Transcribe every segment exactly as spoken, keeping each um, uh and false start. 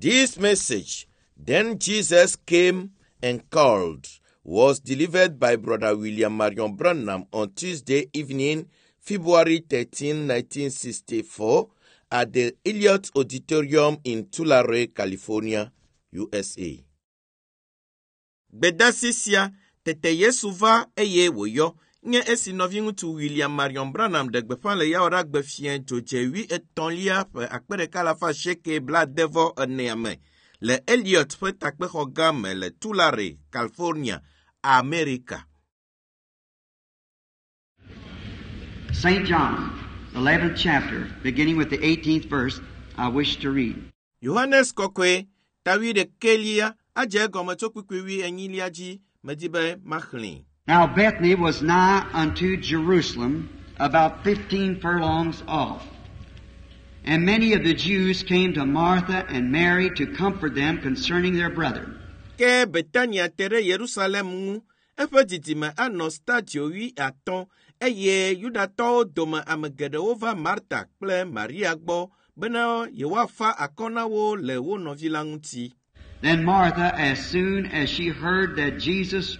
This message, Then Jesus Came and Called, was delivered by Brother William Marion Branham on Tuesday evening, February thirteenth, nineteen sixty-four, at the Elliott Auditorium in Tulare, California, U S A. Gbedasi sia tete Yesu va eye wòyɔ nye esi nɔviŋutsu William Marion Branham ɖe gbeƒã le Yawoɖagbe fiẽ dzodze wi etɔ̃lia ƒe akpe ɖeka alafa asieke blaadevɔ enea me le Elliott ƒe takpexɔ gã me le Tulare, California, Amerika. Saint John, eleventh chapter, beginning with the eighteenth verse, I wish to read. Yohanes kɔkɔe, tawi ɖekɛlia, adze egɔme tso kpukpui wi enyilia dzi, medi be maxlẽe. Now Bethany was nigh unto Jerusalem, about fifteen furlongs off. And many of the Jews came to Martha and Mary to comfort them concerning their brother. Ke Betania te ɖe Yerusalem ŋu, eƒe didime anɔ stadio wi atɔ̃, eye Yudatɔwo dome ame geɖewo va Marta kple Maria gbɔ bena yewoafa akɔ na wo le wo nɔvi la ŋuti. Then Martha, as soon as she heard that Jesus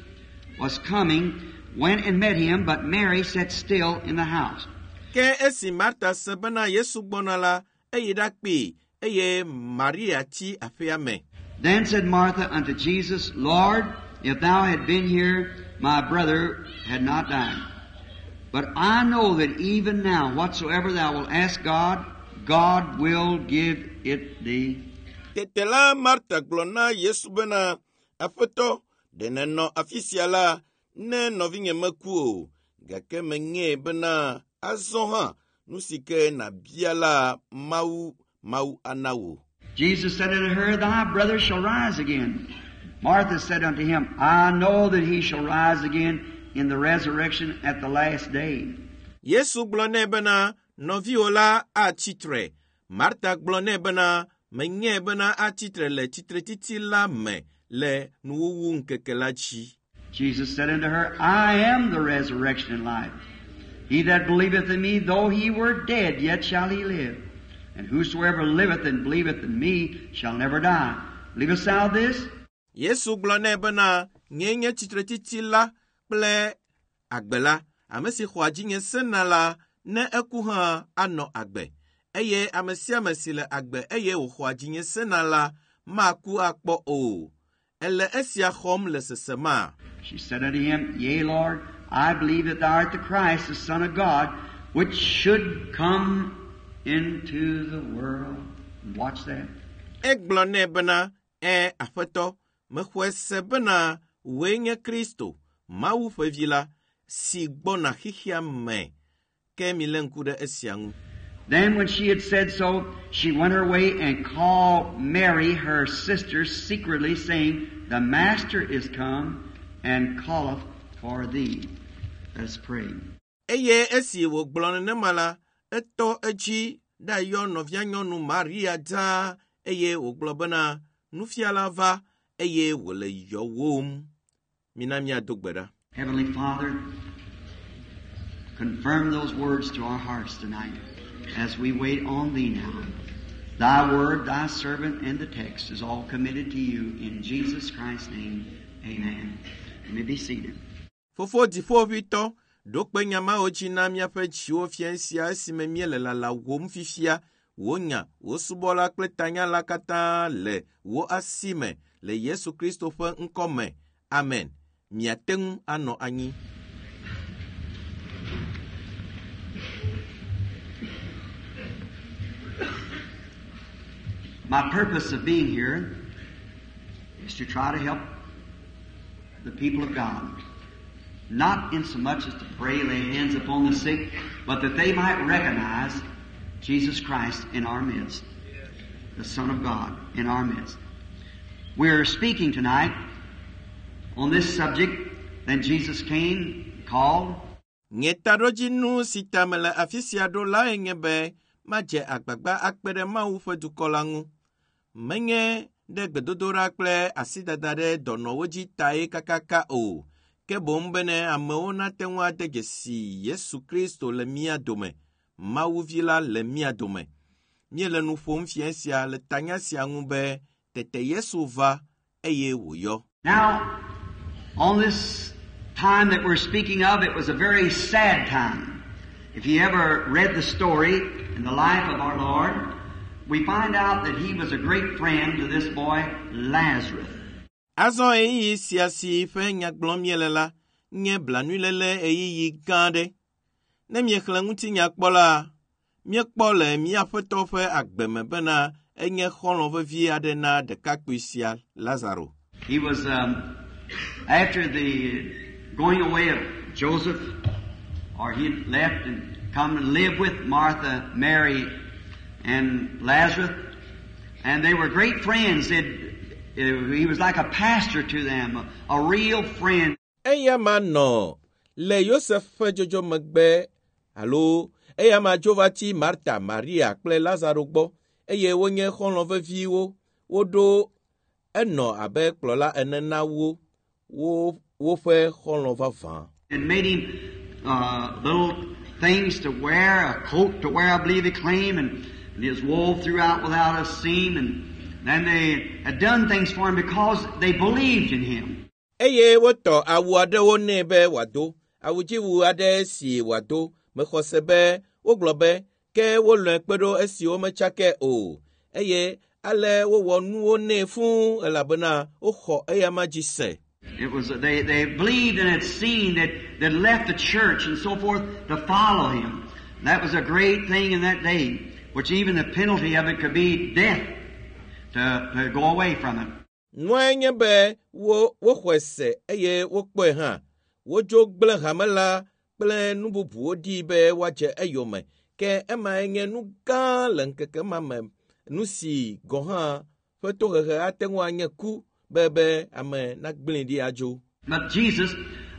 was coming, went and met him, but Mary sat still in the house. Ke esi Marta se bena Yesu gbɔna la, eyi ɖakpee, eye Maria tsi aƒea me. Then said Martha unto Jesus, Lord, if thou had been here, my brother had not died. But I know that even now, whatsoever thou wilt ask God, God will give it thee. Tete la Marta gblɔ na Yesu bena, Aƒetɔ, ɖe nènɔ afi sia la, ne nɔvinye meku o, gake menyae bena azɔ hã nu si ke nàbia la, Mawu, Mawu ana wò. Jesus said unto her, Thy brother shall rise again. Martha said unto him, I know that he shall rise again in the resurrection at the last day. Yesu gblɔ nɛ bena, Nɔviwò la atsi tre. Marta gblɔ nɛ bena, Menyae bena atsi tre le tsitretsitsi la me le nuwuwu ŋkeke la dzi. Jesus said unto her, I am the resurrection and life. He that believeth in me, though he were dead, yet shall he live. And whosoever liveth and believeth in me shall never die. Believest thou this? Yesu gblɔ nɛ bena, Nyee nye tsitretsitsi la kple agbe la. Ame si xɔa dzinye sena la, ne eku hã anɔ agbe. Eye ame sia ame si le agbe eye wòxɔa dzinye sena la, maku akpɔ o. Ele esia xɔm le sesema. She said unto him, Yea, Lord, I believe that thou art the Christ, the Son of God, which should come into the world. Watch that. Egblɔ nɛ bena, Ẽ, Aƒetɔ, mexɔe se bena wòe nye Kristo, Mawu ƒe vi la, si gbɔna xexea me. Ke milé ŋku ɖe esia ŋu. Then when she had said so, she went her way and called Mary, her sister, secretly, saying, The Master is come and calleth for thee. Let us pray. Eye esi wògblɔ nenema la, etɔ edzi ɖayɔ nɔvia nyɔnu Maria dzaa eye wògblɔ bena, Nufiala va eye wòle yɔwòm. Mina míado gbe ɖa. Heavenly Father, confirm those words to our hearts tonight as we wait on Thee now. Thy word, Thy servant, and the text is all committed to You in Jesus Christ's name. Amen. You may be seated. Fofo dziƒoʋĩtɔ, ɖo kpe nya mawo dzi na míaƒe dziwo fiẽ sia esime míele lalawòm fifia. Wò nya, wò subɔla kple tanya la katã le wò asi me le Yesu Kristo ƒe ŋkɔ me. Amen. Miate ŋu anɔ anyi. My purpose of being here is to try to help the people of God. Not in so much as to pray, lay hands upon the sick, but that they might recognize Jesus Christ in our midst, the Son of God in our midst. We're speaking tonight on this subject. Then Jesus came, called. Nye taɖodzinu si ta mele afi sia ɖo lae nye be madze agbagba akpe ɖe Mawu ƒe dukɔ la ŋu. Menye ɖe gbedodoɖa kple asidada ɖe dɔnɔwo dzi tae kakaka o, ke boŋ bene amewo nate ŋu ade dzesi Yesu Kristo le mía dome, Mawu vi la le mía dome. Míele nu ƒom fia sia le tanya sia ŋu be tete Yesu va eye wòyɔ. Now, on this time that we're speaking of, it was a very sad time. If you ever read the story in the life of our Lord, we find out that he was a great friend to this boy, Lazarus. Azɔ ɣeyiɣi sia si ƒe nya gblɔm míele la nye blanuiléle ɣeyiɣi gã aɖe. Ne miexlẽ ŋutinya kpɔ la, míekpɔ le mía Aƒetɔ ƒe agbe me bena enye xɔlɔ̃ vevi aɖe na ɖekakpui sia Lazaro. He was, um, after the going away of Joseph, or he had left and come and live with Martha, Mary, and Lazarus, and they were great friends. They'd, he was like a pastor to them, a, a real friend. Eya ma nɔ le Yosef ƒe dzodzo megbe alo eya ma dzo va tsi Marta, Maria kple Lazaro gbɔ eye wonye xɔlɔ̃ veviwo. Woɖo enɔ abe kplɔla ene na wo wo woƒe xɔlɔ̃ vavã. And made him uh, little things to wear, a coat to wear, I believe he claimed, and, and his wove throughout without a seam. And then they had done things for him because they believed in him. Eye wotɔ awu aɖewo nɛ be wòado, awudziwu aɖe si wòado. Mexɔ se be wogblɔ be ke wolɔ̃e kpe ɖo esi wometsakɛ o. Eye ale wowɔ nuwo nɛ fũu elabena woxɔ eyama dzi se. It was they, they believed and had seen that that left the church and so forth to follow him. That was a great thing in that day, which even the penalty of it could be death to, to go away from it. Nuae nye be wo woxɔe se eye wokpɔe hã. Wodzo gblẽ hame la kple nu bubuwo ɖi be woadze eyome. Ke emae nye nu gã le ŋkeke ma me. Nu si gɔ̃ hã ƒe tohehe ate ŋu anye ku be be ame nagblẽe ɖi adzo. But Jesus,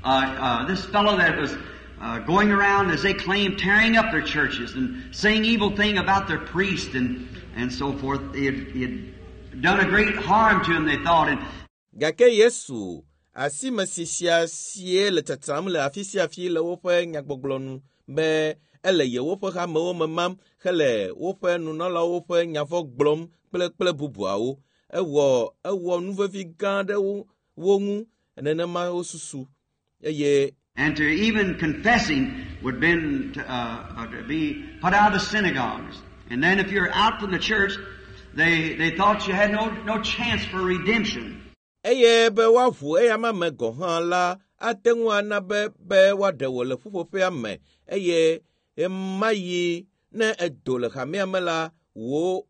uh, uh, this fellow that was uh, going around, as they claimed, tearing up their churches and saying evil thing about their priest and, and so forth, he had, he had done a great harm to them, they thought. And Gake Yesu asimesi sia sie le tsatsam le afi sia afi le woƒe nyagbɔgblɔ nu be ele yewoƒe hamewo me mam hele woƒe nunɔlawo ƒe nyavɔ gblɔm kple kple bubuawo. Ewɔ ewɔ nu vevi gã aɖe wo wo ŋu nenema wosusu eye And to even confess him would been to, uh, uh, to be put out of the synagogues. And then if you're out from the church, they, they thought you had no, no chance for redemption. eye be woaʋu eyama me gɔ̃ hã la ate ŋu ana be be woaɖe wò le ƒuƒoƒea me eye ɣemaɣi ne edo le hamea me la wò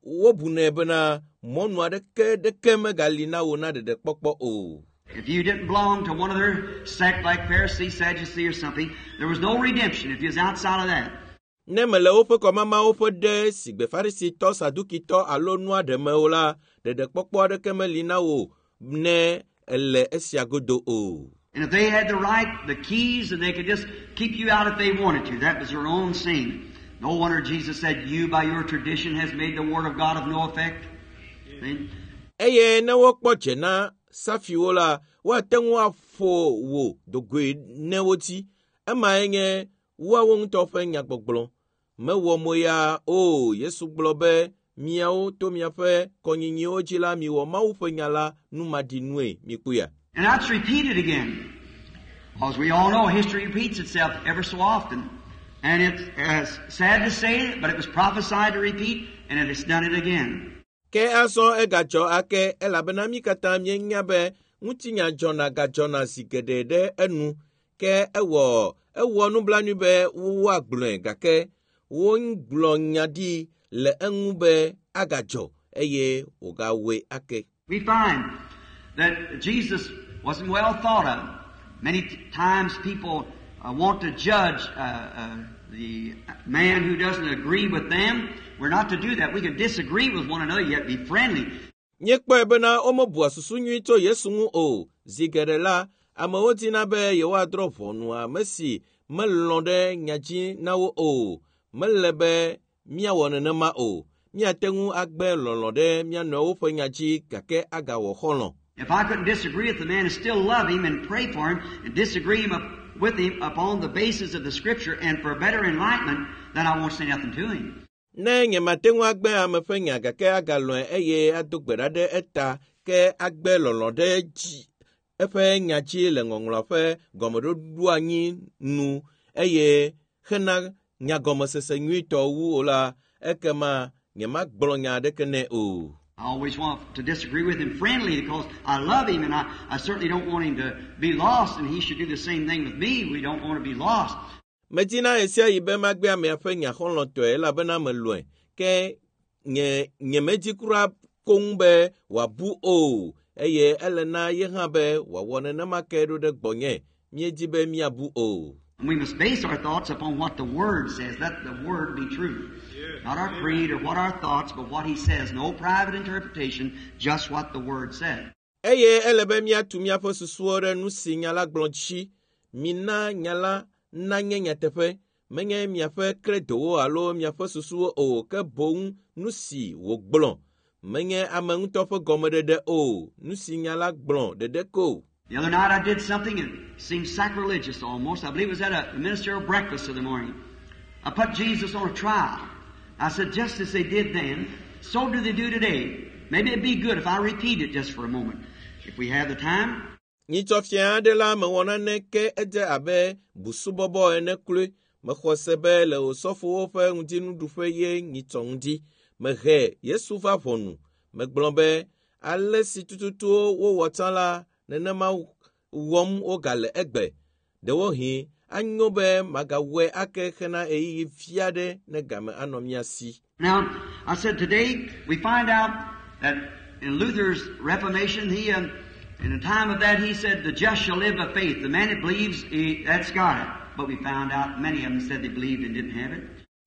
wobunɛ bena mɔnu aɖeke ɖeke megali na wò na ɖeɖekpɔkpɔ o. If you didn't belong to one of their sect like Pharisee, Sadducee, or something, there was no redemption if you was outside of that. Ne mele woƒe kɔmamawo ƒe ɖe sigbe Farisitɔ, Sadukitɔ alo nua ɖe me o la, ɖeɖekpɔkpɔ aɖeke meli na wò ne ele esia godo o. And if they had the right, the keys, and they could just keep you out if they wanted to. That was their own sin. No wonder Jesus said, you by your tradition has made the word of God of no effect. See? Eye ne wokpɔ dze na safiwo la, woate ŋu aƒo wò dogoe ne wodzi. Emae nye woawo ŋutɔ ƒe nyagbɔgblɔ. Mewɔ moya o. Yesu gblɔ be miawo to miaƒe kɔnyinyiwo dzi la miwɔ Mawu ƒe nya la numaɖinue mikpɔea. And that's repeated again. Because we all know history repeats itself ever so often. And it's uh, sad to say it, but it was prophesied to repeat, and it has done it again. Ke azɔ egadzɔ ake elabena mí katã míenya be ŋutinya dzɔna gadzɔna zi geɖe ɖe enu. Ke ewɔ ewɔ nublanui be woagblɔe gake wogblɔ nya ɖi le eŋu be agadzɔ eye wògawɔe ake. We find that Jesus wasn't well thought of. Many t- times people uh, want to judge uh, uh, the man who doesn't agree with them. We're not to do that. We can disagree with one another yet be friendly. Míekpɔe bena womebua susu nyui tso Yesu ŋu o. Zi geɖe la, amewo dina be yewoadrɔ̃ ʋɔnu ame si melɔ̃ ɖe nya dzi na wo o. Mele be míawɔ nenema o. Míate ŋu agbe lɔlɔ̃ ɖe mía nɔewo ƒe nya dzi gake agawɔ xɔlɔ̃. If I couldn't disagree with the man and still love him and pray for him and disagree him up with him upon the basis of the Scripture and for better enlightenment, then I won't say nothing to him. Ne nyemate ŋu agbe ame ƒe nya gake agalɔ̃e eye ado gbe ɖa ɖe eta ke agbe lɔlɔ̃ ɖe dzi eƒe nya dzi le ŋɔŋlɔa ƒe gɔmeɖoɖoanyi nu eye hena nyagɔmesese nyuitɔ wu o la, ekema nyemagblɔ nya aɖeke nɛ o. I always want to disagree with him friendly because I love him and I, I certainly don't want him to be lost, and he should do the same thing with me. We don't want to be lost. Medina ɣe sia ɣi be magbe amea ƒe nya xɔlɔ̃tɔe elabena melɔ̃e ke nye nyemedi kura koŋ be wòabu o eye ele na ye hã be wòawɔ nenema ke ɖo ɖe gbɔnye míedi be míabu o. And we must base our thoughts upon what the Word says. Let the Word be true. Not our creed or what our thoughts, but what He says. No private interpretation, just what the Word says. Eye ele be míatu míaƒe susuwo ɖe nu si nya la gblɔ dzi. Mina nya la nanye nyateƒe, menye miaƒe kredowo alo miaƒe susuwo o, ke boŋ nu si wògblɔ. Menye ame ŋutɔ ƒe gɔmeɖeɖe o, nu si nya la gblɔ ɖeɖe ko. The other night I did something that seemed sacrilegious almost. I believe it was at a ministerial breakfast of the morning. I put Jesus on a trial. I said, just as they did then, so do they do today. Maybe it'd be good if I repeat it just for a moment. If we have the time. Nyitsɔ fia aɖe la mewɔ nane ke edze abe busubɔbɔ ene kloe. Mexɔ se be le osɔfowo ƒe ŋutinuɖuƒe ye nyitsɔ ŋdi. Mehe Yesu va ʋɔnu. Megblɔ be ale si tututu wowɔ tsã la, nenema wɔm wogale egbe. Ɖewohĩ anyo be magawɔe ake hena ɣeyiɣi vi aɖe ne game anɔ mía si. Now, I said today we find out that in Luther's Reformation, he, um, in the time of that, he said, the just shall live by faith. The man that believes, he, that's got it. But we found out many of them said they believed and didn't have it.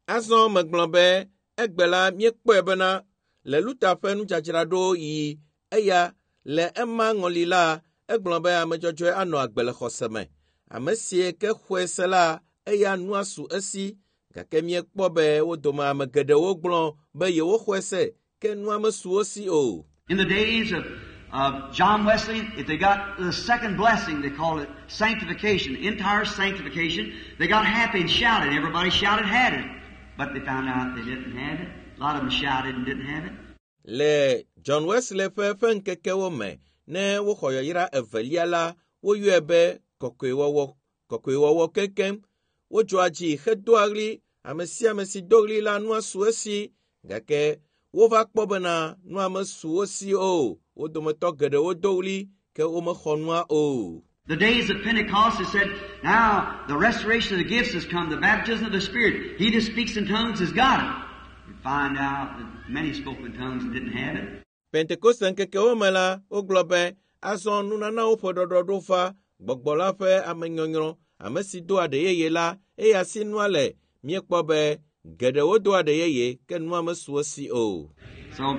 Azɔ megblɔ be egbe la míekpɔe bena le Luther ƒe nudzadzraɖo yi eya le ema ŋɔli la egblɔ be ame dzɔdzɔe anɔ agbe le xɔse me. Ame si ke xɔe se la eya nua su esi gake míekpɔ be wo dome ame geɖewo gblɔ be yewoxɔe se ke nua mesu wo si o. In the days of, of John Wesley, if they got the second blessing, they called it sanctification, entire sanctification. They got happy and shouted. Everybody shouted, had it. But they found out they didn't have it. A lot of them shouted and didn't have it. Le John Wesley ƒe ƒe ŋkekewo me, ne woxɔ yayra evelia la, woyɔe be kɔkɔewɔwɔ, kɔkɔewɔwɔ keŋkeŋ. Wodzɔa dzi hedoa ɣli, ame sia ame si do ɣli la nua su esi, gake wova kpɔ bena nua mesu wo si o. Wo dometɔ geɖewo do ɣli ke womexɔ nua o. The days of Pentecost, it said, now the restoration of the gifts has come, the baptism of the Spirit. He that speaks in tongues has got it. We find out that many spoke in tongues and didn't have it. Pentekoste ŋkekewo me la, wogblɔ be azɔ nunanawo ƒe ɖɔɖɔɖo va gbɔgbɔ la ƒe amenyɔnyrɔ, ame si do aɖe yeye la, eya si nua le. Míekpɔ be geɖewo do aɖe yeye ke nua mesu wo si o. So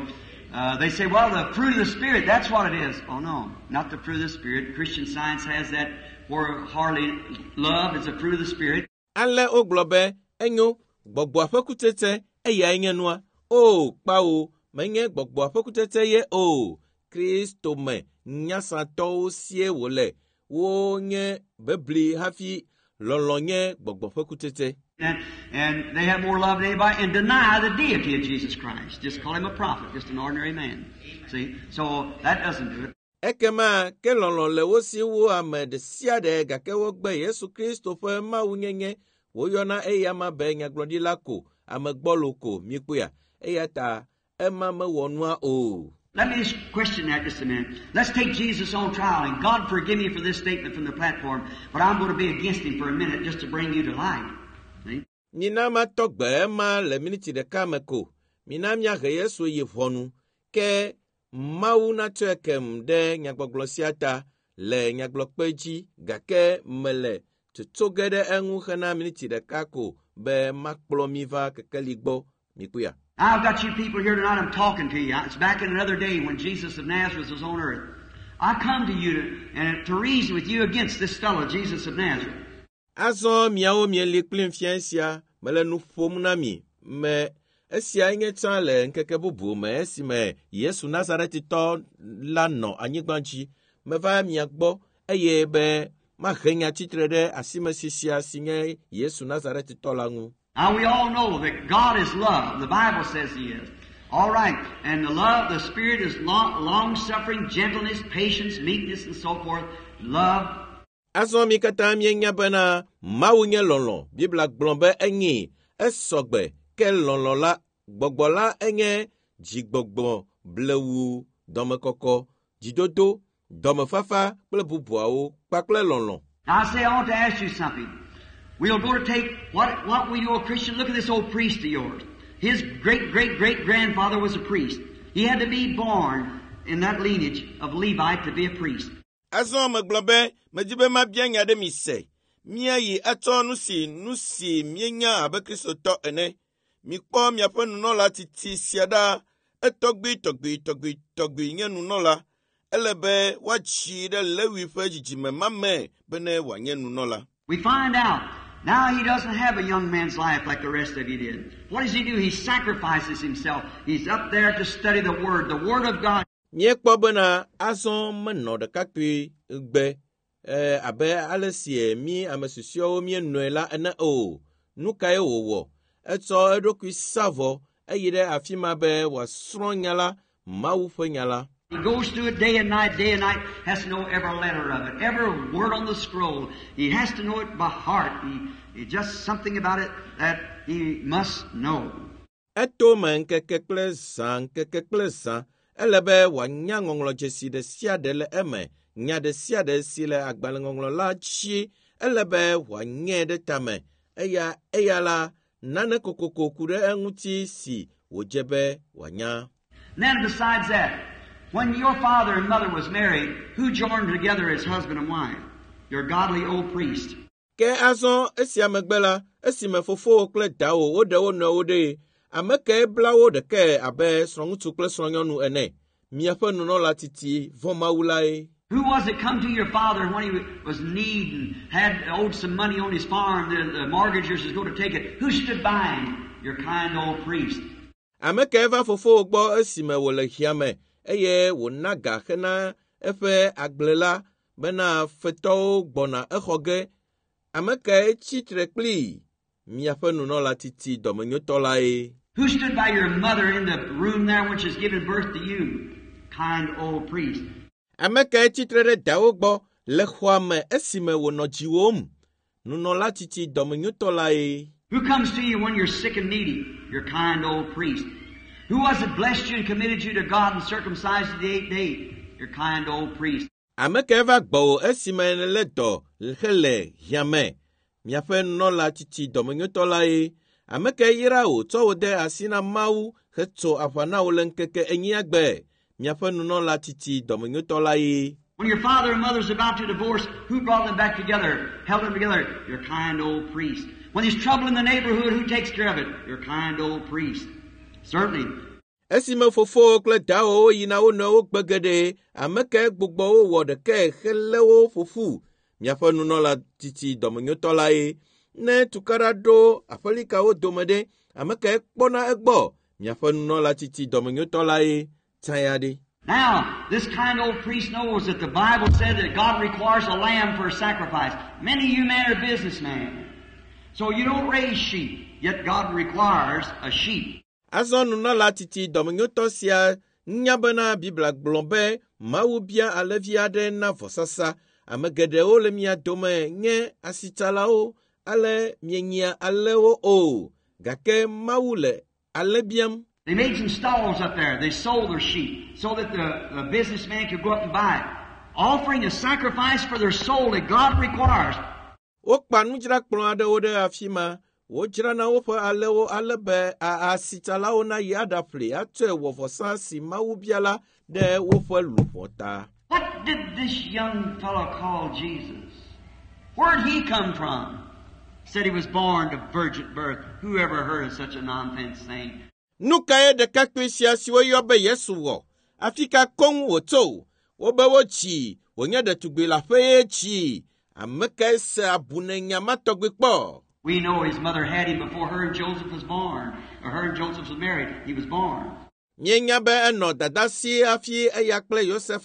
uh, they say, well, the fruit of the Spirit, that's what it is. Oh, no, not the fruit of the Spirit. Christian Science has that where hardly love is a fruit of the Spirit. Ale wogblɔ be enyo gbɔgbɔa ƒe kutsetse eyae nye nua. O kpawo menye gbɔgbɔa ƒe kutsetse ye o. Kristo me nyasatɔwo sie wòle. Wonye bebli hafi lɔlɔ̃ nye gbɔgbɔ ƒe kutsetse. And, and they have more love than anybody and deny the deity of Jesus Christ. Just call him a prophet, just an ordinary man. See? So that doesn't do it. Ekema ke lɔlɔ̃ le wo si wu ame ɖe sia ɖe gake wogbe Yesu Kristo ƒe mawunyenye. Woyɔna eyama be nyagblɔɖila ko, ame gbɔlo ko míekpɔea. Eya ta ema mewɔ nua o. Let me just question that just a minute. Let's take Jesus on trial, and God forgive me for this statement from the platform, but I'm going to be against him for a minute just to bring you to light. See? Mina matɔ gbe ema le miniti ɖeka me ko. Mina míahe Yesu yi ʋɔnu. Ke Mawu natsɔe kem ɖe nyagbɔgblɔ sia ta le nyagblɔkpe dzi gake mele tsotso ge ɖe eŋu hena miniti ɖeka ko be makplɔ mi va kekeli gbɔ. Mikpɔea. I've got you people here tonight, I'm talking to you. It's back in another day when Jesus of Nazareth was on earth. I come to you to, and to reason with you against this fellow, Jesus of Nazareth. Azɔ miawo mieli kplim fia sia mele nu ƒom na mi me esiae nye tsã le ŋkeke bubu me esime Yesu Nazaretitɔ la nɔ anyigba dzi. Meva mia gbɔ eye be mahe nya tsitre ɖe asimesi sia si nye Yesu Nazaretitɔ la ŋu. Now we all know that God is love. The Bible says He is. All right. And the love, the Spirit is long, long suffering, gentleness, patience, meekness, and so forth. Love. Azɔ mi katã míenya bena Mawu nye lɔlɔ̃. Biblia gblɔ be enyi esɔgbe ke lɔlɔ̃ la gbɔgbɔ la enye dzigbɔgbɔ blewu dɔmekɔkɔ dzidodo dɔmefafa kple bubuawo kpakple lɔlɔ̃. Now I say I want to ask you something. We'll go to take what, what we do a Christian. Look at this old priest of yours. His great great great grandfather was a priest. He had to be born in that lineage of Levite to be a priest. Azɔ megblɔ be medzi be mabia nya ɖe mi se. Míayi atsɔ nu si nu si míenya abe kristotɔ ene. Mikpɔ miaƒe nunɔla titi sia ɖa. Etɔgbui tɔgbui tɔgbui tɔgbui nye nunɔla. Ele be woatsi ɖe Lewi ƒe dzidzime ma me bene wòanye nunɔla. We find out now he doesn't have a young man's life like the rest of you did. What does he do? He sacrifices himself. He's up there to study the Word, the Word of God. Míekpɔ bena azɔ menɔ ɖekakpui gbe e, abe ale si mí ame susɔewo míenɔe la ene o. Nu kae wòwɔ? Etsɔ eɖokui sa vɔ eyi ɖe afi ma be wòasrɔ̃ nya la, Mawu ƒe nya la. He goes through it day and night, day and night, has to know every letter of it, every word on the scroll. He has to know it by heart. He, he just something about it that he must know. Eto me ŋkeke kple zã, ŋkeke kple zã. Ele be wòanya ŋɔŋlɔdzesi ɖe sia ɖe le eme, nya ɖe sia ɖe si le agbalẽŋɔŋlɔ la dzi. Ele be wòanyae ɖe tame. Eya eya la, nane kokoko ku ɖe eŋuti si wòdze be wòanya. And then besides that, when your father and mother was married, who joined together as husband and wife? Your godly old priest. Ke azɔ esia megbe la, esime fofowò kple dawò woɖe wo nɔewo ɖe, ame kae bla wo ɖekae abe srɔ̃ŋutsu kple srɔ̃nyɔnu ene? Miaƒe nunɔla titi vɔ̃ Mawu lae. Who was it come to your father when he was need and had owed some money on his farm, the, the mortgagers was going to take it? Who stood by him? Your kind old priest. Ame kae va fofowò gbɔ esime wòle hiã me eye wòna ga hena eƒe agble la bena fetɔwo gbɔna exɔ ge? Ame kae tsi tre kplii? Miaƒe nunɔla titi dɔmenyotɔ lae. Who stood by your mother in the room there when she was giving birth to you? Kind old priest. Ame kae tsi tre ɖe dawò gbɔ le xɔa me esime wònɔ dziwòm? Nunɔla titi dɔmenyotɔ lae. Who comes to you when you're sick and needy? Your kind old priest. Who was it blessed you and committed you to God and circumcised you the eighth day? Your kind old priest. Ame kae va gbɔwò esime nèlé dɔ hele hiã me? Miaƒe nunɔla titi dɔmenyotɔ lae. Ame kae yra wò tsɔ wò de asi na Mawu hetso aʋa na wò le ŋkeke enyia gbe? Miaƒe nunɔla titi dɔmenyotɔ lae. When your father and mother's about to divorce, who brought them back together, held them together? Your kind old priest. When there's trouble in the neighborhood, who takes care of it? Your kind old priest. Certainly. Esime fofowò kple dawòwo yina wo nɔewo gbe geɖe, ame kae gbugbɔ wo wɔ ɖekae helé wo ƒo ƒu? Miaƒe nunɔla titi dɔmenyotɔ lae. Ne tukaɖa ɖo aƒelikawo dome ɖe, ame kae kpɔna egbɔ? Miaƒe nunɔla titi dɔmenyotɔ lae. Tsã ɖe. Now, this kind old priest knows that the Bible said that God requires a lamb for a sacrifice. Many of you men are businessmen. So you don't raise sheep, yet God requires a sheep. Azɔ nunɔla titi dɔmenyotɔ sia nya bena Biblia gblɔ be Mawu bia alẽvi aɖe na vɔsasa. Ame geɖewo le mia dome nye asitsalawo ale mienyia alẽwo o. Gake Mawu le alẽ biam. They made some stalls up there. They sold their sheep so that the, the businessman could go up and buy it. Offering a sacrifice for their soul that God requires. Wokpa nudzrakplɔ aɖewo ɖe afi ma. Wodzrana woƒe alẽwo ale be asitsalawo nayi aɖaƒli atsɔe wɔ vɔsa si Mawu bia la ɖe woƒe luʋɔ ta. What did this young fellow call Jesus? Where'd he come from? Said he was born of virgin birth. Who ever heard of such a nonsense thing? Nu kae ɖekakpui sia si woyɔ be Yesu wɔ? Afi ka koŋ wòtso? Wobe wotsi, wònye ɖetugbi leaƒe ye tsi. Ame kae se abunenya ma tɔgbi kpɔ? We know his mother had him before her and Joseph was born, or her and Joseph was married. He was born. Míenya be enɔ dada si hafi eya kple Yosef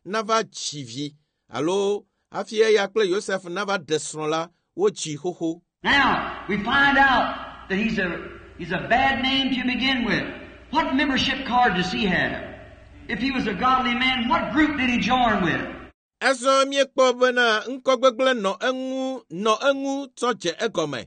nava dzi vi alo hafi eya kple Yosef nava ɖe srɔ̃ la, wodzi xoxo. Now, we find out that he's a, he's a bad name to begin with. What membership card does he have? If he was a godly man, what group did he join with? Azɔ míekpɔ bena ŋkɔ gbegblẽ nɔ eŋu nɔ eŋu tsɔ dze egɔme.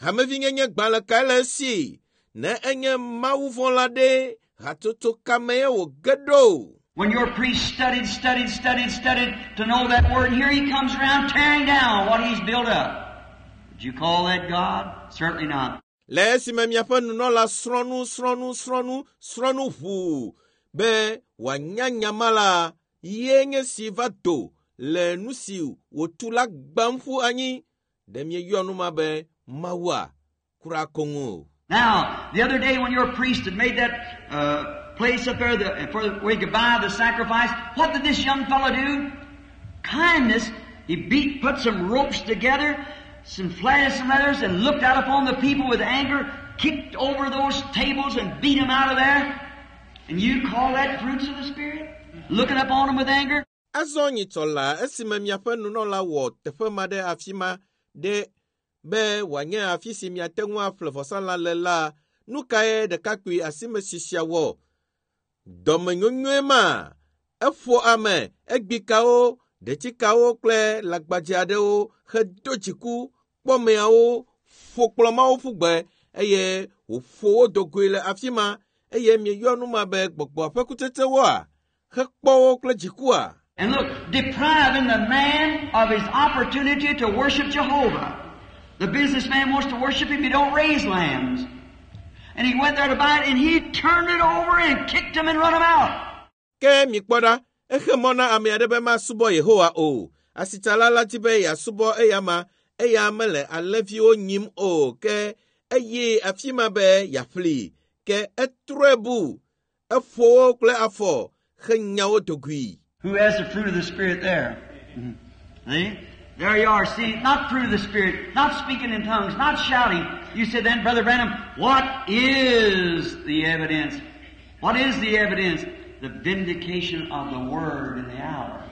Hamevinyenye gbalẽ kae le esi? Ne enye mawuvɔ̃la ɖe, hatsotso ka mee wòge ɖo? When your priest studied, studied, studied, studied to know that word, and here he comes around tearing down what he's built up. Would you call that God? Certainly not. Le esime miaƒe nunɔla srɔ̃ nu, srɔ̃ nu, srɔ̃ nu, srɔ̃ nu ʋuu be wòanya nya ma la, ye nye si va do le nu si wòtu la gbam ƒu anyi. Ɖe mieyɔ nu ma be Mawua? Kura koŋ o. Now, the other day when your priest had made that uh, place up there the, for where he could buy the sacrifice, what did this young fellow do? Kindness. He beat, put some ropes together, some flatted some leathers, and looked out upon the people with anger, kicked over those tables and beat them out of there. And you call that fruits of the Spirit? Looking upon them with anger? Azɔ nyitsɔ la esime miaƒe nunɔla wɔ teƒe ma ɖe afi ma ɖe be wòanye afi si miate ŋu aƒle vɔsalã le la, nu kae ɖekakpui asimesi sia wɔ? Dɔmenyonyoe ma, eƒo ame, egbikawo, ɖetsikawo kple lãgbadze aɖewo hedo dziku kpɔmeawo, ƒo kplɔ̃mawo ƒu gbe eye wòƒo wo do goe le afi ma eye mieyɔ nu ma be gbɔgbɔa ƒe kutsetsewoa? Hekpɔ wo kple dzikua? And look, depriving the man of his opportunity to worship Jehovah. The businessman wants to worship him, he don't raise lambs. And he went there to buy it, and he turned it over and kicked him and run him out. Ke mikpɔ ɖa, exe mɔ na ame aɖe be masubɔ Yehowa o. Asitsala la di be yeasubɔ eyama, eya mele alẽviwo nyim o, ke eye afi ma be yeaƒli. Ke etrɔe bu, eƒo wo kple afɔ henya wo do goe. Who has the fruit of the Spirit there? See? There you are. See, not fruit of the Spirit, not speaking in tongues, not shouting. You said then, Brother Branham, what is the evidence? What is the evidence? The vindication of the Word in the hour.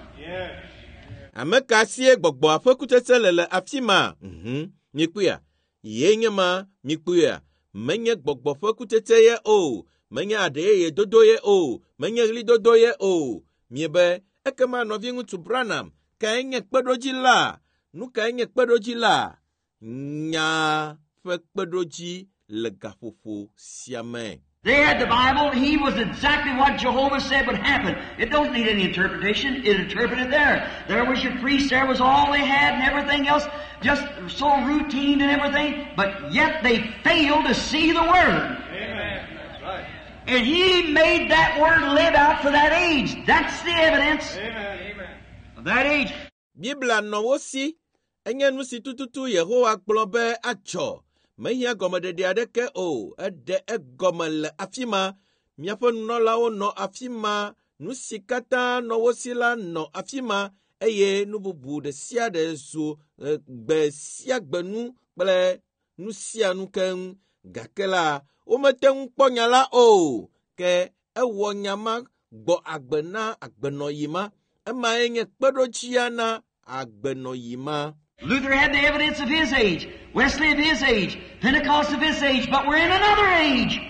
Ame ka sie gbɔgbɔa ƒe kutsetse le le afi ma? Mhm, mikpɔea? Ye nye ma, mikpɔea? Menye gbɔgbɔ ƒe kutsetse ye o, menye aɖe yeye dodo ye o, menye ɣlidodo ye o. Miebe, ekema nɔviŋutsu Branham, kae nye kpeɖodzi la? Nu kae nye kpeɖodzi la? Nya ƒe kpeɖodzi le gaƒoƒo sia me. They had the Bible. He was exactly what Jehovah said would happen. It don't need any interpretation. It interpreted there. There was your priest. There was all they had and everything else. Just so routine and everything. But yet they failed to see the Word. Amen. That's right. And He made that Word live out for that age. That's the evidence Amen. Amen. of that age. Biblia nɔ wo si. Enye nu si tututu Yehowa gblɔ be adzɔ. Mehiã gɔmeɖeɖe aɖeke o. Eɖe egɔme le afi ma. Miaƒe nunɔlawo nɔ afi ma. Nu si katã nɔ wo si la nɔ afi ma eye nu bubu ɖe sia ɖe zu eh, gbe sia gbe nu kple nu sia nu keŋ. Gake la, womete ŋu kpɔ nya la o. Ke ewɔ nya ma gbɔ agbe na agbenɔyi ma. Emae nye kpeɖodzia na agbenɔyi ma. Luther had the evidence of his age, Wesley of his age, Pentecost of his age, but we're in another age.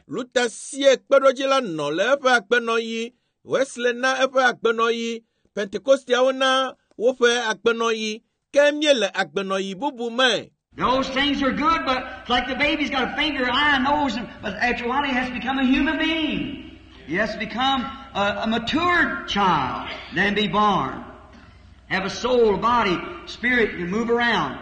Luther sie kpeɖodzi la nɔ le eƒe agbenɔɣi, Wesley na eƒe agbenɔɣi, Pentekosteawo na woƒe agbenɔɣi, ke míele agbenɔɣi bubu me. Those things are good, but it's like the baby's got a finger, eye, nose, and, but after a while he has to become a human being. He has to become a, a matured child, then be born. Have a soul, a body, spirit, and move around.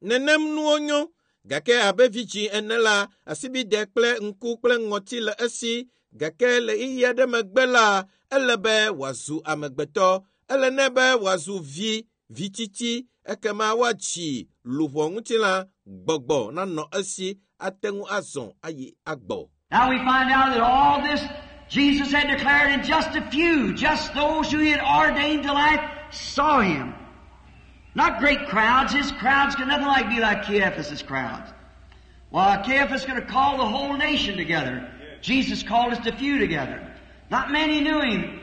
Nenem nuwo nyo, gake abe vidzĩ ene la, asibide kple ŋku kple ŋɔti le esi, gake le ɣeyiɣi aɖe megbe la, ele be wòazu amegbetɔ, ele nɛ be wòazu vi, vitsitsi, ekema woatsi luʋɔ ŋutilã, gbɔgbɔ nanɔ esi, ate ŋu azɔ ayi agbɔ. Now we find out that all this Jesus had declared in just a few, just those who he had ordained to life saw him. Not great crowds. His crowds could nothing like be like Caiaphas' crowds. Well, Caiaphas could have called the whole nation together. Jesus called just a few together. Not many knew him.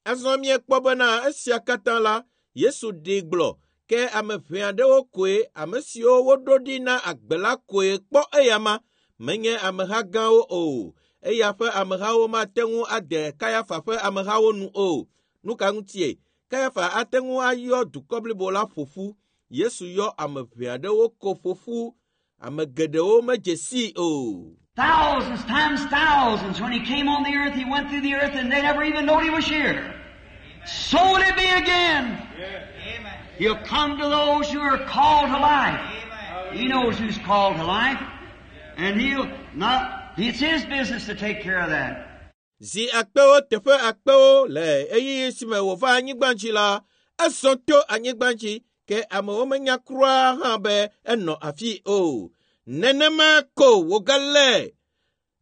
Azɔ míekpɔ bena esia katã la, Yesu ɖee gblɔ, Ke ame ʋɛ aɖewo koe ame siwo woɖo ɖi na agbe la koe kpɔ eyama, menye ameha gãwo o. Eya ƒe amehawo mate ŋu ade Kayafa ƒe amehawo nu o. Nu ka ŋutie? Kayafa ate ŋu ayɔ dukɔ blibo la ƒo ƒu. Yesu yɔ ame ʋɛ aɖewo ko ƒo ƒu. Ame geɖewo medze sii o. Thousands times thousands. When he came on the earth, he went through the earth and they never even knowed he was here. So will it be again. He'll come to those who are called to life. He knows who's called to life. And he'll not, it's his business to take care of that. Zi akpewo teƒe akpewo le ɣeyiɣi si me wòva anyigba dzi la, ezɔ to anyigba dzi ke amewo menya kura hã be enɔ afi o. Nenema ko wògale.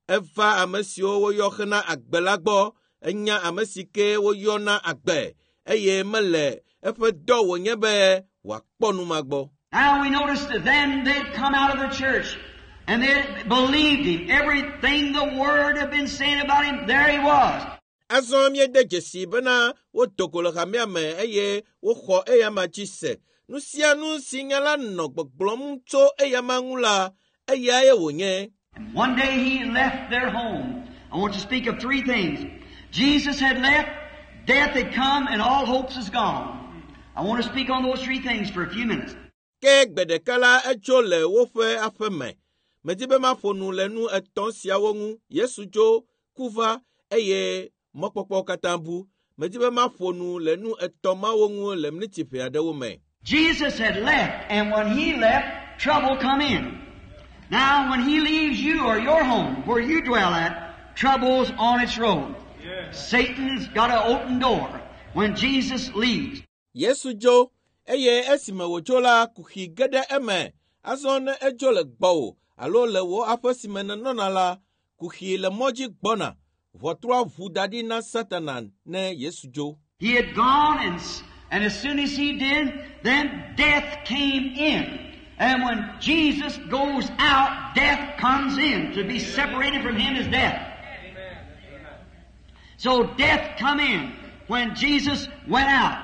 Eva ame siwo woyɔ hena agbe la gbɔ. Enya ame si ke woyɔ na agbe eye mele eƒe dɔ wònye be wòakpɔ nu ma gbɔ. Now we notice that then they'd come out of the church and they believed him. Everything the Word had been saying about him, there he was. Azɔ míede dzesi bena wodo go le hamea me eye woxɔ eyama dzi se. Nu sia nu si nya la nɔ gbɔgblɔm tso eyama ŋu la, eyae wònye. And one day he left their home. I want to speak of three things. Jesus had left, death had come, and all hopes is gone. I want to speak on those three things for a few minutes. Ke gbe ɖeka la etso le woƒe aƒe me. Medi be maƒo nu le nu etɔ̃ siawo ŋu. Yesu dzo, ku va eye mɔkpɔkpɔ katã bu. Medi be maƒo nu le nu etɔ̃ mawo ŋu le miniti ʋɛ aɖewo me. Jesus had left, and when he left, trouble come in. Now, when he leaves you or your home, where you dwell at, trouble's on its road. Satan's got an open door when Jesus leaves. Yesu dzo eye esime wòdzo la, kuxi ge ɖe eme. Azɔ ne edzo le gbɔwò alo le wò aƒe si me nènɔna la, kuxi le mɔ dzi gbɔna. Ʋɔtrua ʋu da ɖi na Satana ne Yesu dzo. He had gone, and, and as soon as he did, then death came in. And when Jesus goes out, death comes in. To be separated from him is death. So death come in when Jesus went out.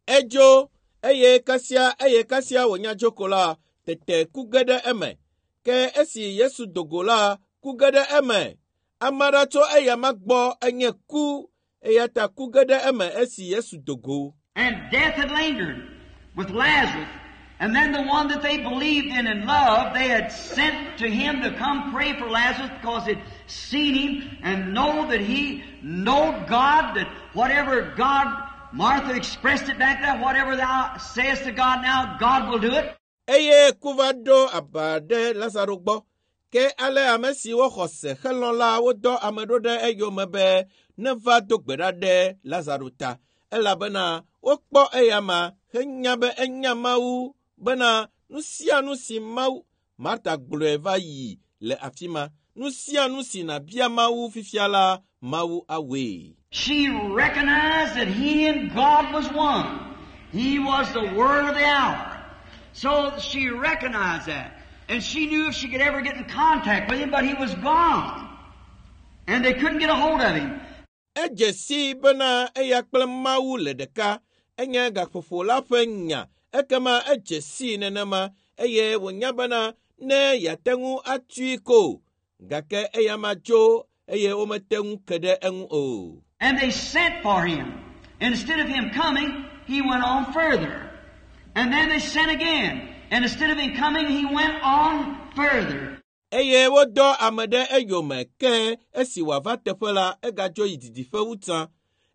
Edzo eye kasia eye kasia wònya dzo ko la, tete ku ge ɖe eme. Ke esi Yesu do go la, ku ge ɖe eme. Ame aɖe tso eyama gbɔ enye ku eya ta ku ge ɖe eme esi Yesu do go. And death had lingered with Lazarus. And then the one that they believed in and loved, they had sent to him to come pray for Lazarus because they'd seen him and know that he knowed God, that whatever God, Martha expressed it back there, whatever thou sayest to God now, God will do it. Eye ku va ɖo aba ɖe Lazaro gbɔ. Ke ale ame siwo xɔ se helɔ̃ la wodɔ ame ɖo ɖe eyome be neva do gbe ɖa ɖe Lazaro ta elabena wokpɔ eyama henya be enya Mawu bena nu sia nu si Mawu Marta gblɔe va yi le afi ma. Nu sia nu si nàbia Mawu fifia la, Mawu awɔe. She recognized that he and God was one. He was the Word of the hour. So she recognized that. And she knew if she could ever get in contact with him, but he was gone. And they couldn't get a hold of him. Edze sii bena eya kple Mawu le ɖeka. Enye gaƒoƒo la ƒe nya. Ekema edze sii nenema eye wònya bena ne yeate ŋu atui ko. Gake eyama dzo eye womete ŋu ke ɖe eŋu o. And they sent for him. Instead of him coming, he went on further. And then they sent again. And instead of him coming, he went on further. Eye wodɔ ame ɖe eyome ke esi wòava teƒe la, egadzo yi didiƒe wu tsã.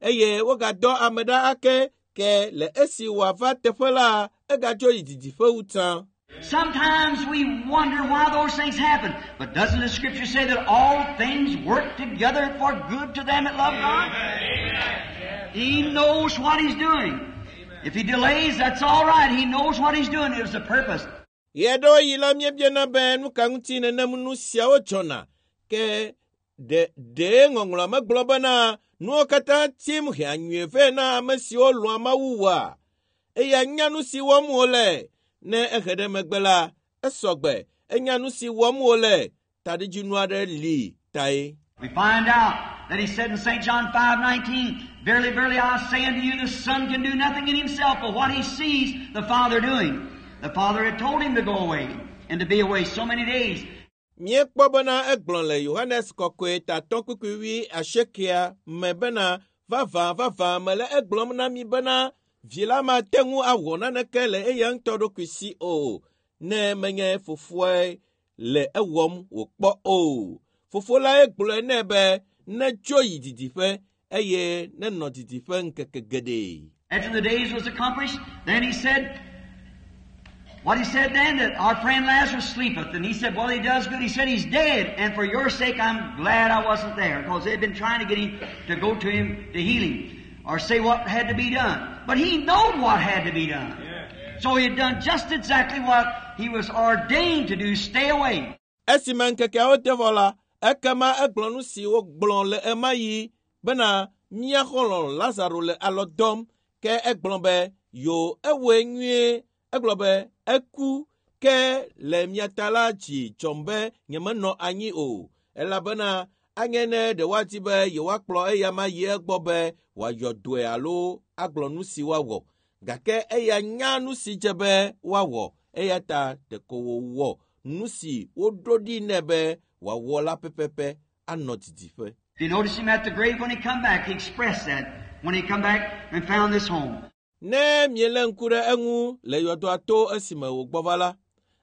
Eye wogadɔ ame ɖa ake ke le esi wòava teƒe la, egadzo yi didiƒe wu tsã. Sometimes we wonder why those things happen. But doesn't the Scripture say that all things work together for good to them that love God? He knows what He's doing. If He delays, that's all right. He knows what He's doing. It was a purpose. Ɣe la míebiana be nu ka ŋuti nenem nu siawo dzɔna. Ke ɖe ɖe ŋɔŋlɔa megblɔ bena nuwo katã tim hea nyuie vɛ na ame siwo lɔ̃a Mawu woa? Eya nya nu si wɔm wòle. Ne ehe ɖe megbe la, esɔgbe. Enya nu si wɔm wòle. Taɖodzinu aɖe li tae. We find out that He said in St. John five nineteen, Verily, verily, I say unto you, the Son can do nothing in himself but what he sees the Father doing. The Father had told him to go away and to be away so many days. Míekpɔ bena egblɔ le Yohanes kɔkɔe tatɔ kpukpui wi asiekea me bena vavã vavã mele egblɔm na mi bena vi la mate ŋu awɔ naneke le eya ŋutɔ ɖokui si o ne menye fofoae le ewɔm wòkpɔ o. Fofo lae gblɔe nɛ be netso yi didiƒe eye nenɔ didiƒe ŋkeke geɖe. After the days was accomplished, then he said, what he said then, that our friend Lazarus sleepeth. And he said, well, he does good. He said, he's dead. And for your sake, I'm glad I wasn't there. Because they'd been trying to get him to go to him to heal him or say what had to be done. But he knowed what had to be done. So he had done just exactly what he was ordained to do, stay away. Esime ŋkekeawo de vɔ la, ekema egblɔ nu si wogblɔ le ema yi bena mía xɔlɔ̃ Lazaro le alɔ dɔm ke egblɔ be yo ewɔe nyuie egblɔ be eku ke le mia ta la dzi dzɔm be nyemenɔ anyi o elabena anye ne ɖe woadi be yewoakplɔ eya ma yi egbɔ be wòayɔ dɔe alo agblɔ nu si woawɔ gake eya nya nu si dze be woawɔ eya ta ɖeko wòwɔ nu si woɖo ɖi nɛ be wòawɔ la pɛpɛpɛ anɔ didiƒe. If you notice him at the grave when he come back, he expressed that when he come back and found this home. Ne mielé ŋku ɖe eŋu le yɔdoa to esime wògbɔ va la,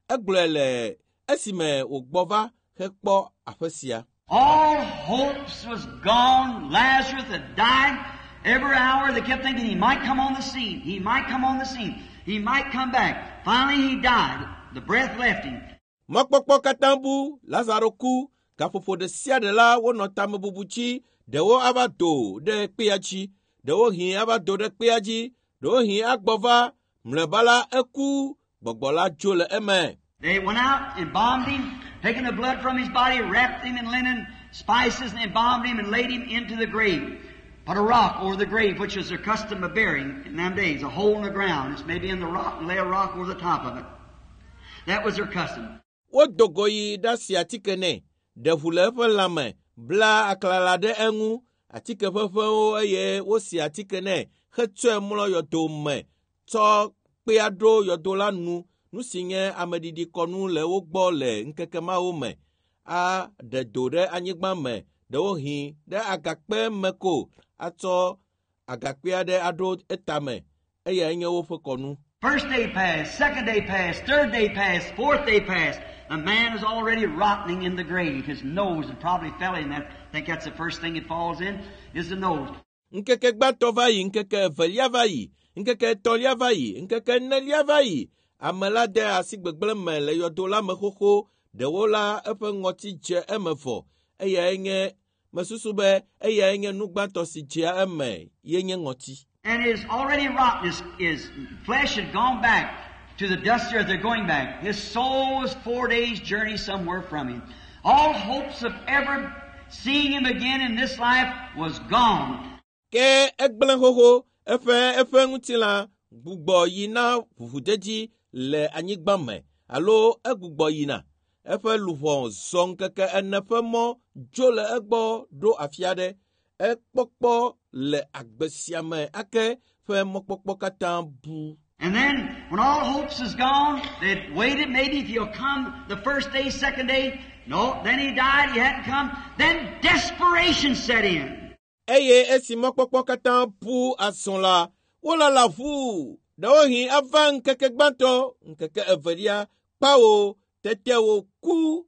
egblɔe le esime wògbɔ va hekpɔ aƒe sia. All hopes was gone. Lazarus had died. Every hour they kept thinking he might come on the scene. He might come on the scene. He might come back. Finally he died. The breath left him. Mɔkpɔkpɔ katã bu, Lazaro ku, gaƒoƒo ɖe sia ɖe la wonɔ tamebubu dzi, ɖewo ava do ɖe kpea dzi, ɖewohĩ ava do ɖe kpea dzi, ɖewohĩ agbɔ va, mlɔeba la eku, gbɔgbɔ la dzo le eme. They went out and embalmed him, taking the blood from his body, wrapped him in linen, spices, and embalmed him and laid him into the grave. Put a rock over the grave, which was their custom of burying in them days, a hole in the ground. It's maybe in the rock and lay a rock over the top of it. That was their custom. Wodo go yi ɖasi atike nɛ, ɖe ʋu le eƒe lãme, bla aklala ɖe eŋu, atike ʋeʋẽwo eye wosi atike nɛ hetsɔe mlɔ yɔdo me, tsɔ kpea ɖo yɔdo la nu, nu si nye ameɖiɖikɔnu le wo gbɔ le ŋkeke mawo me, aɖe do ɖe anyigba me, ɖewohĩ ɖe agakpe me ko, atsɔ agakpe aɖe aɖo etame, eyae nye woƒe kɔnu. First day passed, second day passed, third day passed, fourth day passed. The man is already rotting in the grave. His nose had probably fell in that. I think that's the first thing it falls in, is the nose. Ŋkeke gbãtɔ va yi, ŋkeke evelia va yi, ŋkeke etɔ̃lia va yi, ŋkeke enelia va yi. Ame la de asi gbegblẽ me le yɔdo la me xoxo. Ɖewo la eƒe ŋɔti dze eme vɔ. Eyae nye mesusu be eyae nye nu gbãtɔ si dzea eme ye nye ŋɔti. And it is already rotten. His, his flesh had gone back to the dust earth. They're going back. His soul was four days' journey somewhere from him. All hopes of ever seeing him again in this life was gone. Ke egblẽ xoxo eƒe eƒe ŋutilã gbugbɔ yina ʋuʋudedi le anyigba me alo egbugbɔ yina. Eƒe luʋɔ zɔ ŋkeke ene ƒe mɔ dzo le egbɔ ɖo afi aɖe. Ekpɔkpɔ le agbe sia me ake ƒe mɔkpɔkpɔ katã bu. And then, when all hopes is gone, they'd waited maybe if he'll come the first day, second day. No, then he died, he hadn't come. Then desperation set in. Eye esi mɔkpɔkpɔ katã bu azɔ la, wolala ʋuu. Ɖewohĩ ava ŋkeke gbãtɔ, ŋkeke evelia, kpawo, tete wòku,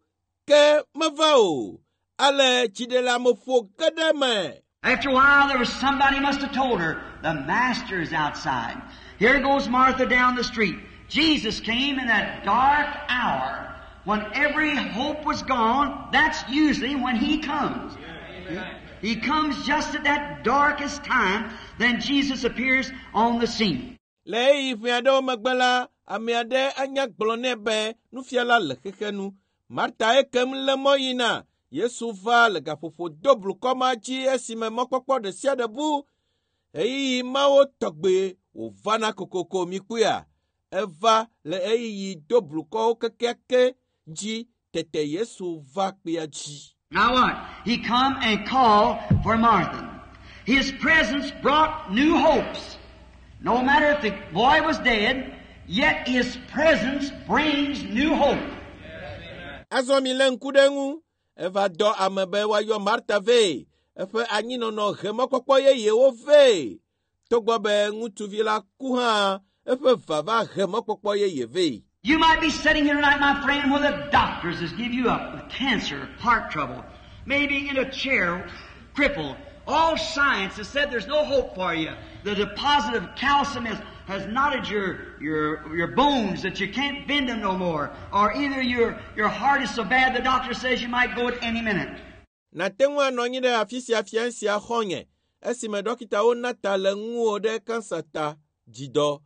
ke meva o. Ale dziɖeleameƒo ge ɖe eme. After a while, there was somebody must have told her, the Master is outside. Here goes Martha down the street. Jesus came in that dark hour when every hope was gone. That's usually when He comes. He comes just at that darkest time. Then Jesus appears on the scene. Le ɣeyiɣi ʋɛ aɖewo megbe la, ame aɖe anya gblɔ nɛ be nufiala le xexe nu. Marta ekem lé mɔ yina. Yesu va le gaƒoƒo do blukɔ ma dzi esime mɔkpɔkpɔ ɖe sia ɖe bu. Ɣeyiɣi mawo tɔgbe wòvana kokoko mi kpɔea. Eva le ɣeyiɣi do blukɔwo kekeake dzi tete Yesu va kpea dzi. Now what? He come and called for Martha. His presence brought new hopes. No matter if the boy was dead, yet His presence brings new hope. Azɔ mi lé ŋku ɖe eŋu. Eva dɔ ame be woayɔ Marta vɛ. Eƒe anyinɔnɔ he mɔkpɔkpɔ yeyewo vɛ. Togbɔ be ŋutsuvi la ku hã, eƒe vava he mɔkpɔkpɔ yeye vɛ. You might be sitting here tonight, my friend, where the doctors has give you up with cancer, heart trouble, maybe in a chair, crippled. All science has said there's no hope for you. The deposit of calcium has, has knotted your, your, your bones that you can't bend them no more. Or either your, your heart is so bad the doctor says you might go at any minute. Nate ŋu anɔ anyi ɖe afi sia fia sia xɔ̃nye esime dɔkitawo na ta le ŋuwò ɖe kansa ta dzidɔ.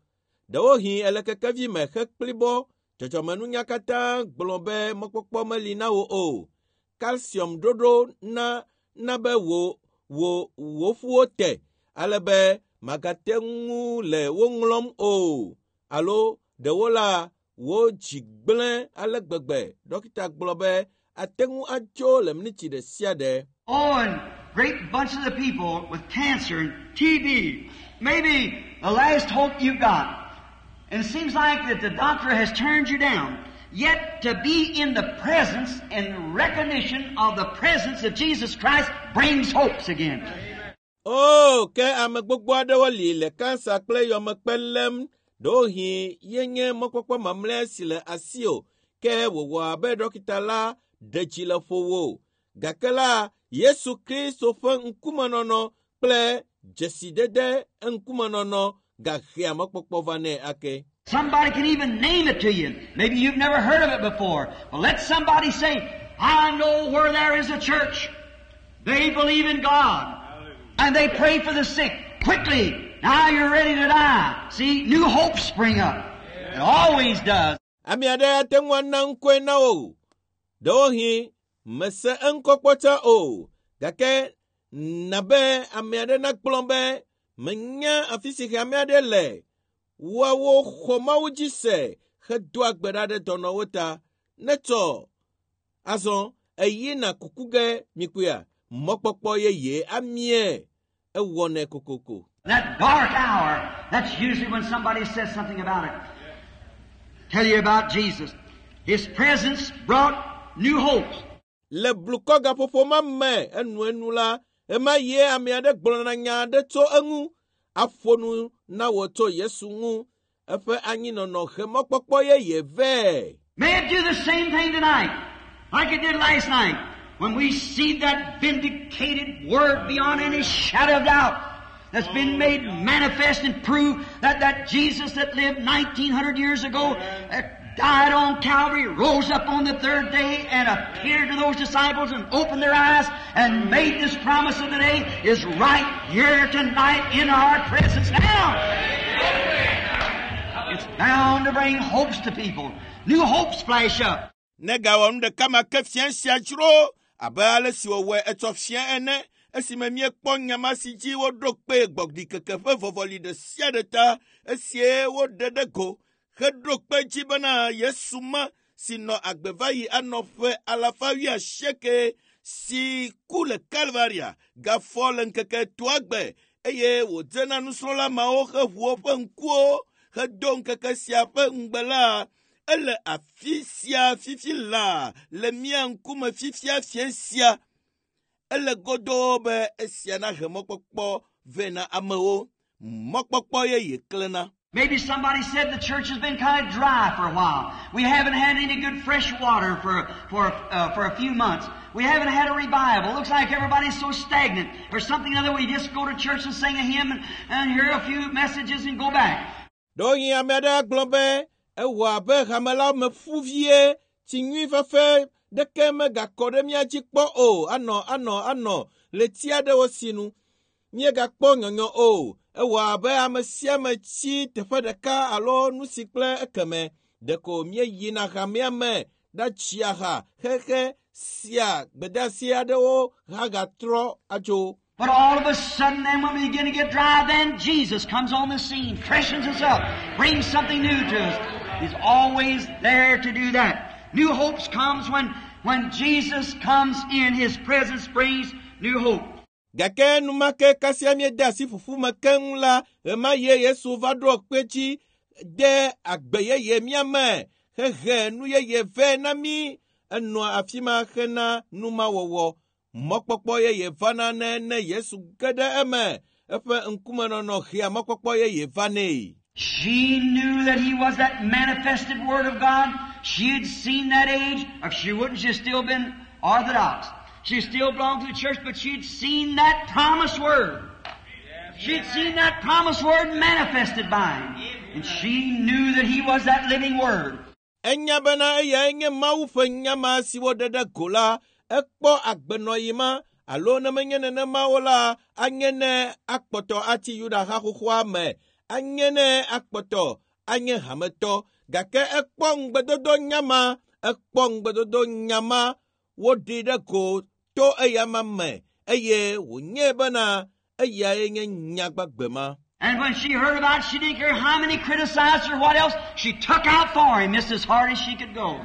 Ɖewohĩ ele kekevi me hekplibɔ dzɔdzɔmenunya katã gblɔ be mɔkpɔkpɔ meli na wò o. Calcium ɖoɖo na na be wò wò wò ƒuwo te ale be magate ŋu le wo ŋlɔm o alo ɖewo la wò dzi gblẽ ale gbegbe. Dɔkita gblɔ be ate ŋu atso le miniti ɖe sia ɖe. Oh, and great bunches of people with cancer and T B, maybe the last hope you've got. And it seems like that the doctor has turned you down. Yet to be in the presence and recognition of the presence of Jesus Christ brings hopes again. O, ke ame gbogbo aɖewo li le kansa kple yɔmekpe lém. Ɖewohĩ yenye mɔkpɔkpɔ mamlɛa si le asiwò ke wòwɔ abe dɔkita la ɖe dzi le ƒo wò. Gake la, Yesu Kristo ƒe ŋkumenɔnɔ kple dzesidede eŋkumenɔnɔ gahea mɔkpɔkpɔ vanɛ ake. Somebody can even name it to you. Maybe you've never heard of it before. But let somebody say, "I know where there is a church. They believe in God. And they pray for the sick." Quickly, now you're ready to die. See, new hopes spring up. It always does. Ame aɖe ate ŋu ana ŋkɔe na wò. Ɖewohĩ mese eŋkɔ kpɔ tsã o. Gake na be ame aɖe nagblɔ be menya afi si hame aɖe le. Woawo xɔ Mawu dzi se hedoa gbe ɖa ɖe dɔnɔwo ta. Netsɔ azɔ eyina kuku ge mikpɔea mɔkpɔkpɔ yeye amie ewɔnɛ kokoko. That dark hour, that's usually when somebody says something about it. Tell you about Jesus. His presence brought new hopes. Le blukɔ gaƒoƒo ma me enuenu la, ema ye ame aɖe gblɔna nya aɖe tso eŋu aƒo nu na wò tso Yesu ŋu. Eƒe anyinɔnɔ he mɔkpɔkpɔ yeye vɛ. May it do the same thing tonight, like it did last night, when we see that vindicated word beyond any shadow of doubt that's been made manifest and proved that that Jesus that lived nineteen hundred years ago, that died on Calvary, rose up on the third day and appeared to those disciples and opened their eyes and made this promise of the day is right here tonight in our presence now. It's bound to bring hopes to people. New hopes flash up. Negawɔ nu ɖeka ma ke fia sia dzro abe ale si wòwɔe etsɔ fia ene esime míekpɔ nyama si dzi woɖo kpe gbɔɖikeke ƒe vɔvɔli ɖe sia ɖe ta esie woɖe ɖe go heɖo kpe dzi bena Yesu ma si nɔ agbe va yi anɔ ƒe alafa wuiasieke si ku le Kalvaria gafɔ le ŋkeke etɔ̃a gbe eye wòdze na nusrɔ̃la mawo heʋu woƒe ŋkuwo hedo ŋkeke sia ƒe ŋugbe la ele afi sia fifi laa le mía ŋkume fifia fia sia ele godoo be esia nahe mɔkpɔkpɔ vɛ na amewo mɔkpɔkpɔ yeye klẽna. Maybe somebody said the church has been kind of dry for a while. We haven't had any good fresh water for, for, uh, for a few months. We haven't had a revival. It looks like everybody's so stagnant. Or something other, we just go to church and sing a hymn and, and hear a few messages and go back. Ɖewohĩ ame aɖe agblɔ be ewɔ abe hame la me ƒu vie tsi nyui fefe ɖeke megakɔ ɖe mía dzi kpɔ o anɔ anɔ anɔ ɣleti aɖewo sinu míegakpɔ nyɔnyɔ o ewɔ abe ame sia ame tsi teƒe ɖeka alo nu si kple ekeme ɖeko míeyina hamea me ɖatsia ha xexe sia gbedeasi aɖewo hagatrɔ adzo. But all of a sudden then when we begin to get dry, then Jesus comes on the scene, freshens us up, brings something new to us. He's always there to do that. New hopes comes when, when Jesus comes in, His presence brings new hope. Gake enumake kasia míede asi ƒuƒu me keŋ la, ɣemaɣie Yesu va ɖo kpe dzi de agbe yeye mía me, hehe nu yeye vɛ na mí. Enɔa afi ma hena numawɔwɔ. Mɔkpɔkpɔ yeye vana nɛ ne Yesu ge ɖe eme. Eƒe ŋkumenɔnɔ hea mɔkpɔkpɔ yeye vanɛ. She knew that he was that manifested Word of God. She had seen that age. If she wouldn't, she'd still been Orthodox. She still belonged to the church, but she'd seen that promised Word. She'd seen that promised Word manifested by him. And she knew that he was that living Word. Enya bena eyae nye Mawu ƒe nya ma si woɖe ɖe go la, ekpɔ agbenɔɣi ma alo ne menye nenema o la, anye ne akpɔtɔ atsi Yuda ha xoxoa me, anye ne akpɔtɔ anye hametɔ. Gake ekpɔ ŋugbedodo nya ma, ekpɔ ŋugbedodo nya ma woɖi ɖe go to eyama me eye wònyae bena eyae nye nya gbagbe ma. And when she heard about it, she didn't care how many criticized her or what else. She took out for him just as hard as she could go.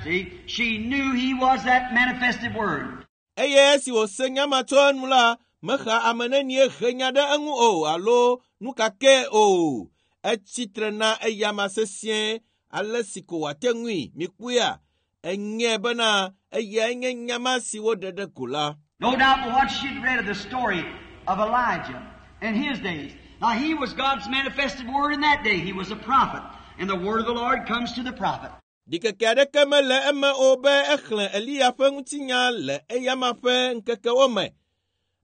See, she knew he was that manifested Word. Eye esi wòse nya ma tso enu la, mexa ame nenie he nya ɖe eŋu o alo nu ka ke o. Etsi tre na eyama sesĩe ale si ko wòate ŋui. Mikpɔea, enyae bena eyae nye nya ma si woɖe ɖe go la. No doubt but what she'd read of the story of Elijah in his days. Now he was God's manifested word in that day. He was a prophet. And the word of the Lord comes to the prophet. Ɖikeke aɖeke mele eme o be exlẽ Eliya ƒe ŋutinya le eyama ƒe ŋkekewo me.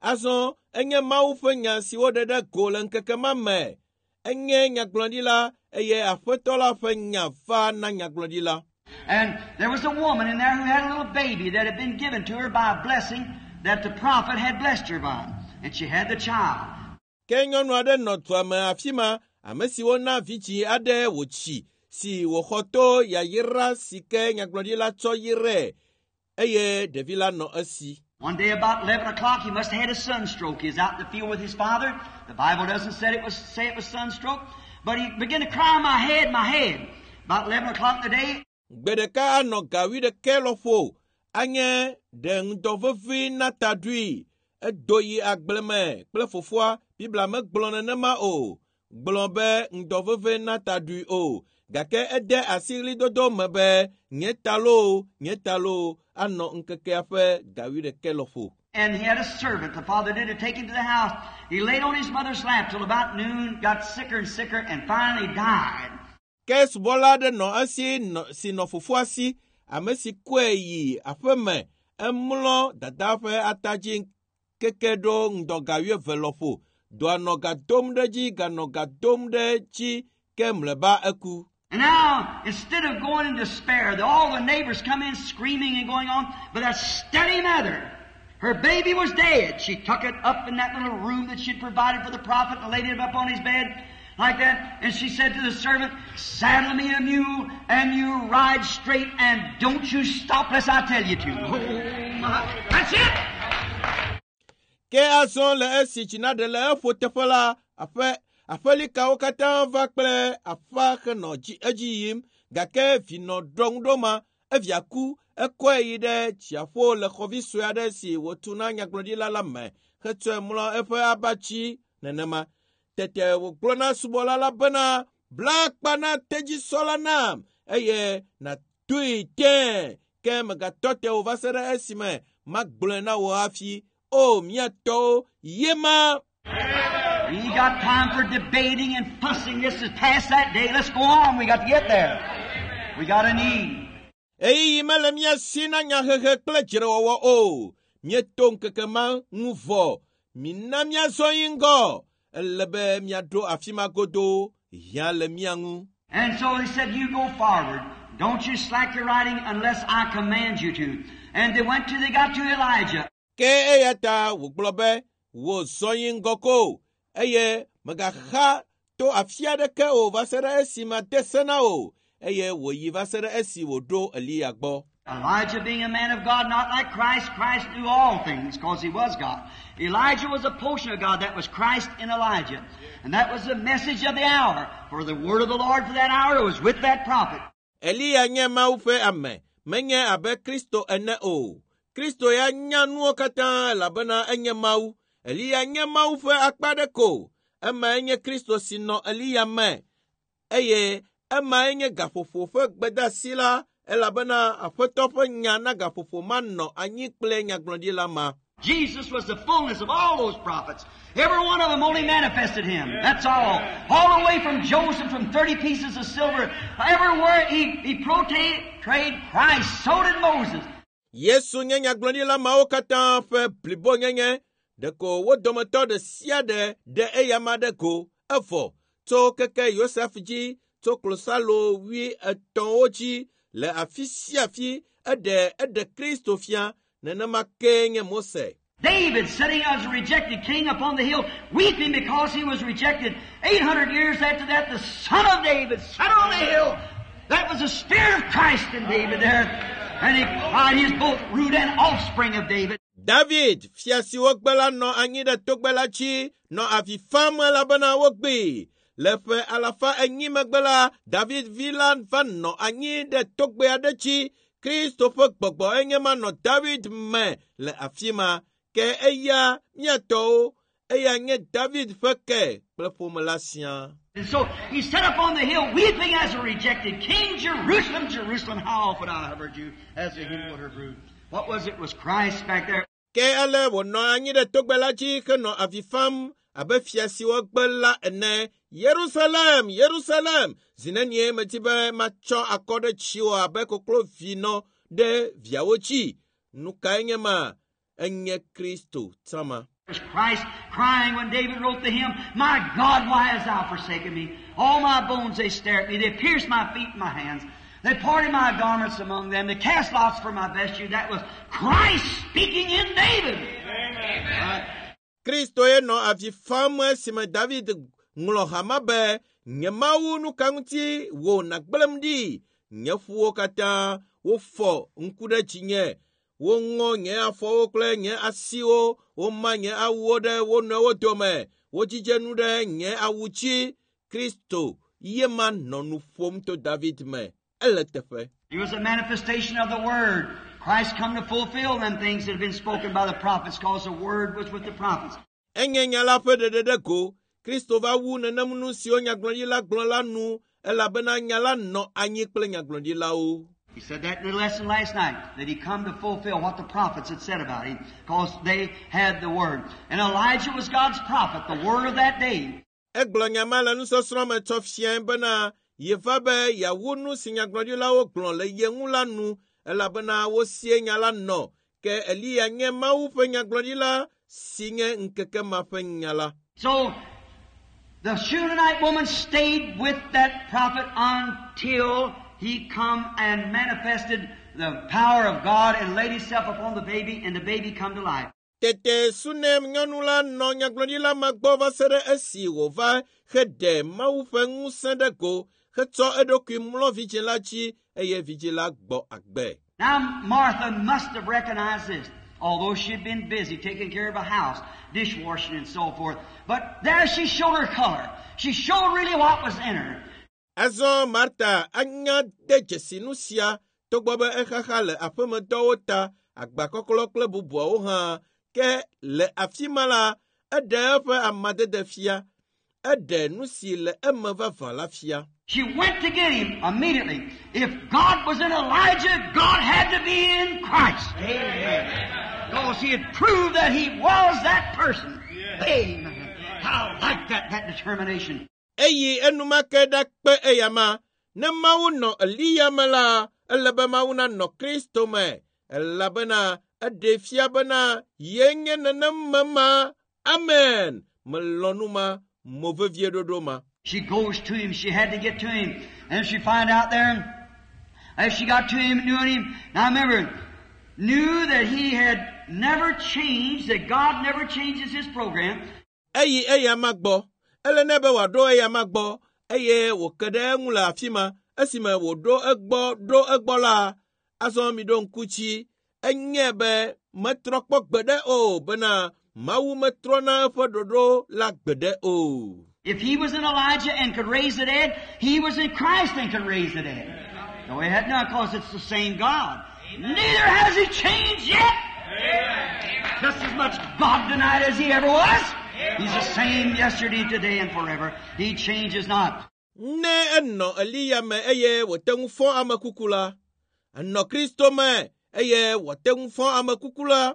Azɔ enye Mawu ƒe nya si woɖe ɖe go le ŋkeke ma me. Enye nyagblɔɖila eye Aƒetɔ la ƒe nya va na nyagblɔɖila. And there was a woman in there who had a little baby that had been given to her by a blessing that the prophet had blessed her by. And she had the child. Ke nyɔnu aɖe nɔ dua me afi ma, ame si wona vidzĩ aɖe wòtsi si wòxɔ to yayra si ke nyagblɔɖila tsɔ yrae eye ɖevi la nɔ esi. One day about eleven o'clock, he must have had a sunstroke. He was out in the field with his father. The Bible doesn't say it was, say it was sunstroke, but he began to cry, my head, my head. About eleven o'clock in the day, Gbe ɖeka anɔ ga wuiɖekɛ lɔƒo anye ɖe ŋdɔ vevi na ta ɖui. Edo yi agble me kple fofoa. Biblia megblɔ nenema o. Gblɔ be ŋdɔ veve na ta ɖui o. Gake ede asi ɣlidodo me be nye ta loo, nye ta loo anɔ ŋkekea ƒe ga wuiɖekɛ lɔƒo. And he had a servant, the father did, to take him to the house. He laid on his mother's lap till about noon, got sicker and sicker, and finally died. Ke subɔla aɖe nɔ esi nɔ, si nɔ fofoa si, ame si kɔe yi aƒeme. Emlɔ dadaa ƒe ata dzi keke ɖo ŋdɔ ga wuieve lɔƒo. Dɔa nɔ ga dom ɖe edzi, ganɔ ga dom ɖe edzi ke mlɔeba eku. And now, instead of going in despair, the, all the neighbors come in screaming and going on, but that steady mother, her baby was dead. She took it up in that little room that she'd provided for the prophet and laid it up on his bed like that. And she said to the servant, saddle me a mule and you ride straight and don't you stop lest I tell you to. Oh my, that's it! Ke azɔ le esi tsi naɖe le eƒo teƒe la, aƒe aƒelikawo katã va kple aƒa henɔ dzi edzi yim gake vi nɔ ɖɔŋuɖo ma evia ku ekɔe yi ɖe dziaƒo le xɔvi sue aɖe si wòtu na nyagblɔɖila la me hetsɔe mlɔ eƒe abatsi nenema. Tete wògblɔ na subɔla la bena bla akpa na tedzisɔ la nam eye nàdoe tẽe ke megatɔ te o va se ɖe esime magblɔe na wò hafi. O mía tɔwo, ye ma. We ain't got time for debating and fussing. This is past that day. Let's go on. We got to get there. We got a need. Ɣeyiɣi mele mía si na nyahehe kple dzrewɔwɔ o. Míeto ŋkeke ma ŋu vɔ. Mina míazɔ yi ŋgɔ. Ele be míaɖo afi ma godoo. Hiã le mía ŋu. And so he said, you go forward. Don't you slack your riding unless I command you to. And they went till they got to Elijah. Ke eya ta wògblɔ be, wò zɔ yi ŋgɔ ko eye mègaxa to afi aɖeke o va se ɖe esi made se na wò eye wòyi va se ɖe esi wòɖo Eliya gbɔ. Elijah being a man of God, not like Christ. Christ knew all things because he was God. Elijah was a portion of God. That was Christ in Elijah. And that was the message of the hour. For the word of the Lord for that hour was with that prophet. Eliya nye Mawu ƒe ame, menye abe Kristo ene o. Kristo ya nya nuwo katã elabena enye Mawu. Eliya nye Mawu ƒe akpa ɖe ko. Emae nye Kristo si nɔ Eliya me eye emae nye gaƒoƒo ƒe gbedeasi la elabena Aƒetɔ ƒe nya na gaƒoƒo ma nɔ anyi kple nyagblɔɖila ma. Jesus was the fullness of all those prophets. Every one of them only manifested Him. That's all. All the way from Joseph, from thirty pieces of silver, everywhere he, he portrayed Christ. So did Moses. Yesu nye nyagblɔɖila mawo katã ƒe blibonyenye. Ɖeko wo dometɔ ɖe sia ɖe ɖe eyama ɖe go evɔ tso keke Yosef dzi tso klosalo wui etɔ̃wo dzi le afi sia afi eɖe eɖe Kristo fia nenema kee nye Mose. David, sitting as a rejected king upon the hill, weeping because he was rejected. Eight hundred years after that, the son of David sat on the hill. That was the Spirit of Christ in David there. And he cried, he is both root and offspring of David. David, fia si wogbe la nɔ anyi ɖe togbe la dzi nɔ avi fam elabena wogbee. Le ƒe alafa enyi megbe la, David vi la va nɔ anyi ɖe togbe aɖe dzi. Kristo ƒe gbɔgbɔ enye ma nɔ David me le afi ma. Ke eya míatɔwo, eya nye David ƒe ke kple ƒome la siaa. And so he sat up on the hill weeping as a rejected king. Jerusalem, Jerusalem, how often I have heard you as a hen would her brood. What was it? It was Christ back there. Ke ale wònɔ anyi ɖe togbe la dzi henɔ avi fam abe fia si wogbe la ene. Yerusalem, Yerusalem, zi nenie medi be matsɔ akɔ ɖe tsiwò abe koklovinɔ ɖe viawo dzi. Nu kae nye ma? Enye Kristo tama. It was Christ crying when David wrote the hymn, My God, why hast thou forsaken me? All my bones, they stare at me. They pierce my feet and my hands. They parted my garments among them. They cast lots for my vesture. That was Christ speaking in David. Amen. Kristo ye nɔ avi fam esime David ŋlɔ hama be, Nye Mawu nu ka ŋuti wò nàgblẽm ɖi? Nye ƒuwo katã wofɔ ŋku ɖe dzinye. Woŋɔ nye afɔwo kple nye asiwo, woma nye awuwo ɖe wo nɔewo dome, wodzidze nu ɖe nye awu dzi. Kristo ye ma nɔ nu ƒom to David me. Ele teƒe. It was a manifestation of the Word. Christ come to fulfill them things that have been spoken by the prophets, because the Word was with the prophets. Enye nya la ƒe ɖeɖe ɖe go. Kristo va wu nenem nu siwo nyagblɔɖila gblɔ la nu elabena nya la nɔ anyi kple nyagblɔɖilawo. He said that in the lesson last night, that he come to fulfill what the prophets had said about him, because they had the Word. And Elijah was God's prophet, the Word of that day. Egblɔ nya ma le nusɔsrɔ̃ me tsɔ fiae bena yeva be yeawu nu si nyagblɔɖilawo gblɔ le ye ŋu la nu elabena wosie nya la nɔ. Ke Eliya nye Mawu ƒe nyagblɔɖila si nye ŋkeke ma ƒe nya la. So, the Shunammite woman stayed with that prophet until he come and manifested the power of God and laid himself upon the baby, and the baby come to life. Tete Sunem nyɔnu la nɔ nyagblɔɖila ma gbɔ va se ɖe esi wòva heɖe Mawu ƒe ŋusẽ ɖe go hetsɔ eɖokui mlɔ vidzĩ la dzi eye vidzĩ la gbɔ agbe. Now, Martha must have recognized this, although she had been busy taking care of a house, dishwashing and so forth. But there she showed her color. She showed really what was in her. Azɔ Marta anya de dzesi nu sia togbɔ be exaxa le aƒemedɔwo ta, agbakɔklɔ kple bubuawo hã. Ke le afi ma la, eɖe eƒe amadede fia. Eɖe nu si le eme vavã la fia. She went to get him immediately. If God was in Elijah, God had to be in Christ. Amen. Because he had proved that he was that person. Amen. I like that, that determination. Eyi enumake ɖakpe eyama. Ne Mawu nɔ Eliya me la, ele be Mawu nanɔ Kristo me. Elabena eɖee fia bena ye nye nenem me ma. Amen. Melɔ̃ nu ma, mo vevie ɖoɖo ma. She goes to him. She had to get to him. And she find out there, as she got to him, knew him. Now remember, knew that he had never changed, that God never changes his program. Eyi eyama gbɔ. Ele nɛ be wòaɖo eyama gbɔ eye wòke ɖe eŋu le afi ma. Esime wòɖo egbɔ ɖo egbɔ la, azɔ mi ɖo ŋku dzi. Enye be metrɔ kpɔ gbeɖe o bena Mawu metrɔna eƒe ɖoɖo la gbeɖe o. If he was in Elijah and could raise the dead, he was in Christ and could raise the dead. No, he had not, because it's the same God. Neither has he changed yet. Just as much God tonight as He ever was. He's the same yesterday, today, and forever. He changes not. Ne enɔ Eliya me eye wòte ŋu fɔ ame kuku la, enɔ Kristo me eye wòte ŋu fɔ ame kuku la.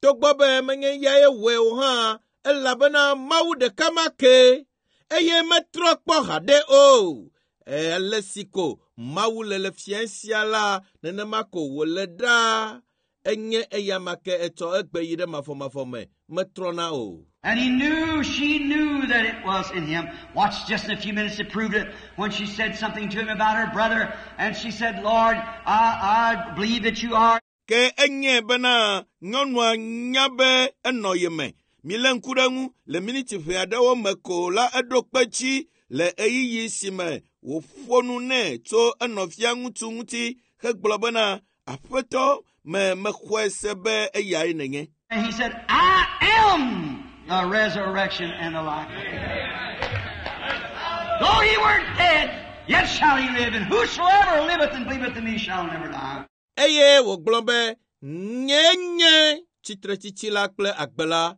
Togbɔ be menye eyae wɔe o hã, elabena Mawu ɖeka ma ke eye metrɔ kpɔ haɖe o. Ale si ko Mawu le le fia sia la, nenema ko wòle ɖaa. Enye eya ma ke etsɔ egbe yi ɖe mavɔmavɔ me, metrɔna o. And he knew, she knew that it was in him. Watch just in a few minutes it proved it when she said something to him about her brother. And she said, Lord, I, I believe that you are. Ke enye bena nyɔnua nya be enɔ ye me. Milé ŋku ɖe ŋu le miniti ʋɛ aɖewo me ko la eɖo kpe dzi le ɣeyiɣi si me wòƒo nu nɛ tso enɔvia ŋutsu ŋuti hegblɔ bena aƒetɔ me mexɔe se be eyae nènye. And he said, I am the resurrection and the life. Though he were dead, yet shall he live, and whosoever liveth and believeth in me shall never die. Eye wògblɔ be nye nye tsitretsitsi la kple agbe la.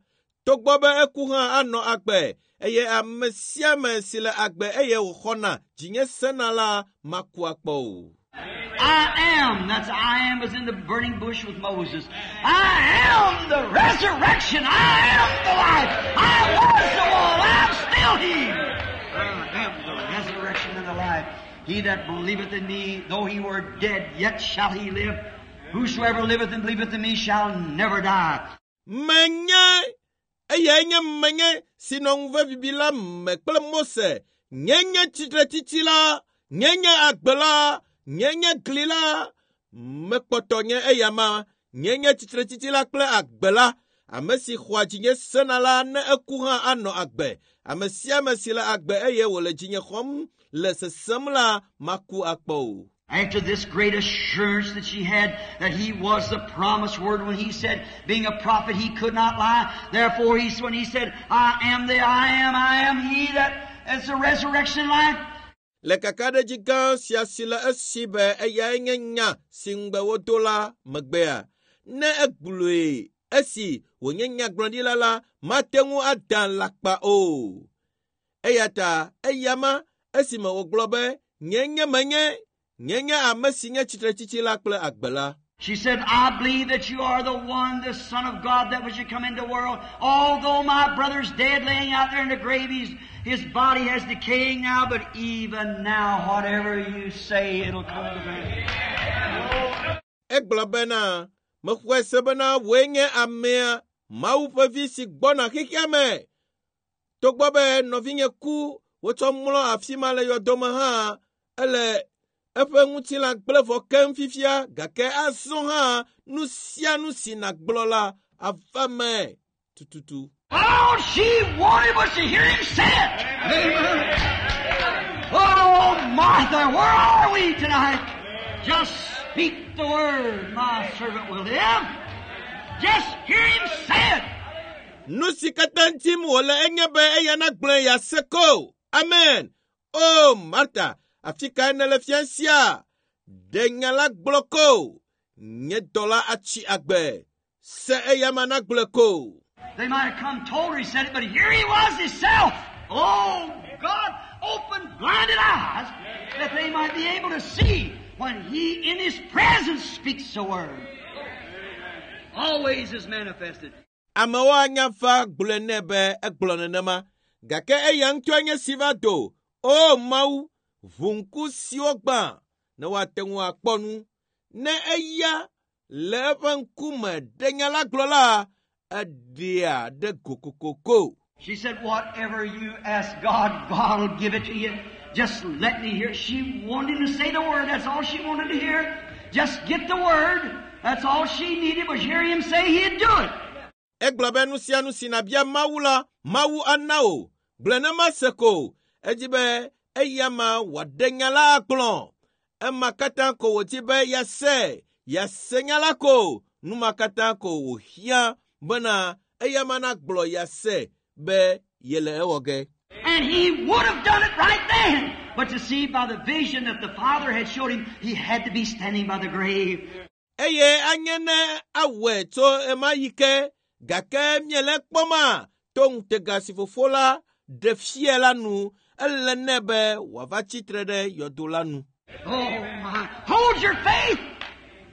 Togbɔ be eku hã anɔ agbe eye ame sia ame si le agbe eye wòxɔna dzinye sena la maku akpɔ o. I am, that's I am was in the burning bush with Moses. I am the resurrection. I am the life. I was the one. I'm still he. I am the resurrection and the life. He that believeth in me, though he were dead, yet shall he live. Whosoever liveth and believeth in me shall never die. Menye eyae nye menye si nɔ ŋuve bibi la me kple Mose. Nye nye tsitretsitsi la, nye nye agbe la, nye nye gli la. Mekpɔtɔ nye eya ma, nye nye tsitretsitsi la kple agbe la. Ame si xɔa dzinye sena la ne eku hã anɔ agbe. Ame sia ame si le agbe eye wòle dzinye xɔm le sesem la maku akpɔ o. After this great assurance that she had that he was the promised word when he said, being a prophet, he could not lie. Therefore, he, when he said, I am the I am, I am he that is the resurrection and life. Le kakaɖedzi gã sia si le esi be eyae nye nya si ŋugbe wodo la megbea, ne egblɔe esi wònye nyagblɔɖila la, mate ŋu ada alakpa o. Eya ta eyama esime wògblɔ be nye nye menye, nye nye ame si nye tsitretsitsi la kple agbe la. She said, I believe that you are the one, the Son of God that was to come into the world. Although my brother's dead laying out there in the grave, he's, his body has decaying now, but even now, whatever you say, it'll come to pass. Egblɔ bena, mexɔe se bena wòe nye amea, Mawu ƒe vi si gbɔna xexea me. Togbɔ be nɔvinye ku wotsɔ mlɔ afi ma le yɔdo me hã, ele eƒe ŋutilã gblẽ vɔ keŋ fifia gake azɔ hã nu sia nu si nàgblɔ la ava me tututu. All she wanted was to hear him say it. Amen. Oh, Martha, where are we tonight? Just speak the word, my servant will live. Just hear him say it. Nu si katã dim wòle enye be eya nagblɔe yease ko. Amen. O Marta, afi kae nèle fia sia? Ɖe nya la gblɔ ko. Nye dɔla atsi agbe. Se eya ma nagblɔe ko. They might have come told her he said it, but here he was himself. Oh, God, open blinded eyes that they might be able to see when he in his presence speaks the word. Always is manifested. Amewo anya va gblɔe nɛ be egblɔ nenema gake eya ŋutɔe nye si va do. O Mawu, ʋu ŋku siwo gbã ne woate ŋu akpɔ nu. Ne eya le eƒe ŋkume ɖe nya la gblɔ la, eɖea ɖe go kokoko. She said, whatever you ask God, God will give it to you. Just let me hear. She wanted him to say the word. That's all she wanted to hear. Just get the word. That's all she needed was hear him say he'd do it. Egblɔ be nu sia nu si nàbia Mawu la, Mawu ana wò. Gblɔe ne mase ko. Edzi be eya ma wòaɖe nya la agblɔ. Ema katã ko wòdi be yease, yease nya la ko. Nu ma katã ko wòhiã bena eya ma nagblɔ yease be yele ewɔ ge. And he would have done it right then. But to see by the vision that the Father had showed him, he had to be standing by the grave. Eye anye ne awɔe tso ɣemaɣi ke gake miele kpɔma to ŋutega si fofo la ɖe fia la nu ele nɛ be wòava tsitre ɖe yɔdo la nu. Oh my. Hold your faith!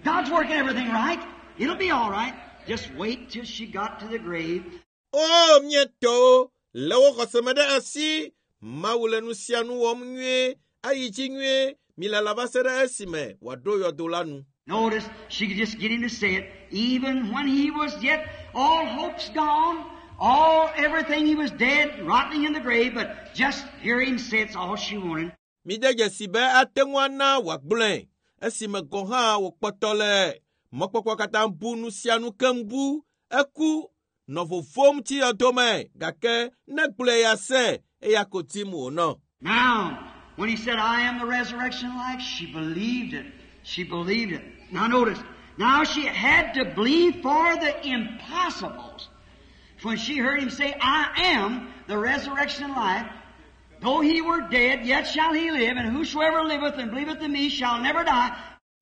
God's working everything right. It'll be all right. Just wait till she got to the grave. O mía tɔwo lé wo xɔse me ɖe asi Mawu le nu sia nu wɔm nyuie ayi dzi nyuie milala va se ɖe esime wòaɖo yɔdo la nu. Notice she could just get him to say it, even when he was yet all hope's gone, all everything he was dead, rotting in the grave, but just hear him say it's all she wanted. Mide dzesi be ate ŋu ana wòagblɔe esime gɔ̃ hã wòkpɔtɔ le mɔkpɔkpɔ katã bu nu sia nu keŋ bu eku nɔ vovom tsi yɔdo me gake ne gblɔe ya se eya ko dim wònɔ. Now, when he said, I am the resurrection and life, she believed it. She believed it. Now notice, now she had to believe for the impossibles. When she heard him say, I am the resurrection and life, though he were dead, yet shall he live, and whosoever liveth and believeth in me shall never die.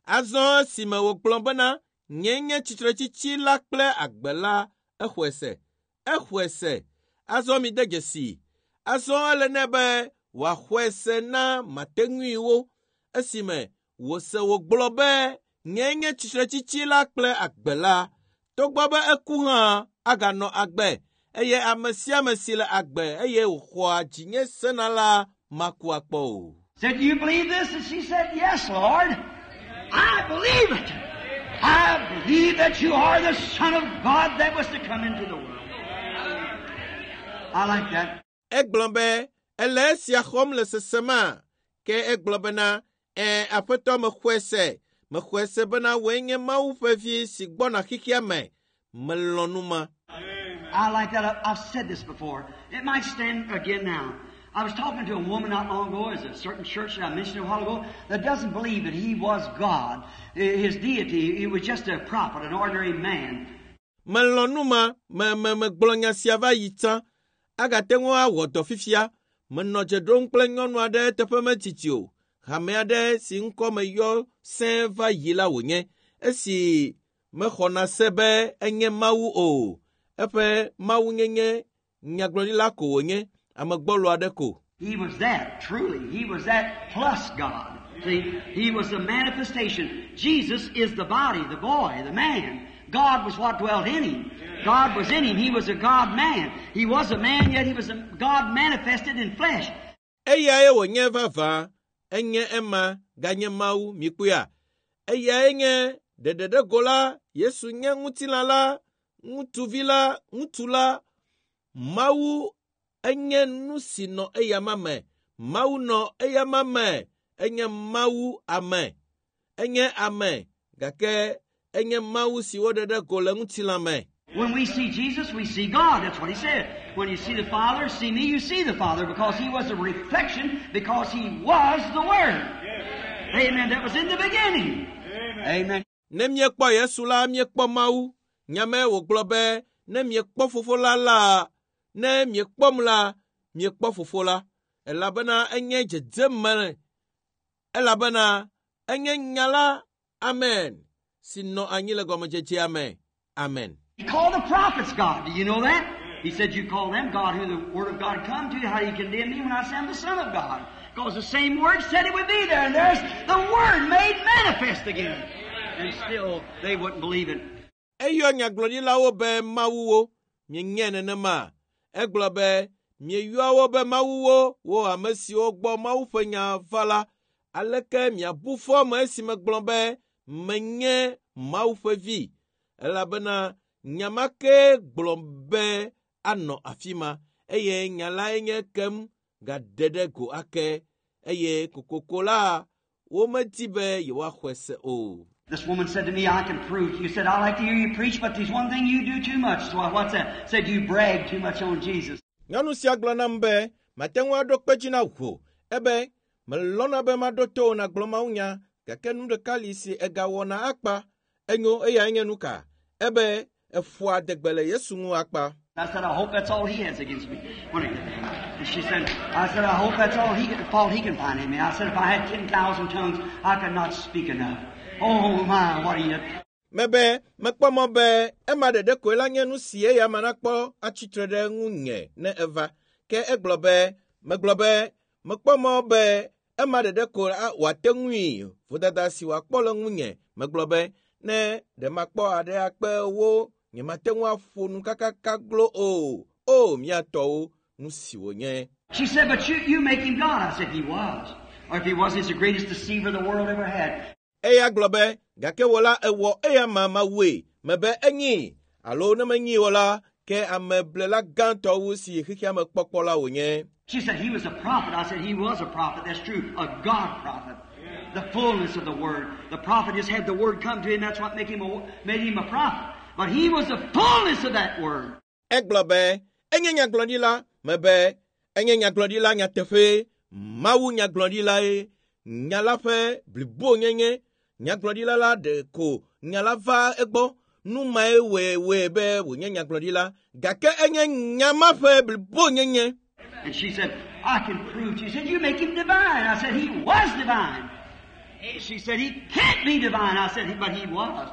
Azɔ esime wògblɔ bena nye nye tsitretsitsi la kple agbe la exɔe se exɔe se azɔ mide dzesi azɔ ele nɛ be wòaxɔe se na mateŋuiwo esime wòse wògblɔ be nye nye tsitretsitsi la kple agbe la togbɔ be eku hã aganɔ agbe eye ame sia ame si le agbe eye wòxɔa dzinye sena la maku akpɔ o. Said, Do you believe this? And she said, Yes, Lord. I believe it. I believe that you are the Son of God that was to come into the world. I like that. Egblɔ be ele esia xɔm le sesema ke egblɔ bena ẽ aƒetɔ mexɔe se mexɔe se bena wòe nye Mawu ƒe vi si gbɔna xexea me melɔ̃ nu ma. I like that. I- I've said this before. It might stand again now. I was talking to a woman not long ago, at a certain church that I mentioned a while ago, that doesn't believe that he was God, his deity. He was just a prophet, an ordinary man. Melɔ̃ nu ma me me megblɔ nya sia va yi tsã agate ŋu awɔ dɔ fifia menɔ dze ɖom kple nyɔnu aɖe teƒe metiti o hame aɖe si ŋkɔ meyɔ sẽe va yi la wònye esi mexɔna se be enye Mawu o eƒe mawunyenye nyagblɔɖila ko wònye ame gbɔlo aɖe ko. He was that, truly. He was that plus God. See, he was the manifestation. Jesus is the body, the boy, the man. God was what dwelt in him. God was in him. He was a God man. He was a man, yet he was a God manifested in flesh. Eyae wònye vavã enye ema ganye Mawu mikpɔea eyae nye ɖeɖeɖego la Yesu nye ŋutilã la ŋutsuvi la ŋutsu la Mawu enye nu si nɔ eyama me Mawu nɔ eyama me enye Mawu ame enye ame gake enye Mawu si woɖe ɖe go le ŋutilã me. When we see Jesus, we see God. That's what he said. When you see the Father, see me, you see the Father, because he was a reflection, because he was the Word. Amen. That was in the beginning. Amen. Ne míekpɔ Yesu la, míekpɔ Mawu. Nyame wògblɔ be ne miekpɔ fofo la la, ne miekpɔm la, miekpɔ fofo la. Elabena enye dzedzeme elabena enye nya la, amen, si nɔ anyi le gɔmedzedzea me. Amen. He called the prophets God. Do you know that? He said, You call them God who the Word of God come to. How do you condemn me when I say I'm the Son of God? Because the same Word said it would be there, and there's the Word made manifest again. And still, they wouldn't believe it. Eyɔ nyagblɔɖilawo be mawuwo, mienyae nenema. Egblɔ be mieyɔa wo be mawuwo, wo ame siwo gbɔ Mawu ƒe nya va la. Aleke miabu fɔ ame esi megblɔ be menye Mawu ƒe vi? Elabena nya ma ke gblɔ be anɔ afi ma eye nya lae nye kem gaɖe ɖe go ake eye kokoko la womedi be yewoaxɔe se o. This woman said to me, I can prove. You said, I like to hear you preach, but there's one thing you do too much. So I, what's that? Said you brag too much on Jesus. Nyɔnu sia gblɔ nam be mate ŋu aɖo kpe dzi na wò ebe melɔ̃na be maɖo to wò nàgblɔ mawunya gake nu ɖeka li si egawɔna akpa enyo eyae nye nu ka ebe eƒoa adegbe le Yesu ŋu akpa. I said, I hope that's all he has against me. When I, and she said, I said, I hope that's all he can, fault he can find in me. I said, if I had ten thousand tongues, I could not speak enough. Oh my, what are you? Mebe mekpɔ mɔ be ema ɖeɖe koe la nye nu si eya ma nakpɔ atsitre ɖe ŋunye ne eva. Ke egblɔ be megblɔ be mekpɔ mɔ be ema ɖeɖe ko wòate ŋui vodada si wòakpɔ le ŋunye. Megblɔ be ne ɖe makpɔ aɖe akpe wo nyemate ŋu aƒo nu kakaka glo o. O mía tɔwo nu si wònye. She said, but you, you make him God. I said, he was. Or if he wasn't, he's the greatest deceiver the world ever had. Eya gblɔ be gake wò la ewɔ eya ma mawue mebe enyi alo ne menyi o la ke ameblela gãtɔ wu si xexea me kpɔkpɔ la wònye. She said he was a prophet. I said he was a prophet. That's true. A God prophet. The fullness of the word. The prophet just had the word come to him. That's what made him a, made him a prophet. But he was the fullness of that word. Egblɔ be enye nyagblɔɖila mebe enye nyagblɔɖila nyateƒe Mawu nyagblɔɖilae nya la ƒe blibonyenye nyagblɔɖila la ɖe ko nya la va egbɔ nu mae wɔe wɔe be wònye nyagblɔɖila gake enye nya ma ƒe blibonyenye. And she said, I can prove. She said, you make him divine. I said, he was divine. She said, he can't be divine. I said, but he was.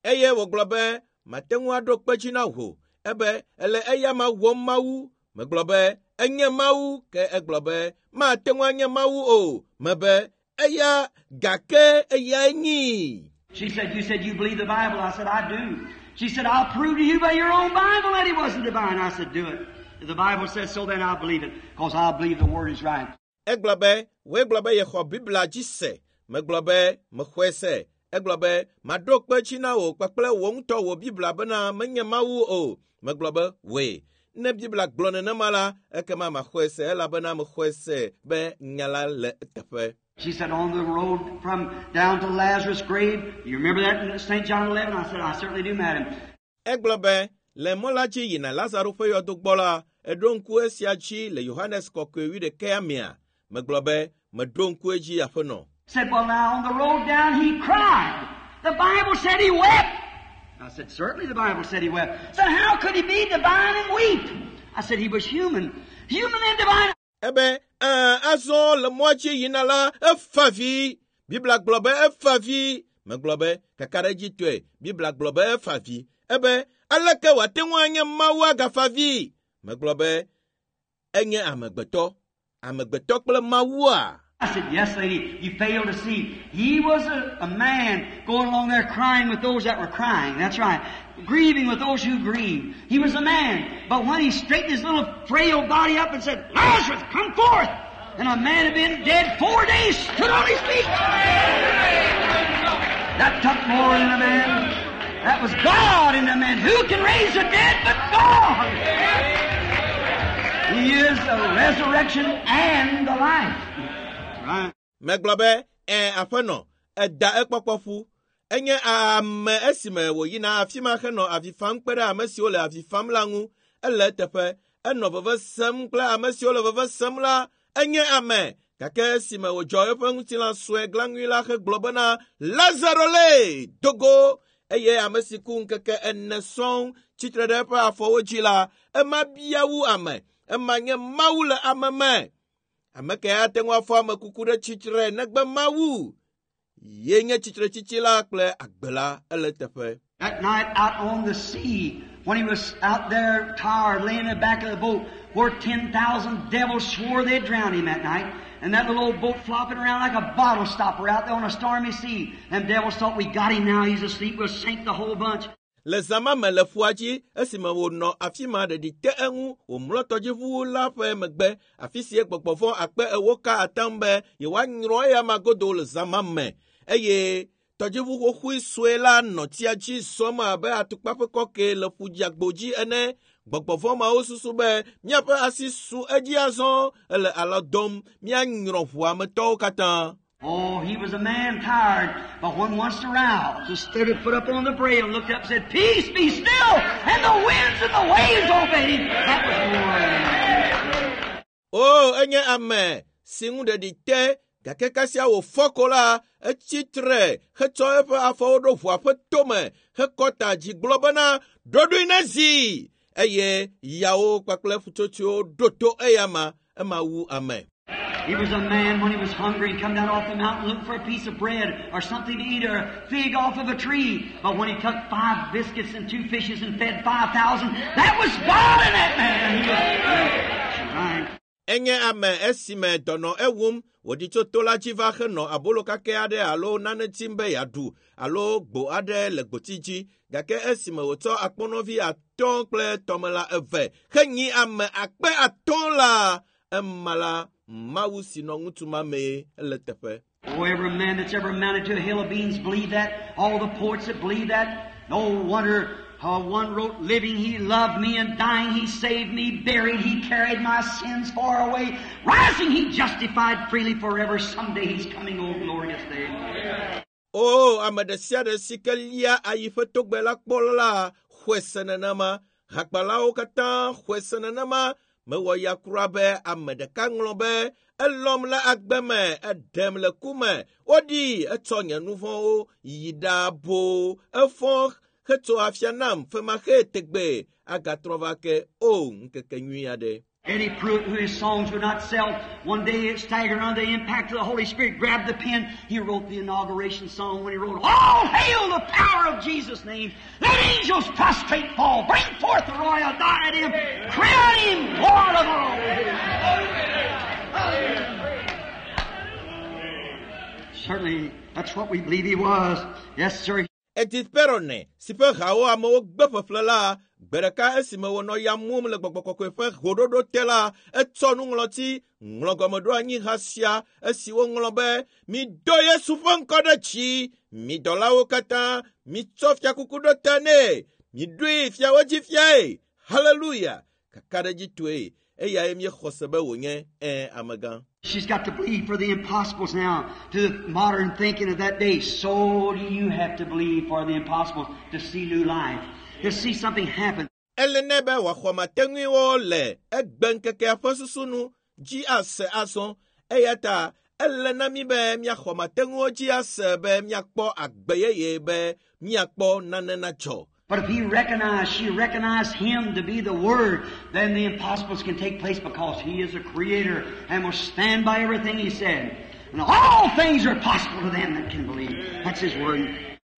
Eye wògblɔ be mate ŋu aɖo kpe dzi na wò ebe ele eya ma wɔm Mawu. Megblɔ be enye Mawu ke egblɔ be mate ŋu anye Mawu o. Mebe eya gake eyae nyi. She said, you said you believe the Bible. I said, I do. She said, I'll prove to you by your own Bible that he wasn't divine. I said, do it. If the Bible says so, then I believe it, because I believe the Word is right. Egblɔ be wòe gblɔ be yexɔ Biblia dzi se. Megblɔ be mexɔe se. Egblɔ be maɖo kpe dzi na wò kpakple wò ŋutɔ wò Biblia bena menye Mawu o. Megblɔ be wòe. Ne Biblia gblɔ nenema la, ekema maxɔe se elabena mexɔe se be nya la le eteƒe. She said, on the road from down to Lazarus' grave, you remember that in Saint John eleven? I said, I certainly do, madam. Egblɔ be le mɔ la dzi yina Lazaro ƒe yɔdo gbɔ la, eɖo ŋku esia dzi le Yohanes kɔkɔe wuiɖekɛa mea. Megblɔ be meɖo ŋku edzi aƒenɔ. Said, well, now on the road down he cried. The Bible said he wept. I said, certainly the Bible said he wept. Said, how could he be divine and weep? I said, he was human. Human and divine. Ebe, ɛɛ, azɔ le mɔa dzi yina la, efa vi. Biblia gblɔ be efa vi. Megblɔ be kakaɖedzitɔe, Biblia gblɔ be efa vi. Ebe, aleke wòate ŋu anye Mawu agafa vi? Megblɔ be enye amegbetɔ. Amegbetɔ kple Mawua. I said, yes, lady, you fail to see. He was a, a man going along there crying with those that were crying. That's right. Grieving with those who grieved. He was a man. But when he straightened his little frail body up and said, Lazarus, come forth! And a man had been dead four days, stood on his feet. That took more than a man. That was God in the man. Who can raise the dead but God? He is the resurrection and the life. Right. Megblɔ be, ɛ aƒenɔ, eda ekpɔkpɔ ƒu. Enye ame esime wòyina afi ma henɔ avi fam kpe ɖe ame siwo le avi fam la ŋu. Ele eteƒe, enɔ veve sem kple ame siwo le veve sem la. Enye ame gake esime wòdzɔ eƒe ŋutilã sue glaŋui la hegblɔ bena Lazaro le dogo eye ame si ku ŋkeke ene sɔŋ tsitre ɖe eƒe afɔwo dzi la, ema bia wu ame. Ema nye Mawu le ame me. Ame ke ate ŋu afɔ ame kuku ɖe tsitre negbe Mawu. Ye nye tsitretsitsi la kple agbe la ele teƒe. That night out on the sea, when he was out there tired, laying in the back of the boat, where ten thousand devils swore they'd drown him that night, and that little old boat flopping around like a bottle stopper out there on a stormy sea. Them devils thought, we got him now, he's asleep, we'll sink the whole bunch. Le zã ma me le ƒua dzi esime wònɔ afi ma ɖeɖi te eŋu wòmlɔ tɔdziʋu la ƒe megbe afi si gbɔgbɔvɔ akpe ewo ka atam be yewoanyrɔ eya ma godo le zã ma me eye tɔdziʋu xoxoe sue la nɔ tsia dzi zɔm abe atukpa ƒe kɔke le ƒu dzeagbo dzi ene. Gbɔgbɔvɔ mawo susu be míaƒe asi su edzi azɔ ele alɔ dɔm míanyrɔ ʋua me tɔwo katã. Oh, he was a man tired, but when once aroused, just stood and put up on the brail and looked up and said, Peace, be still! And the winds and the waves obeyed him. That was more than enough. O, enye ame si ŋu ɖeɖi te gake kasia wòfɔ ko la, etsi tre hetsɔ eƒe afɔwo ɖo ʋua ƒe tome hekɔ ta dzi gblɔ bena ɖoɖoe nezi eye yawo kpakple ƒutsotsoewo ɖo to eyama ema wu ame. He was a man when he was hungry and come down off the mountain looking for a piece of bread or something to eat or a fig off of a tree. But when he took five biscuits and two fishes and fed five thousand, that was God in that man. He was, That's right. Enye ame esime dɔnɔ ewum wòɖi tso to la dzi va henɔ abolo kakɛ aɖe alo nane tim be yeaɖu alo gbo aɖe le gboti dzi gake esime wòtsɔ akpɔnɔvi atɔ̃ kple tɔmelã eve henyi ame akpe atɔ̃ la ema la Mawu si nɔ ŋutsu ma mee ele teƒe. Oh, every man that's ever mounted to a hill of beans believed that. All the poets that believe that. No wonder uh, one wrote, living he loved me, and dying he saved me, buried he carried my sins far away, rising he justified freely forever. Someday he's coming, oh glorious day. O ame ɖe sia ɖe si ke lia ayi ƒe togbɛ la kpɔ la xɔe se nenema. Hakpalawo katã xɔe se nenema. Mewɔ ya kura be ame ɖeka ŋlɔ be elɔm le agbe me, eɖem le ku me. Woɖi etsɔ nye nu vɔ̃wo yi ɖa boo. Efɔ hetso afia nam femaxee tegbe agatrɔ va ke. O ŋkeke nyui aɖe. Eddie Pruitt, who his songs would not sell, one day it staggered under the impact of the Holy Spirit, grabbed the pen. He wrote the inauguration song when he wrote, All hail the power of Jesus' name. Let angels prostrate fall. Bring forth the royal diadem. Crown him Lord of all. Certainly, that's what we believe he was. Yes, sir. Edith Perrone si ƒe hawo amewo gbe ƒeƒle la, gbe ɖeka esime wònɔ ya mum le gbɔgbɔ kɔkɔe ƒe hoɖoɖo te la, etsɔ nuŋlɔti ŋlɔ gɔmeɖoanyi ha sia esi woŋlɔ be mido Yesu ƒe ŋkɔ ɖe dzi, mi dɔlawo katã mitsɔ fiakuku ɖo ta nɛ, miɖoe fiawo dzi fiae. Haleluya! Kakaɖedzitɔe eyae míexɔ se be wònye ẽ amegã. She's got to believe for the impossibles now. To the modern thinking of that day, so do you have to believe for the impossibles to see new life, to see something happen. Ele nɛ be wòaxɔ mateŋuiwo le egbe ŋkekea ƒe susu nu dzi ase azɔ eya ta ele na mí be míaxɔ mateŋuwo dzi ase be míakpɔ agbe yeye be míakpɔ nane nadzɔ. But if he recognized, she recognized him to be the Word, then the impossibles can take place because he is a creator and will stand by everything he said. And all things are possible to them that can believe. That's his word.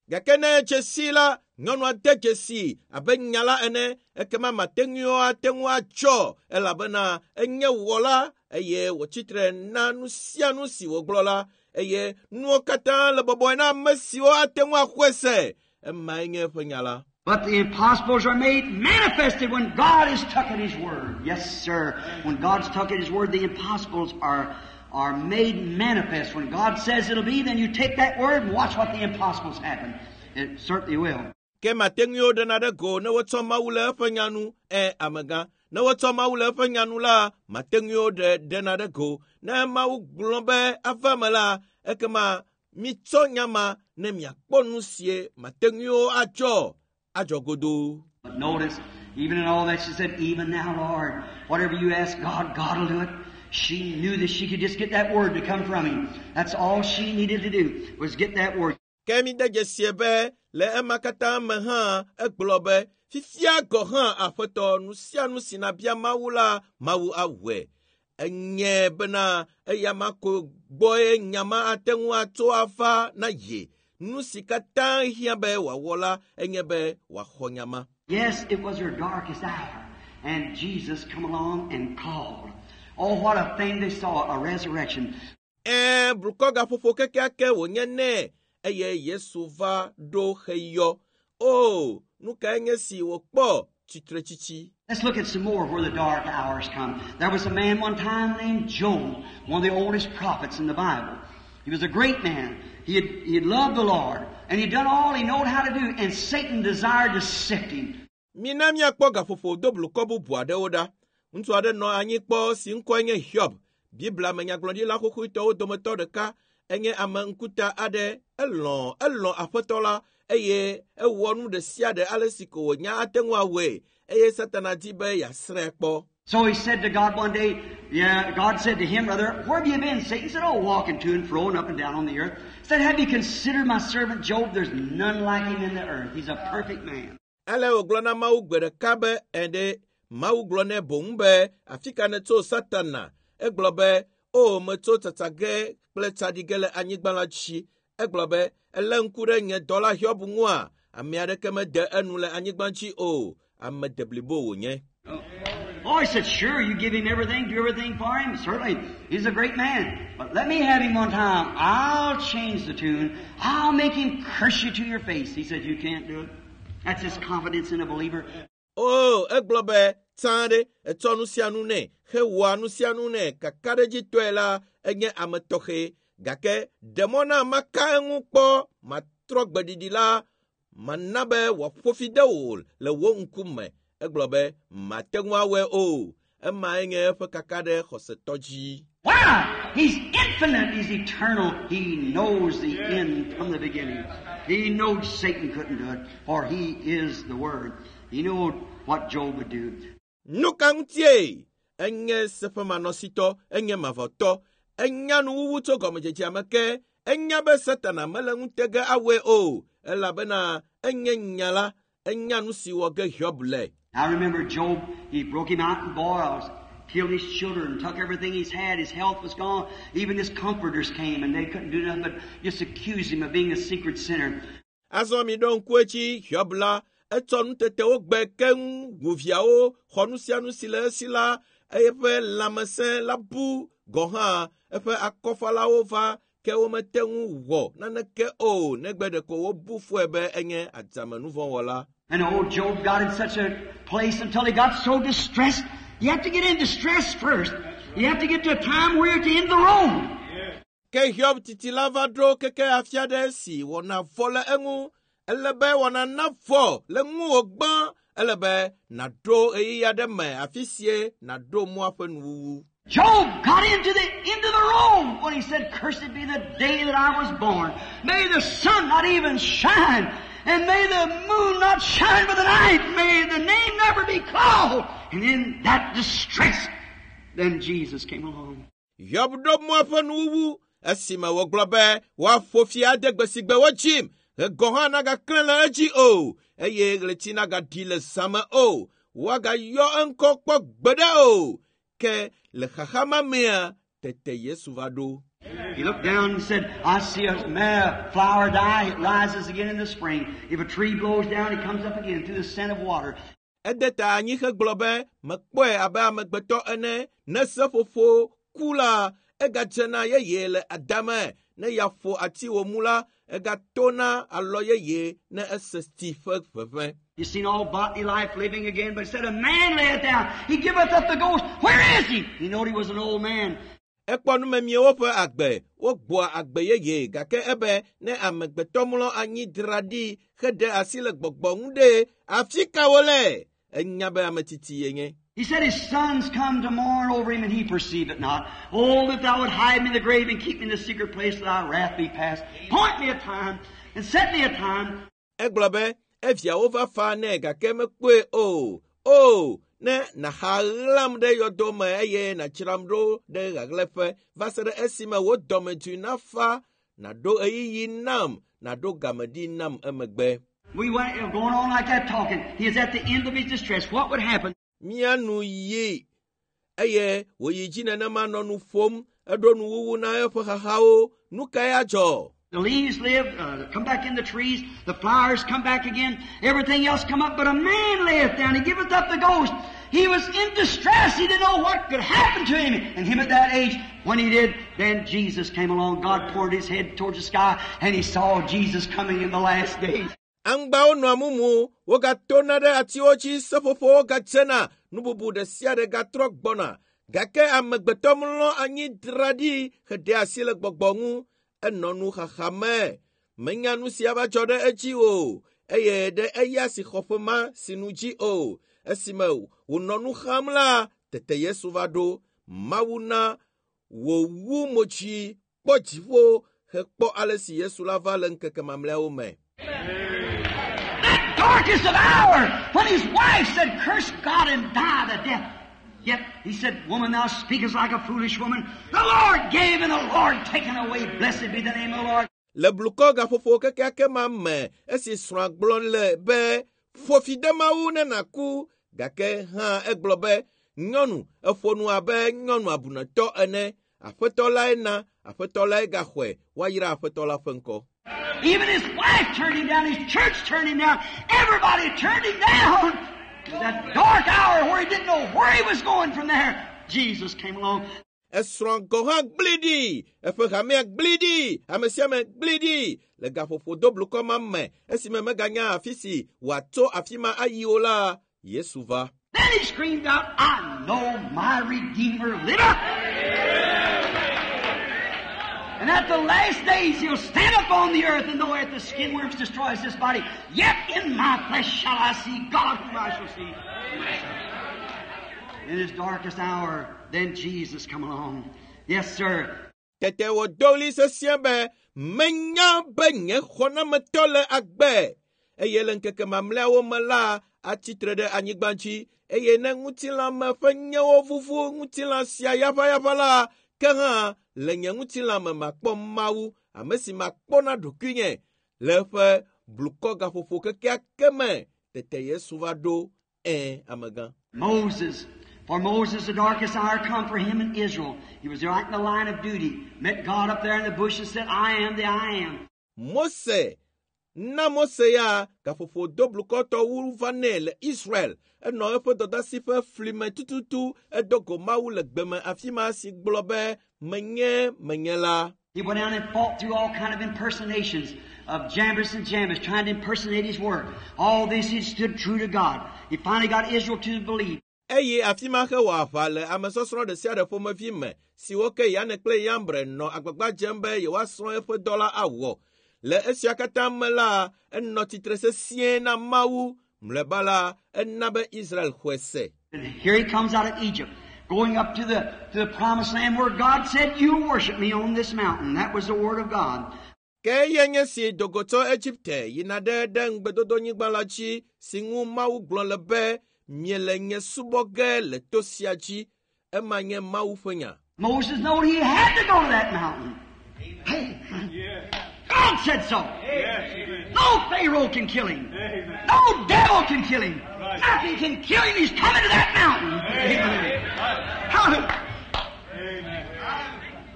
Gake ne dzesi la, nyɔnua de dzesi abe nya la ene, ekema mateŋuiwo ate ŋu adzɔ elabena enye wɔla eye wòtsitre na nu sia nu si wògblɔ la eye nuwo katã le bɔbɔe na ame siwo ate ŋu axɔe se. Emae nye eƒe nya la. But the impossibles are made manifested when God is took at His Word. Yes, sir. When God's took at His Word, the impossibles are, are made manifest. When God says it'll be, then you take that Word and watch what the impossibles happen. It certainly will. Ke mateŋuiwo ɖena ɖe go ne wotsɔ Mawu le eƒe nya nu, ẽ amegã. Ne wotsɔ Mawu le eƒe nya nu la, mateŋuiwo ɖe ɖena ɖe go. Ne Mawu gblɔ be ava me la, ekema mitsɔ nya ma ne miakpɔ nu sie mateŋuiwo adzɔ. Adzɔ godoo. But notice, even in all that, she said, even now, Lord, whatever you ask God, God will do it. She knew that she could just get that word to come from Him. That's all she needed to do, was get that word. Ke mi de dzesie be le ema katã me hã egblɔ be fifia gɔ hã aƒetɔ nu sia nu si nabia Mawu la, Mawu awɔe. Enye bena eya ma ko gbɔe nya ma ate ŋu atso ava na ye. Nu si katã hiã be wòawɔ la enye be wòaxɔ nya ma. Yes, it was her darkest hour, and Jesus come along and called. Oh, what a thing they saw, a resurrection. Ẽ, blukɔ gaƒoƒo kekeake wònye nɛ eye Yesu va ɖo xeyɔ. O, nu kae nye si wòkpɔ tsitretsitsi. Let's look at some more where the dark hours come. There was a man one time named Job, one of the oldest prophets in the Bible. He was a great man. He had, he had loved the Lord, and he'd done all he knowed how to do, and Satan desired to sift him. Mina míakpɔ gaƒoƒo do blukɔ bubu aɖewo ɖa. Ŋutsu aɖe nɔ anyi kpɔ si ŋkɔe nye Hiob. Biblia me nyagblɔɖila xoxoetɔwo dometɔ ɖeka enye ame ŋkuta aɖe. Elɔ̃, elɔ̃ aƒetɔ la eye ewɔ nu ɖe sia ɖe ale si ko wònya ate ŋu awɔe eye Satana di be yeasrãe kpɔ. So he said to God one day, yeah, God said to him, brother, where have you been? Satan said, oh, walking to and fro and up and down on the earth. He said, have you considered my servant Job? There's none like him in the earth. He's a perfect man. Ale wògblɔ na Mawu gbe ɖeka be ɛɖe Mawu gblɔ nɛ boŋ be afi ka nètso Satana. Egblɔ be O metso tsatsa ge kple tsaɖi ge le anyigba la dzi. Egblɔ be elé ŋku ɖe nye dɔla Hiob ŋua, ame aɖeke mede enu le anyigba dzi o. Ame deblibo wònye. Oh, he said, sure, you give him everything, do everything for him. Certainly, he's a great man. But let me have him one time. I'll change the tune. I'll make him curse you to your face. He said, you can't do it. That's his confidence in a believer. O, egblɔ be tsã ɖe etsɔ nu sia nu nɛ hewɔa nu sia nu nɛ kakaɖedzitɔe la enye ame tɔxɛ gake ɖe mɔ na maka eŋu kpɔ matrɔ gbeɖiɖi la mana be wòaƒo fi de wò le wò ŋkume. Egblɔ be mate ŋu awɔe o. Emae nye eƒe kaka ɖe xɔsetɔ dzi. Why? He's infinite. He's eternal. He knows the end from the beginning. He knows Satan couldn't do it, for he is the Word. He knew what Job would do. Nu ka ŋutie? Enye seƒemanɔsitɔ, enye mavɔtɔ, enya nuwuwu tso gɔmedzedzea me ke, enya be Satana mele ŋute ge awɔe o, elabena enye nya la, enya nu si wɔ ge Hiob le. I remember Job, he broke him out in boils, killed his children, took everything he's had, his health was gone. Even his comforters came and they couldn't do nothing but just accuse him of being a secret sinner. Azɔ mi ɖo ŋku edzi Hiob la, etsɔ nutetewo gbe keŋ wu viawo, xɔ nu sia nu si le esi la, eƒe lãmesẽ la bu gɔ̃ hã eƒe akɔfalawo va ke womete ŋu wɔ naneke o negbe ɖeko wobu fɔe be enye adzamenuvɔ̃wɔla. And old Job got in such a place until he got so distressed. You have to get in distress first. You have to get to a time where you're at the end of the road. Ke Hiob titi la va ɖo keke afi aɖe si wɔna vɔ le eŋu. Ele be wɔna na vɔ le ŋuwò gbã. Ele be nàɖo ɣeyiɣi aɖe me afi sie nàɖo mɔa ƒe nuwuwu. Job got into the end of the road when he said, Cursed be the day that I was born. May the sun not even shine, and may the moon not shine by the night. May the name never be called. And in that distress, then Jesus came along. Hiob ɖo mɔa ƒe nuwuwu esime wògblɔ be woaƒo fi ade gbe si gbe wodzim ɣe hã nagaklẽ le edzi o eye ɣleti nagaɖi le zãme o woagayɔ eŋkɔ kpɔ gbeɖe o ke le xaxa ma mea tete Yesu va ɖo. He looked down and said, I see a ma- flower die, it rises again in the spring. If a tree blows down, it comes up again through the scent of water. Ede ta anyi hegblɔ be mekpɔe abe amegbetɔ ene ne seƒoƒo ku la egadzena yeye le adame ne ya ƒo ati wòmu la egatona alɔ yeye ne ese tsi ƒe ʋeʋẽ. You've seen all botany life living again, but he said, A man layeth down, he giveth up the ghost. Where is he? He knowed he was an old man. Ekpɔ numemiewo ƒe agbe wogbɔa agbe yeye gake ebe ne amegbetɔ mlɔ anyi dra ɖi heɖe asi le gbɔgbɔ ŋu ɖe afi ka wole? Enya be ame tsitsi yenye. He said his sons come to mourn over him and he perceive it not. Oh, that thou would hide me in the grave and keep me in the secret place till thy wrath be past. Point me a time and set me a time. Egblɔ be eviawo va fa nɛ gake mekpɔe o. O, ne nàxa ɣlam ɖe yɔdo me eye nàdzram ɖo ɖe ɣaɣlɛƒe va se ɖe esime wò dɔmedzoe nafa, nàɖo ɣeyiɣi nam, nàɖo game ɖi nam emegbe. We went going on like that talking. He is at the end of his distress. What would happen? Mía nu yi eye wòyi dzi nenema nɔ nu ƒom, eɖo nuwuwu na eƒe xaxawo. Nu kae adzɔ? The leaves live, uh, come back in the trees, the flowers come back again, everything else come up, but a man layeth down, he giveth up the ghost. He was in distress, he didn't know what could happen to him. And him at that age, when he did, then Jesus came along. God poured his head towards the sky, and he saw Jesus coming in the last days. Aŋgbawo nɔa mumu, wogatona ɖe atiwo dzi, seƒoƒowo gadzena, nu bubu ɖe sia ɖe gatrɔ gbɔna. Gake amegbetɔ mlɔ anyi dra ɖi heɖe asi le gbɔgbɔ ŋu. Enɔ nu xaxa me. Menya nu si ava dzɔ ɖe edzi o eye ɖe eya si xɔ ƒe ma si nu dzi o. Esime wònɔ nu xam la, tete Yesu va ɖo. Mawu na wòwu mo dzi kpɔ dziƒo hekpɔ ale si Yesu la va le ŋkeke mamlɛawo me. That darkest of hour, when his wife said, Curse God and die the death. Yet he said, Woman, thou speakest like a foolish woman. The Lord gave and the Lord taken away. Blessed be the name of the Lord. Le blukɔ gaƒoƒo kekeake ma me esi srɔ̃a gblɔ le be ƒo fi de Mawu ne nàku gake hã egblɔ be nyɔnu eƒo nu abe nyɔnu abunetɔ ene. Aƒetɔ lae na, aƒetɔ lae gaxɔe, woayra aƒetɔ la ƒe ŋkɔ. Even his wife turned him down, his church turned him down, everybody turned him down. That dark hour where he didn't know where he was going from there, Jesus came along. Esrɔ̃ gɔ̃ hã gblẽ ɖi, eƒe hamea gblẽ ɖi, ame sia ame gblẽ ɖi le gaƒoƒo doblukɔ ma me esime meganya afi si wòatso afi ma ayi o la, Yesu va. Then he screamed out, I know my Redeemer liveth. And at the last days he'll stand up on the earth, and though at the skin worms destroys this body, yet in my flesh shall I see God whom I shall see. In his darkest hour, then Jesus come along. Yes, sir. Tete wòdo ɣli sesĩe be, menya be nye xɔnametɔ le agbe eye le ŋkeke mamlɛawo me la atsitre ɖe anyigba dzi eye ne ŋutilãme ƒe nyewo vuvu ŋutilã sia yaʋayaʋa la, ke hã le nye ŋutilã me makpɔ Mawu, ame si makpɔ na ɖokuinye le eƒe blukɔ gaƒoƒo kekeake me. Tete Yesu va ɖo ẽ amegã. Moses. For Moses, the darkest hour come for him in Israel. He was right in the line of duty. Met God up there in the bush and said, I am the I am. Mose na Mose ya gaƒoƒo doblukɔtɔ wu va nɛ le Israel. Enɔ eƒe dɔdasi ƒe fli me tututu edo go Mawu le gbeme afi ma si gblɔ be menye menye la. He went down and fought through all kind of impersonations of Jambres and Jambres, trying to impersonate his work. All this, he stood true to God. He finally got Israel to believe. Eye afi ma hewɔ aʋa le amesɔsrɔ̃ ɖe sia ɖe ƒomevi me siwo ke Yane kple Yambre nɔ agbagba dzem be yewoasrɔ̃ eƒe dɔ la awɔ. Le esia katã me la, enɔ tsitre sesĩe na Mawu. Mlɔeba la, ena be Israel xɔe se. And here he comes out of Egypt, going up to the, to the promised land where God said, You worship me on this mountain. That was the word of God. Ke eyae nye si do go tso Egipte yina ɖe ɖe ŋugbedodonyigba la dzi si ŋu Mawu gblɔ le be miele nye subɔ ge le to sia dzi. Ema nye Mawu ƒe nya. Moses knew he had to go to that mountain. Hey, God said so. No Pharaoh can kill him. No devil can kill him. Nothing can kill him. He's coming to that mountain. Amen. Hallelujah.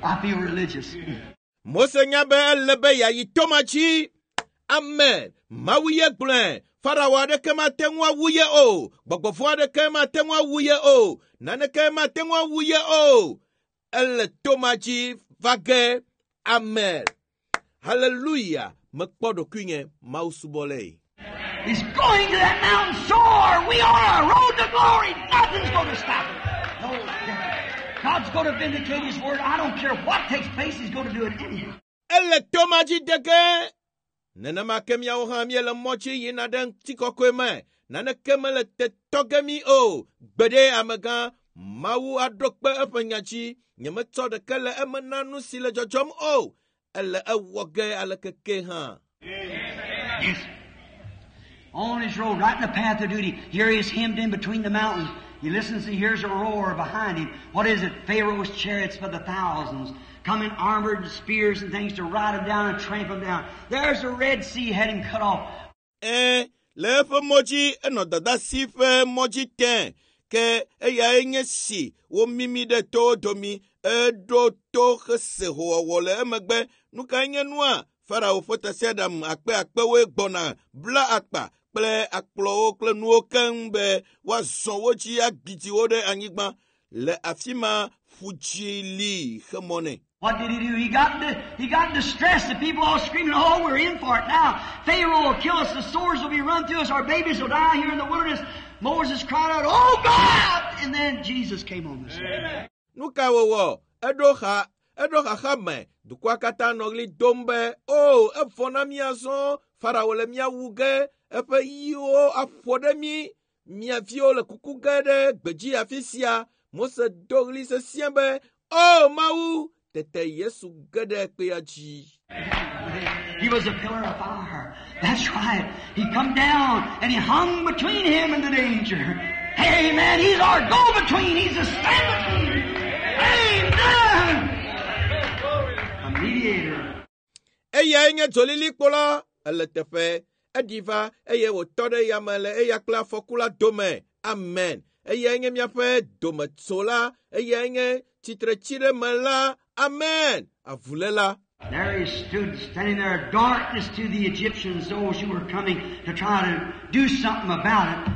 I feel religious. Mose nya be ele be yeayi to ma dzi. Amen. Mawu ye gblɔe. Farao aɖeke mate ŋu awu ye o. Gbɔgbɔvɔ aɖeke mate ŋu awu ye o. Naneke mate ŋu awu ye o. Ele to ma dzi va ge. Amen. Hallelujah. Mekpɔ ɖokuinye Mawu subɔlae. He's going to that mountain. So are we on our road to glory. Nothing's going to stop it. No devil. God's going to vindicate His word. I don't care what takes place. He's going to do it anyhow. Ele to ma dzi de ge. Nenema ke míawo hã míele mɔ dzi yina ɖe ŋutikɔkɔe me. Naneke mele te tɔ ge mí o. Gbeɖe amegã, Mawu aɖo kpe eƒe nya dzi. Nyemetsɔ ɖeke le eme na nu si le dzɔdzɔm o. Ele ewɔ ge aleke hã. Yes. On his road, right in the path of duty. Here he is hemmed in between the mountains. He listens and hears a roar behind him. What is it? Pharaoh's chariots by the thousands, coming armored and spears and things to ride him down and trample him down. There's the Red Sea had him cut off. Ẽ, le eƒe mɔ dzi enɔ dadasi ƒe mɔ dzi tẽ ke eyae nye si womimi ɖe towo domi eɖo to hese howɔwɔ le emegbe. Nu kae nye nua? Farao ƒe tasiaɖam akpe akpewoe gbɔna bla akpa kple akplɔwo kple nuwo keŋ be woazɔ wo dzi agbidi wo ɖe anyigba. Le afi ma ƒudzi li xe mɔ nɛ. What did he do? He got in, he got in distress. The people all screaming, oh, we're in for it now. Pharaoh will kill us. The swords will be run through us. Our babies will die here in the wilderness. Moses cried out, oh, God! And then Jesus came on the scene. Nu ka wòwɔ? Eɖo xa eɖo xaxa me. Dukɔa katã nɔ ɣli dom be, o, evɔ na mí azɔ. Farao le mía wu ge. Eƒe ɣiwo aƒo ɖe mí. Mía viwo le kuku ge ɖe gbedzi afi sia. Mose do ɣli sesĩe be, o Mawu! Tete Yesu ge ɖe kpea dzi. He was a pillar of fire. That's right. He come down and he hung between him and the danger. Amen. He's our go-between. He's a stand-between. Amen. A mediator. Eyae nye dzolilikpo la. Ele teƒe. Eɖi va eye wòtɔ ɖe yame le eya kple afɔku la dome. Amen. Eyae nye míaƒe dometsola, eyae nye tsitretsiɖemela. Amen. Avuléla. There he stood, standing there, darkness to the Egyptians, those who were coming to try to do something about it.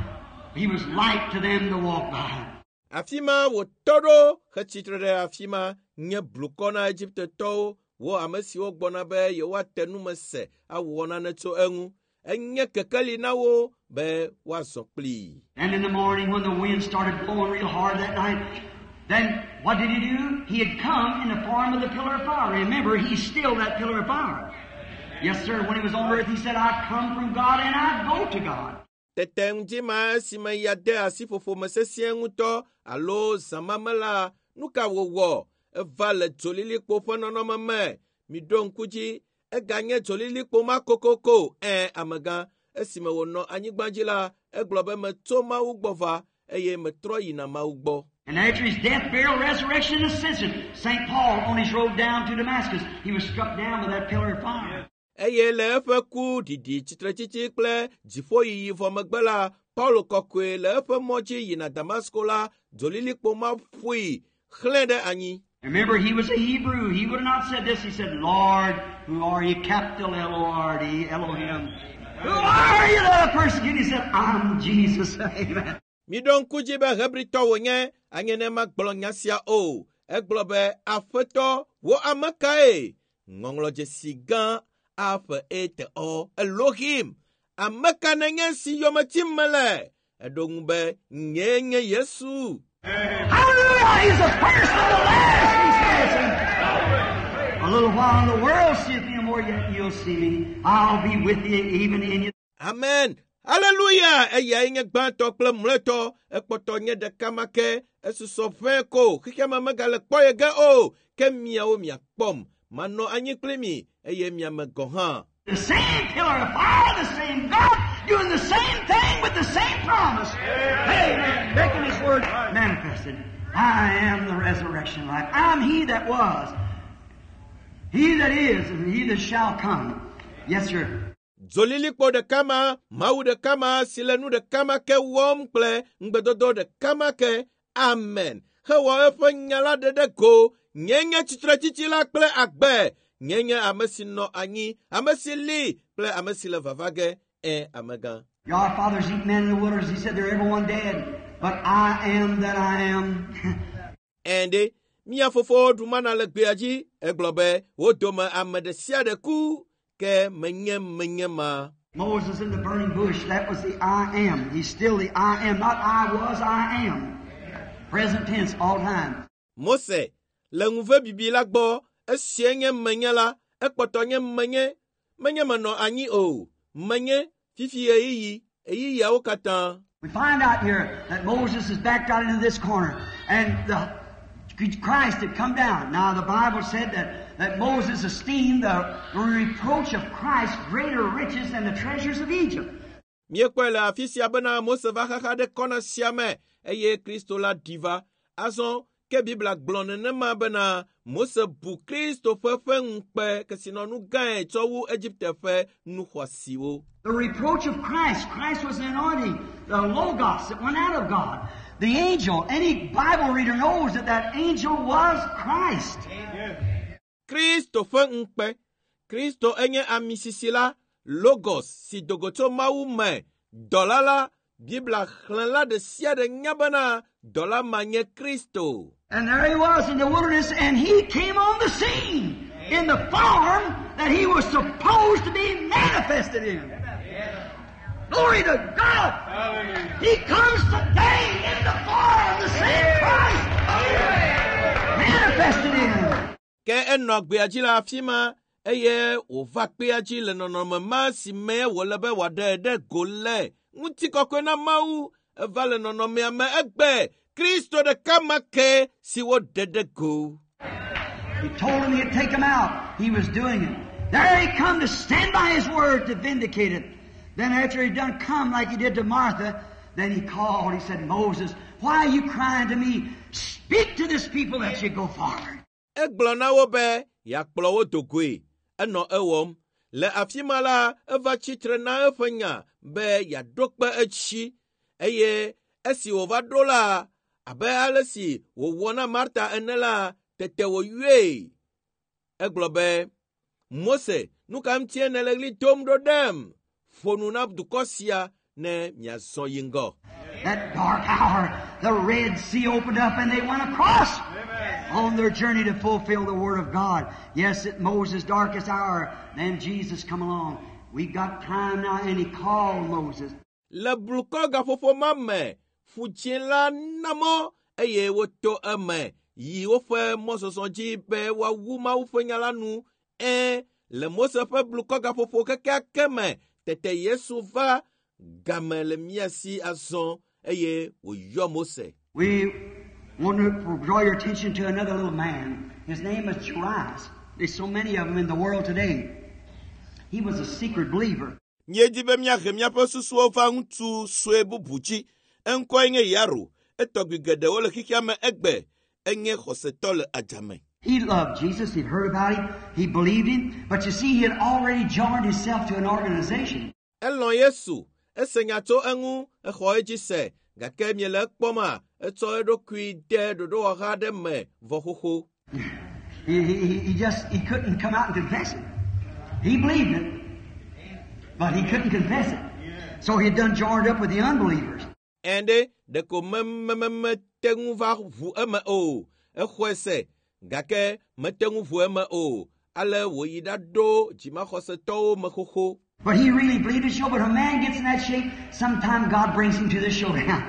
He was light to them to walk by. Afi ma wòtɔ ɖo hetsitre ɖe afi ma nye blukɔ na Egiptetɔwo, wo ame siwo gbɔna be yewoate nume se awɔ nane tso eŋu. Enye kekeli na wo be woazɔ kplii. And in the morning when the wind started blowing real hard that night, then what did he do? He had come in the form of the pillar of fire. Remember, he's still that pillar of fire. Yes, sir. When he was on earth, he said, I come from God and I go to God. Tete ŋdi ma esime ya de asi ƒoƒome sesĩe ŋutɔ alo zã ma me la, nu ka wòwɔ? Eva le dzolilikpo ƒe nɔnɔme me. Miɖo ŋku dzi, eganye dzolilikpo ma kokoko. Ẽ, amegã, esime wònɔ anyigba dzi la, egblɔ be metso Mawu gbɔ va eye metrɔ yina Mawu gbɔ. And after his death, burial, resurrection, and ascension, St. Paul, on his road down to Damascus, he was struck down by that pillar of fire. Eye le eƒe ku, ɖiɖi, tsitretsitsi kple dziƒoyiyi vɔ megbe la, Paulo kɔkɔe le eƒe mɔ dzi yina Damasko la, dzolilikpo ma ƒoe xlẽ ɖe anyi. Remember, he was a Hebrew. He would have not said this. He said, Lord, who are you? Capital L-O-R-D, Elohim. Who are you that I persecute? He said, I'm Jesus. Amen. Miɖo ŋku dzi be Hebritɔ wònye, anye ne magblɔ nya sia o. Egblɔ be, Aƒetɔ, wò ame kae? Ŋɔŋlɔdzesi gã A ƒe E T O Elohim. Ame ka nenye si yome tim mele? Eɖo ŋu be, nyee nye Yesu. Hallelujah! He's the first and the last, he says. A little while in the world seeth me no more, yet you'll see me. I'll be with you, even in you. Amen. Hallelujah! Eyae nye gbãtɔ kple mlɔetɔ. Ekpɔtɔ nye ɖeka ma ke. Esusɔ ʋɛ ko. Xexeame megale kpɔ ye ge o. Ke miawo miakpɔm. Manɔ anyi kpli mi eye miame gɔ̃ hã. The same pillar of fire, the same God, doing the same thing with the same promise. Amen. Making His word manifested. I am the resurrection life. I'm He that was, He that is, and He that shall come. Yes, sir. Dzolilikpo ɖeka ma, Mawu ɖeka ma si le nu ɖeka ma ke wɔm kple ŋugbedodo ɖeka ma ke. Amen. Hewɔ eƒe nya la ɖe ɖe go. Nye nye tsitretsitsi la kple agbe. Nye nye ame si nɔ anyi, ame si li kple ame si le vava ge. Ẽ, amegã. Your fathers eat manna in the wilderness. He said they're everyone dead. But I am that I am. Ẽ ɖe, mía fofowo ɖu mana le gbea dzi. Egblɔ be wo dome ame ɖe sia ɖe ku ke menye menye ma. Moses in the burning bush, that was the I am. He's still the I am. Not I was, I am. Present tense all time. Mose le ŋuve bibi la gbɔ esie nye menye la ekpɔtɔ nye menye menye menɔ anyi o menye fifi ɣeyiɣi ɣeyiɣiawo katã. We find out here that Moses is backed out into this corner and the Christ had come down. Now the Bible said that, that Moses esteemed the reproach of Christ greater riches than the treasures of Egypt. Míekpɔe le afi sia bena Mose va xaxa ɖe kɔna sia me eye Kristo la ɖi va. Azɔ ke Biblia gblɔ nenema bena Mose bu Kristo ƒe ƒe ŋukpe kesinɔnu gãe tsɔ wu Egipte ƒe nu xɔasiwo. The reproach of Christ. Christ was the anointing, the Logos that went out of God. The angel, any Bible reader knows that that angel was Christ. Kristo ƒe ŋukpe. Kristo enye amisisi la, Logos si do go tso Mawu me. Dɔla la, Biblia xlẽla ɖe sia ɖe nya bena dɔla ma nye Kristo. And there he was in the wilderness, and he came on the scene in the form that he was supposed to be manifested in. Glory to God! He comes today in the form, the same Christ manifested in. Ke enɔ gbea dzi le afi ma eye wòva kpea dzi le nɔnɔme ma si me wòle be wòaɖe ɖe go le. Ŋutikɔkɔe na Mawu eva le nɔnɔmea me egbe Kristo ɖeka ma ke si woɖe ɖe go. He told him he'd take him out. He was doing it. There he come to stand by his word to vindicate it. Then after he'd done come like he did to Martha, then he called. He said, Moses, why are you crying to me? Speak to this people that you go forward. Egblɔ na wo be yeakplɔ wo do goe. Enɔ ewɔm. Le afi ma la, eva tsitre na eƒe nya be yeaɖo kpe etsi eye Esi wòva ɖo la, abe ale si wòwɔ na Marta ene la, tete wòyɔe. Egblɔ be, Mose, nu ka ŋutie nèle ɣli dom ɖo ɖem? Ƒo nu na dukɔ sia ne miazɔ yi ŋgɔ. That dark hour, the Red Sea opened up and they went across on their journey to fulfill the Word of God. Yes, at Moses' darkest hour, then Jesus come along. We've got time now, and he called Moses. Le blukɔ gaƒoƒo ma me, ƒu dzĩ la na mɔ eye woto eme yi woƒe mɔzɔzɔ dzi be woawu Mawu ƒe nya la nu. Ẽ, le Mose ƒe blukɔ gaƒoƒo kekeake me, tete Yesu va game le mía si azɔ eye wòyɔ Mose. We want to draw your attention to another little man. His name is Jairus. There's so many of them in the world today. He was a secret believer. Míedi be míahe míaƒe susuwo va ŋutsu sue bubu dzi. Eŋkɔe nye Yairo. Etɔgbi geɖewo le xexea me egbe. Enye xɔsetɔ le adzame. He loved Jesus. He'd heard about him. He believed him. But you see, he had already joined himself to an organization. Elɔ̃ Yesu. Ese nya tso eŋu, exɔ edzi se. Gake miele ekpɔma, etsɔ eɖokui de ɖoɖowɔha aɖe me vɔ xoxo. He, he, he just, he couldn't come out and confess it. He believed it, but he couldn't confess it. So he'd done joined up with the unbelievers. Ẽ ɖe, ɖeko mememete ŋu va ʋu eme o. Exɔe se, gake mete ŋu ʋu eme o. Ale wòyi ɖaɖo dzimaxɔsetɔwo me xoxo. But he really believed it, show. But when a man gets in that shape, sometime God brings him to the showdown.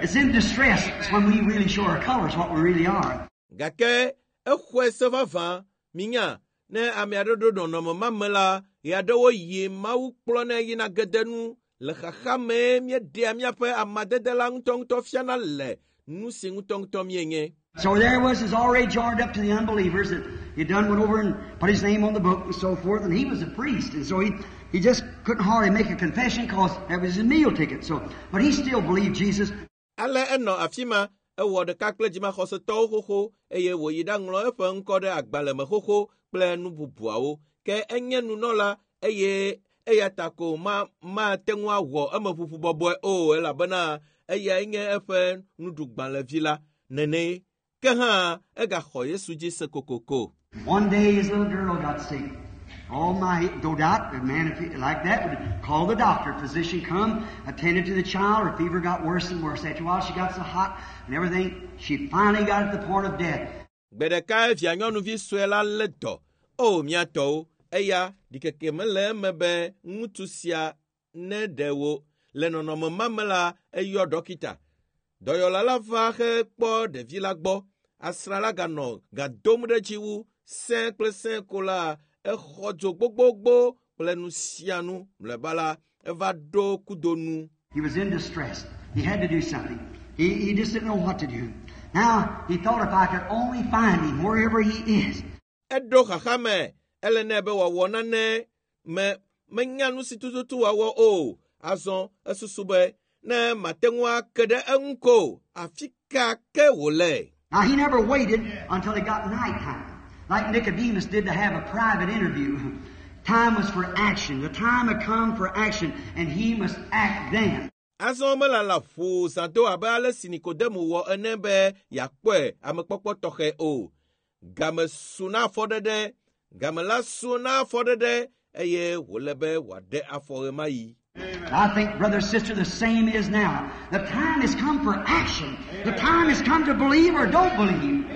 It's in distress. It's when we really show our colors, what we really are. Gake exɔe se vavã, minya, ne ame aɖe ɖo nɔnɔme ma me la, ɣeaɖewo yi Mawu kplɔnɛ yina gede nu le xaxa mee míeɖea míaƒe amadede la ŋutɔŋutɔ fiana le nu si ŋutɔŋutɔ míenye. So there was, is already joined up to the unbelievers that he done went over and put his name on the book and so forth, and he was a priest, and so he, he just couldn't hardly make a confession because that was his meal ticket. So, but he still believed Jesus. Ale enɔ afi ma, ewɔ ɖeka kple dzimaxɔsetɔwo xoxo eye wòyi ɖaŋlɔ eƒe ŋkɔ ɖe agbalẽ me xoxo kple nu bubuawo. Ke enye nunɔla eye eya ta ko ma mate ŋu awɔ emeʋuʋu bɔbɔe o elabena eyae nye eƒe nuɖugbalẽvi la nene. Ke hã egaxɔ Yesu dzi se kokoko. One day his little girl got sick. Oh my, no doubt, a man if he, like that would call the doctor. Physician come, attended to the child. Her fever got worse and worse. After a while, she got so hot and everything, she finally got at the point of death. Gbe ɖeka via nyɔnuvi sue la lé dɔ. O mía tɔwo, eya ɖikeke mele eme be ŋutsu sia ne ɖe wò. Le nɔnɔme ma me la, eyɔ dɔkita. Dɔyɔla la va hekpɔ ɖevi la gbɔ. Asrã la ganɔ ga dom ɖe dzi wu sẽ kple sẽ ko la, exɔ dzo gbogbogbo kple nu sia nu. Mlɔeba la, eva ɖo kudo nu. He was in distress. He had to do something. He, he just didn't know what to do. Now, he thought if I could only find him wherever he is. Eɖo xaxa me. Ele nɛ be wòawɔ nane me menya nu si tututu wòawɔ o. Azɔ esusu be ne mate ŋu ake ɖe eŋu ko, afi ka ke wòle. Now, he never waited until it got nighttime, like Nicodemus did to have a private interview. Time was for action. The time had come for action, and he must act then. Azɔ melala ƒo zã do abe ale si Nikodemo wɔ ene be yeakpɔe amekpɔkpɔ tɔxɛ o. Game su na afɔɖeɖe, game la su na afɔɖeɖe eye wòle be wòaɖe afɔ ɣemaɣi. I think, brother, sister, the same is now. The time has come for action. The time has come to believe or don't believe.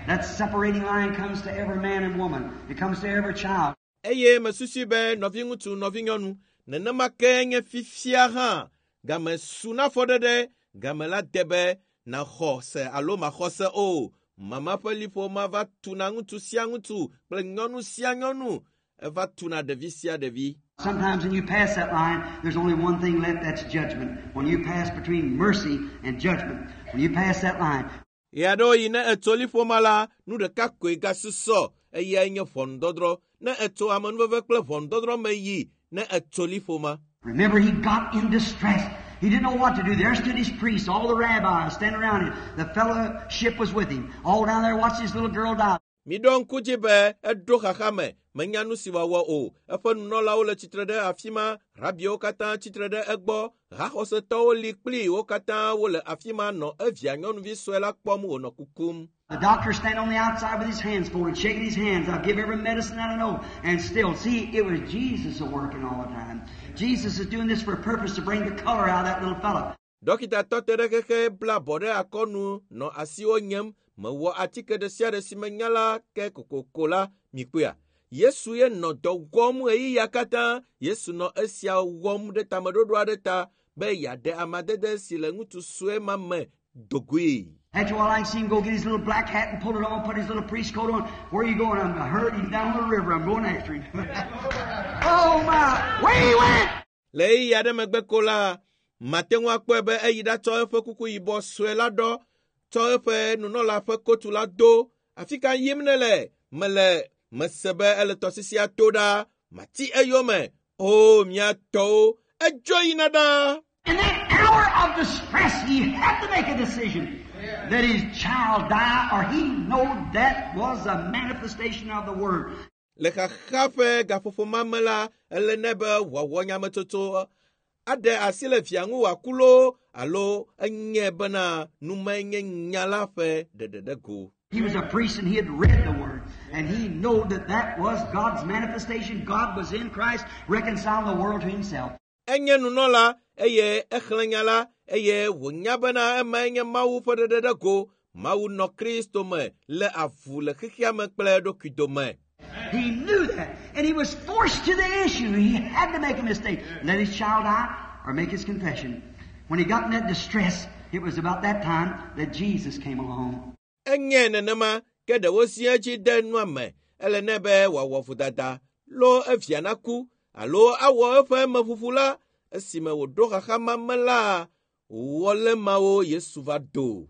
That separating line comes to every man and woman. It comes to every child. Eye mesusui be nɔviŋutsu, nɔvinyɔnu, nenema ke nye fifia hã. Game su na afɔɖeɖe, game la de be nàxɔ se alo maxɔ se o. Mama ƒe liƒo ma va tuna ŋutsu sia ŋutsu kple nyɔnu sia nyɔnu. Eva tuna ɖevi sia ɖevi. Sometimes when you pass that line, there's only one thing left, that's judgment. When you pass between mercy and judgment, when you pass that line, Ɣeaɖewoɣi ne etso liƒo ma la, nu ɖeka koe gasusɔ eyae nye ʋɔnudɔdrɔ̃. Ne etso amenuveve kple ʋɔnudɔdrɔ̃ me yi ne etso liƒo ma. remember he got in distress. He didn't know what to do. There stood his priests, all the rabbis standing around him. The fellowship was with him. All down there watching his little girl die. Miɖo ŋku dzi be eɖo xaxa me, Menya nu si wòawɔ o. Eƒe nunɔlawo le tsitre ɖe afi ma, rabiwo katã tsitre ɖe egbɔ, haxɔsetɔwo li kpli wo katã wole afi ma nɔ evia nyɔnuvi sue la kpɔm wònɔ kukum. The doctor standing on the outside with his hands folded, shaking his hands. I'll give every medicine that I know. And still, see, it was Jesus working all the time. Jesus is doing this for a purpose to bring the color out of that little fellow. Dɔkita tɔ te ɖe xexe bla abɔ ɖe akɔnu nɔ asiwo nyem mewɔ atike ɖe sia ɖe si menya la ke kokoko la mikpɔea. Yesu ye nɔ dɔ wɔm ɣeyiɣia katã. Yesu nɔ esia wɔm ɖe tameɖoɖo aɖe ta be yeaɖe amadede si le ŋutsu sue ma me dogoe. After a while, I see him go get his little black hat and pull it on, put his little priest coat on. Where are you going? I'm I heard he's down the river. I'm going after him. oh my! Where he went? Le ɣeyiɣi aɖe megbe ko la, mate ŋu akpɔe be eyi ɖatsɔ eƒe kuku yibɔ sue la ɖɔ, tsɔ eƒe nunɔla ƒe kotu la do. Afi ka yim nele? Mele mese be ele tɔsisia to ɖa. Mati eyome. O mía tɔwo, edzo yina ɖa. In that hour of distress, he had to make a decision. Let his child die, or he know that was a manifestation of the Word. Le xaxa ƒe gaƒoƒo ma me la, ele nɛ be wòawɔ nyametsotso aɖe asi le via ŋu wòaku loo alo enye bena numae nye nya la ƒe ɖeɖeɖe go. He was a priest and he had read the Word. And he knew that that was God's manifestation. God was in Christ reconciling the world to himself. Enye nunɔla eye exlẽ nya la eye wònya bena emae nye Mawu ƒe ɖeɖeɖe go. Mawu nɔ Kristo me le avu le xexea me kple eɖokui dome. He knew that. And he was forced to the issue. He had to make a mistake. Let his child die or make his confession. When he got in that distress, it was about that time that Jesus came along. Enye nenema ke ɖewo si edzi de nua me. Ele nɛ be wòawɔ vodada lo evia naku alo awɔ eƒe meʋuʋu la esime wòɖo xaxa ma me la wòwɔ mawo Yesu va do.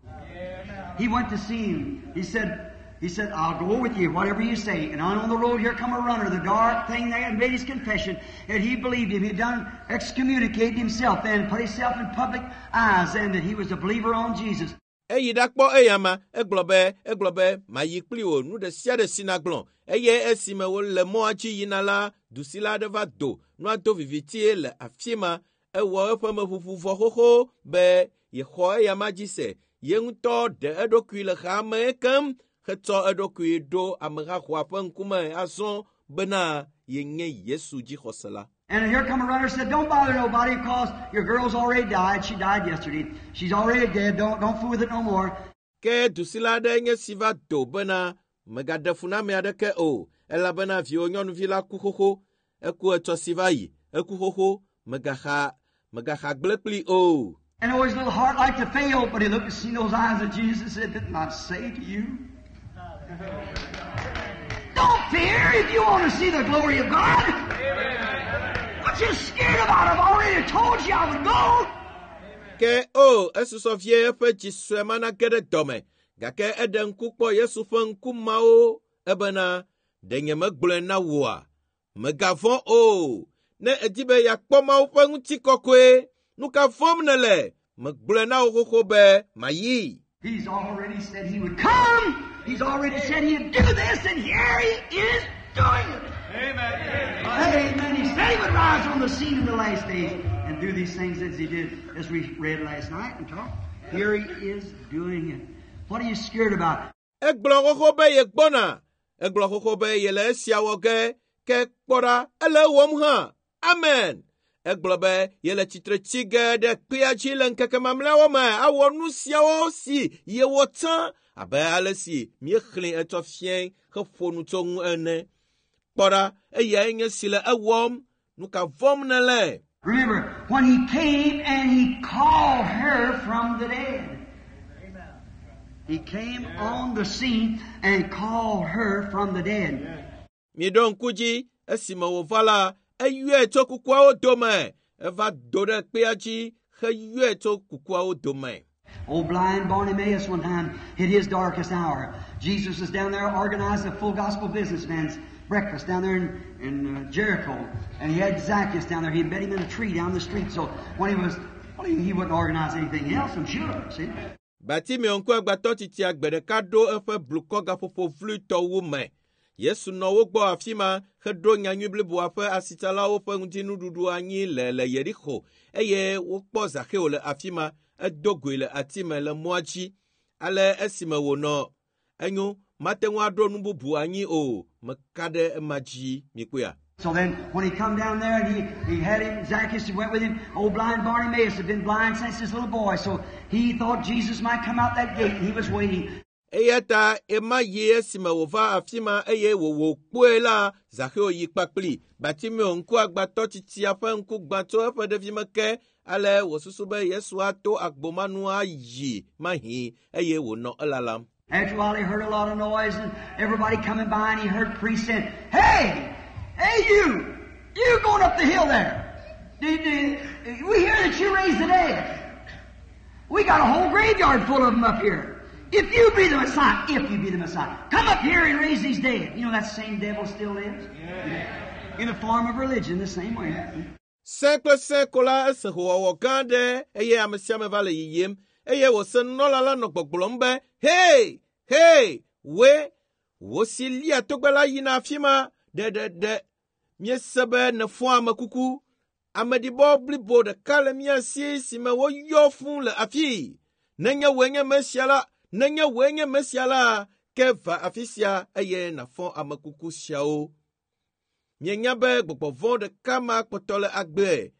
He went to see him. He said, he said, I'll go with you, whatever you say. And on, on the road here come a runner, the dark thing there, and made his confession. And he believed him. He'd done excommunicated himself then, put himself in public eyes then that he was a believer on Jesus. Eyi ɖakpɔ eyama egblɔ be egblɔ be mayi kpli wò nu ɖe sia ɖe si nagblɔ eye esime wole mɔa dzi yina la dusila aɖe va do nua do vivitie le afi ma ewɔ eƒe meʋuʋu vɔ xoxo be yexɔ eyama dzi se ye ŋutɔ ɖe eɖokui le xame keŋ hetsɔ eɖokui ɖo amehaxɔa ƒe ŋkume azɔ bena yenye Yesu dzixɔsela. And here come a runner said, Don't bother nobody because your girl's already died. She died yesterday. She's already dead. Don't, don't fool with it no more. Ke dusila aɖe nye si va do bena megaɖe fu na ame aɖeke o elabena viwò nyɔnuvi la ku xoxo eku etsɔ si va yi eku xoxo megaxa megaxa gblẽ kpli o. And oh, his little heart like to fail, but he looked and seen those eyes of Jesus and said, Didn't I say to you? Don't fear if you want to see the glory of God. What you scared about? I've already told you I would go. Ke o esusɔ vie eƒe dzi sue ma nage ɖe dɔme gake eɖe ŋku kpɔ Yesu ƒe ŋku mawo ebena ɖe nyemegblɔe na wòa? Megavɔ̃ o. Ne èdi be yeakpɔ Mawu ƒe ŋutikɔkɔe, nu ka vɔ̃m nèle? Megblɔe na wò xoxo be mayi. He's already said he would come. He's already said he'd do this, and here he is doing it. Amen. Amen. He said he would rise on the scene in the last days and do these things as he did, as we read last night and talked. Here he is doing it. What are you scared about? Egblɔ xoxo be yegbɔna. Egblɔ xoxo be yele esia wɔ ge. Ke kpɔ ɖa, ele ewɔm hã. Amen. Egblɔ be yele tsitre tsi ge ɖe kpea dzi le ŋkeke mamlɛawo me awɔ nu siawo si yewɔ tsã abe ale si míexlẽ etsɔ fiẽ heƒo nu tso ŋu ene. Kpɔ ɖa, eyae nye si le ewɔm. Nu ka vɔ̃m nèle? Remember, when he came and he called her from the dead. He came on the scene and called her from the dead. Miɖo ŋku dzi esime wòva la, eyɔe tso kukuawo dome. Eva do ɖe kpea dzi heyɔe tso kukuawo dome. Old blind Bartimaeus one time hit his darkest hour. Jesus was down there organizing a full gospel businessman's breakfast down there in, in uh, Jericho. And he had Zacchaeus down there. He met him in a tree down the street. So when he was, well, he, he wouldn't organize anything else, I'm sure. See? Bartimeo ŋkuagbãtɔ titia gbe ɖeka ɖo eƒe blukɔ gaƒoƒo vluitɔwo me. Yesu nɔ wo gbɔ afi ma heɖo nyanyui bliboa ƒe asitsalawo ƒe ŋutinuɖuɖu anyi le le Yeriko eye wokpɔ Zaxeo le afi ma edo goe le ati me le mɔa dzi. Ale esime wònɔ enyo mate ŋu aɖo nu bubu anyi o meka ɖe ema dzi mikpɔea. So then, when he come down there and he, he had him, Zacchaeus went with him, old blind Bartimaeus had been blind since his little boy, so he thought Jesus might come out that gate and he was waiting. Eya ta ema yi esime wòva afi ma eye wòwò kpɔe la Zaxeo yi kpakpli. Bartimeo ŋkuagbãtɔ tsitsia ƒe ŋku gbã tso eƒe ɖevime ke ale wòsusu be Yesu ato agbo ma nu ayi mahi eye wònɔ elalam. After a while, he heard a lot of noise and everybody coming by, and he heard priests saying, Hey! Hey, you! You going up the hill there! Did, did, we hear that you raised the dead. We got a whole graveyard full of them up here. If you be the Messiah, if you be the Messiah, come up here and raise these dead. You know that same devil still lives? In the form of religion, the same way. Sẽ kple sẽ ko la ese hoowɔwɔ gã aɖe eye ame sia ame va le yiyim eye wòse nunɔla la nɔ gbɔgblɔm be hei hei woe wò si lia togbɛ la yina afi ma ɖeɖeɖe míese be nèfɔ ame kuku ameɖibɔ blibo ɖeka le mía si si me woyɔ fũu le afii nenye wòe nye Mesia la nenye wòe nye Mesia la ke va afi sia eye nàfɔ ame kuku siawo. Mienya be gbɔgbɔ vɔ̃ ɖeka ma kpɔtɔ le agbe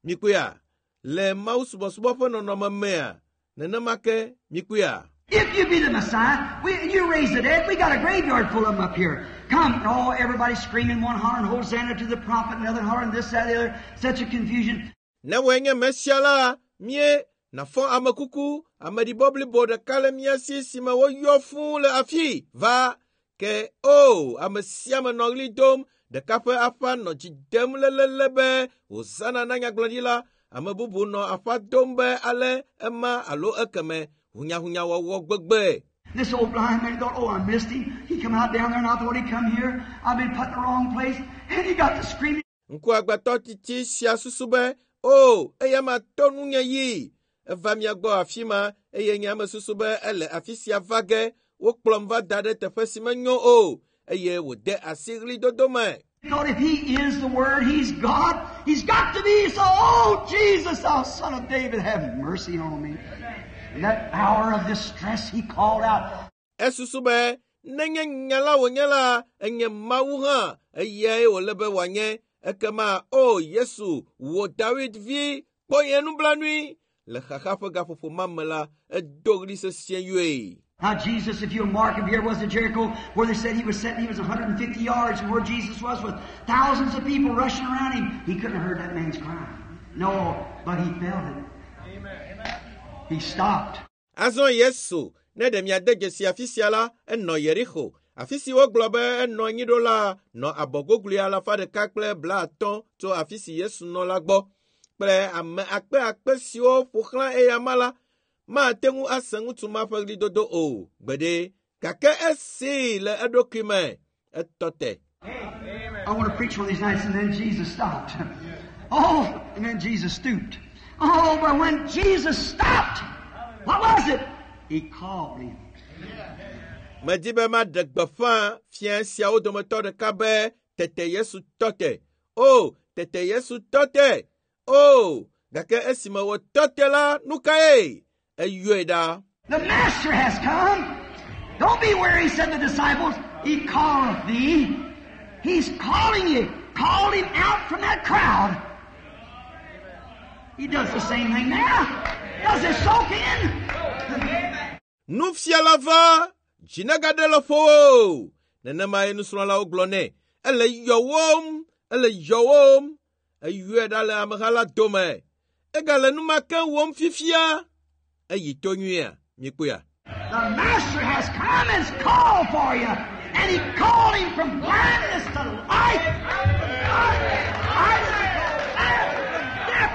mikpɔea le Mawu subɔsubɔ ƒe nɔnɔme mea nenema ke mikpɔea. If you be the Messiah, we, you raise the dead. We got a graveyard full of them up here. Come. And all everybody screaming, one hollering, Hosanna to the prophet, another hollering this, that, the other. Such a confusion. Ne wòe nye Mesia la, mie nàfɔ ame kuku, ameɖibɔ blibo ɖeka le mía si si me woyɔ fũu le afii va. Ke o, ame sia ame nɔ ɣli dom, ɖeka ƒe aƒa nɔ dzi dem lelele be Hosana na nyagblɔɖila, ame bubu nɔ aƒa dom be ale ema alo ekeme hunyahunyawɔwɔ gbegbe. This old blind man thought, oh, I missed him. He come out down there and I thought he'd come here. I've been put in the wrong place. And he got to screaming. Ŋkuagbãtɔ tsitsi sia susu be, o, eya ma to nunye yi. Eva mia gbɔ afi ma eye nye ame susu be ele afi sia va ge. Wokplɔm va da ɖe teƒe si menyo o eye wòde asi ɣlidodo me. He thought if he is the Word, he's God. He's got to be. So, oh, Jesus, thou son of David, have mercy on me. In that hour of distress, he called out. Esusu be nenye nya la wònye la, enye Mawu hã eyae wòle be wòanye. Ekema o Yesu, wò David vi, kpɔ nye nublanui. Le xaxa ƒe gaƒoƒo ma me la, edo ɣli sesĩe yɔe. Now, Jesus, if you'll mark him, here was at Jericho where they said he was sitting, he was a hundred and fifty yards from where Jesus was with thousands of people rushing around him. He couldn't have heard that man's cry. No, but he felt it. He stopped. Azɔ Yesu, ne ɖe miade dzesi afi sia la, enɔ Yeriko. Afi si wogblɔ be enɔ anyi ɖo la, nɔ abɔgoglui alafa ɖeka kple blaatɔ̃ tso afi si Yesu nɔ la gbɔ. Kple ame akpe akpe siwo ƒo xlã eyama la, mate ŋu ase ŋutsu ma ƒe ɣlidodo o gbeɖe. Gake esee le eɖokui me, etɔ te. I want to preach one of these nights, and then Jesus stopped. Oh, and then Jesus stooped. Oh, but when Jesus stopped, what was it? He called him. Medi be maɖe gbeƒã fia siawo dometɔ ɖeka be tete Yesu tɔ te. O, tete Yesu tɔ te. O, gake esime wòtɔ te la, nu kae? Eyɔe ɖa. The Master has come. Don't be weary, said the disciples. He calleth thee. He's calling you. Called him out from that crowd. He does the same thing now. Does it soak in? Nufiala va, dzi negaɖe le ƒowò. Nenemae nusrɔ̃lawo gblɔ nɛ. Ele yɔwòm, ele yɔwòm. Eyɔe ɖa le ameha la dome. Egale nu ma ke wɔm fifia. Eyi to nyuia, mikpɔea. The Master has come and called for you. And he called him from blindness to life. Life to death.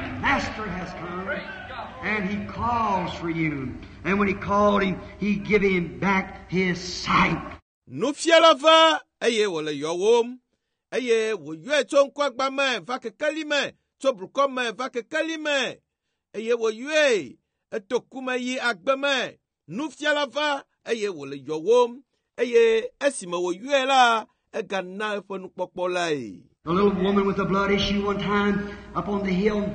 The Master has come. And he calls for you. And when he called him, he gave him back his sight. Nufiala va eye wòle yɔwòm. Eye wòyɔe tso ŋkuagbã me va kekeli me, tso blukɔ me va kekeli me. Eye wòyɔe eto ku me yi agbe me. Nufiala va eye wòle yɔwòm. eye esime wòyɔe la egana eƒe nukpɔkpɔ lae. The little woman with the blood issue one time up on the hill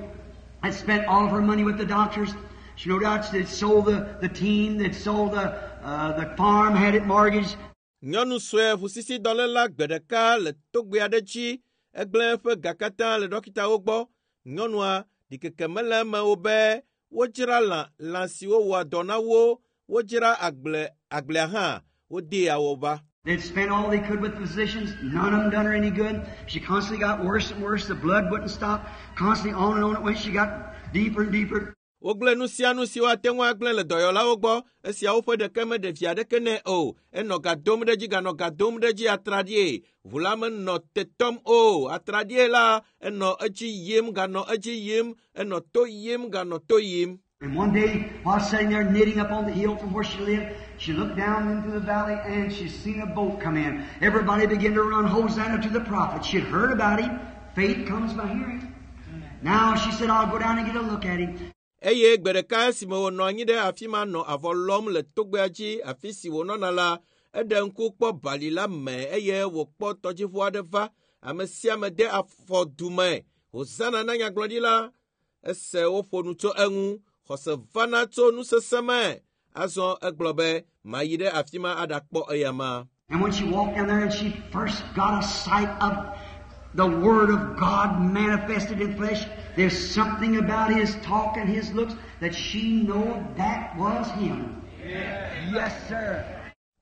had spent all of her money with the doctors. She no doubt they'd sold the, the team, they'd sold the, uh, the farm, had it mortgaged. Nyɔnu sue ʋusisidɔléla gbe ɖeka le togbɛ aɖe dzi egblẽ eƒe ga katã le ɖɔkitawo gbɔ. Nyɔnua ɖikeke mele eme o be wodzra lã lã siwo wɔa dɔ na wo, wodzra agble agblea hã wodee awɔba. They'd spent all they could with physicians. None of them done her any good. She constantly got worse and worse. The blood wouldn't stop. Constantly on and on it went. She got deeper and deeper. Wogblẽ nu sia nu si woate ŋu agblẽ le dɔyɔlawo gbɔ esiawo ƒe ɖeke meɖe vi aɖeke nɛ o. Enɔ ga dom ɖe edzi ganɔ ga dom ɖe edzi atraɖie. Ʋu la menɔ te tɔm o. Atraɖie la enɔ edzi yim ganɔ edzi yim enɔ to yim ganɔ to yim. And one day, while sitting there knitting up on the hill from where she lived, she looked down into the valley and she seen a boat come in. Everybody began to run Hosanna to the prophet. She'd heard about him. Faith comes by hearing. Now she said, I'll go down and get a look at him. Eye gbe ɖeka esime wònɔ anyi ɖe afi ma nɔ avɔ lɔm le togbɛa dzi afi si wònɔna la, eɖe ŋku kpɔ bali la me eye wòkpɔ tɔdziʋu aɖe va. Ame sia ame de afɔ du me. Hosana na nyagblɔɖila. Ese woƒo nu tso eŋu. Xɔse vana tso nusese me. Azɔ egblɔ be mayi ɖe afi ma aɖakpɔ eyama. And when she walked down there and she first got a sight of the Word of God manifested in flesh, there's something about his talk and his looks that she knew that was him. Yes, sir.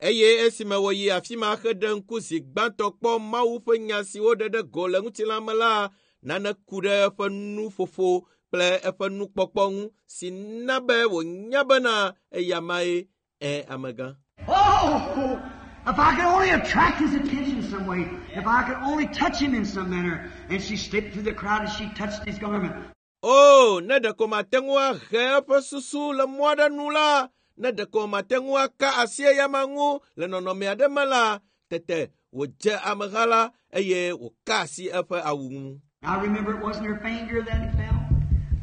Eye esime wòyi afi ma heɖe ŋku zi gbãtɔ kpɔ Mawu ƒe nya si woɖe ɖe go le ŋutilã me la, nane ku ɖe eƒe nuƒoƒo kple eƒe nukpɔkpɔ ŋu si na be wònya bena eyamae ẽ amegã. Oh, if I could only attract his attention some way, if I could only touch him in some manner. And she slipped through the crowd and she touched his garment. O, ne ɖeko mate ŋu ahe eƒe susu le mɔ aɖe nu la, ne ɖeko mate ŋu aka asi eyama ŋu le nɔnɔme aɖe me la, tete wòdze ameha la eye wòka asi eƒe awu ŋu. I remember it wasn't her finger that it fell.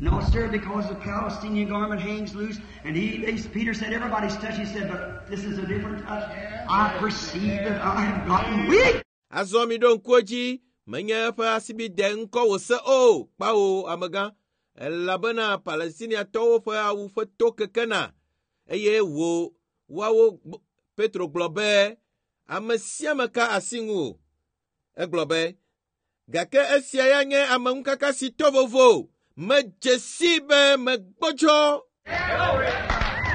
No, sir, because the Palestinian garment hangs loose. And he, Peter said, everybody's touched. He said, but this is a different touch. I perceive that I have gotten weak. Azɔ mi ɖo ŋku edzi, menye eƒe asibide ŋkɔ wòse o, kpawo amegã, elabena Palestiniatɔwo ƒe awu ƒe to kekena eye wò woawo Petro gblɔ be ame sia ame ka asi ŋu o. Egblɔ be, gake esia ya nye ameŋukaka si to vovo. Medze si be megbɔdzɔ.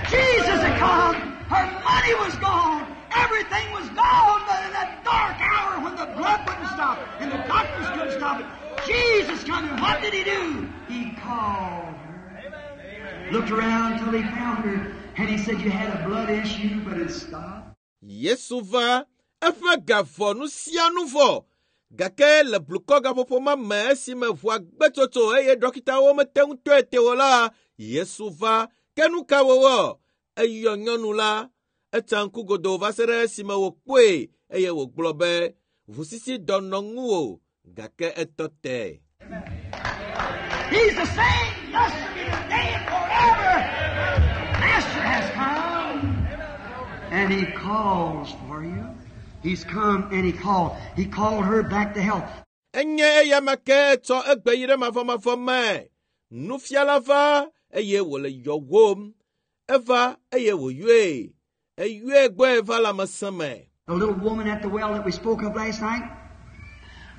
Jesus had come. Her money was gone. Everything was gone. But in that dark hour when the blood wouldn't stop and the doctors couldn't stop it, Jesus come and what did he do? He called her. Looked around until he found her. And he said, you had a blood issue, but it stopped. Yesu va eƒe ga vɔ nu sia nu vɔ. Gake le blukɔ gaƒoƒo ma me esime ʋua gbe tsotso eye dɔkitawo mete ŋu tɔe te o la, Yesu va. Ke nu ka wòwɔ? Eyɔ nyɔnu la. Etsa ŋku godoo va se ɖe esime wòkpɔe eye wògblɔ be ʋusisi dɔ nɔ ŋuwò gake etɔ te. He's the same yesterday, today, and forever. Master has come. And he calls for you. He's come and he called. He called her back to health. Enye eyama ke tsɔ egbe yi ɖe mavɔmavɔ me. Nufiala va eye wòle yɔwòm. Eva eye wòyɔe. Eyɔe gbɔe va lãmesẽ me. The little woman at the well that we spoke of last night,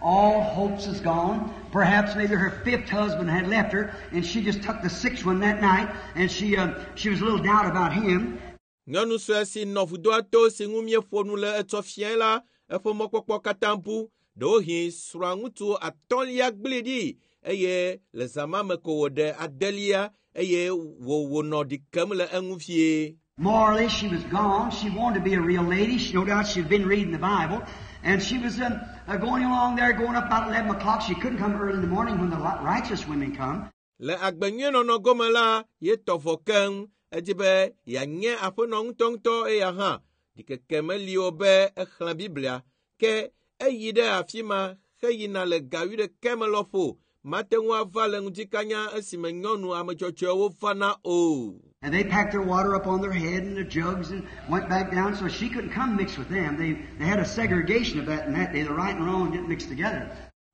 all hopes is gone. Perhaps maybe her fifth husband had left her, and she just took the sixth one that night, and she uh, she was a little doubt about him. Nyɔnu sue si nɔ vudoa to si ŋu míeƒo nu le etsɔ fiae la, eƒe mɔkpɔkpɔ katã bu. Ɖewohĩ srɔ̃aŋutsu atɔ̃lia gblẽe ɖi eye le zã ma me ko wòɖe adelia eye wò wònɔ ɖi kem le eŋu vie. Morally, she was gone. She wanted to be a real lady. She, no doubt she'd been reading the Bible. And she was um, uh, going along there, going up about eleven o'clock. She couldn't come early in the morning when the righteous women come. Le agbenyuienɔnɔ gome la, ye tɔ vɔ keŋ. Edi be yeanye aƒenɔ ŋutɔŋutɔ eya hã. Ɖikeke meli o be exlẽ Biblia. Ke eyi ɖe afi ma heyina le ga wuiɖekɛ me lɔƒo. mate ŋu ava le ŋutikanya esime nyɔnu ame dzɔdzɔewo vana o. And they packed their water up on their head and their jugs and went back down, so she couldn't come mix with them. They, they had a segregation of that in that day. The right and wrong didn't mix together.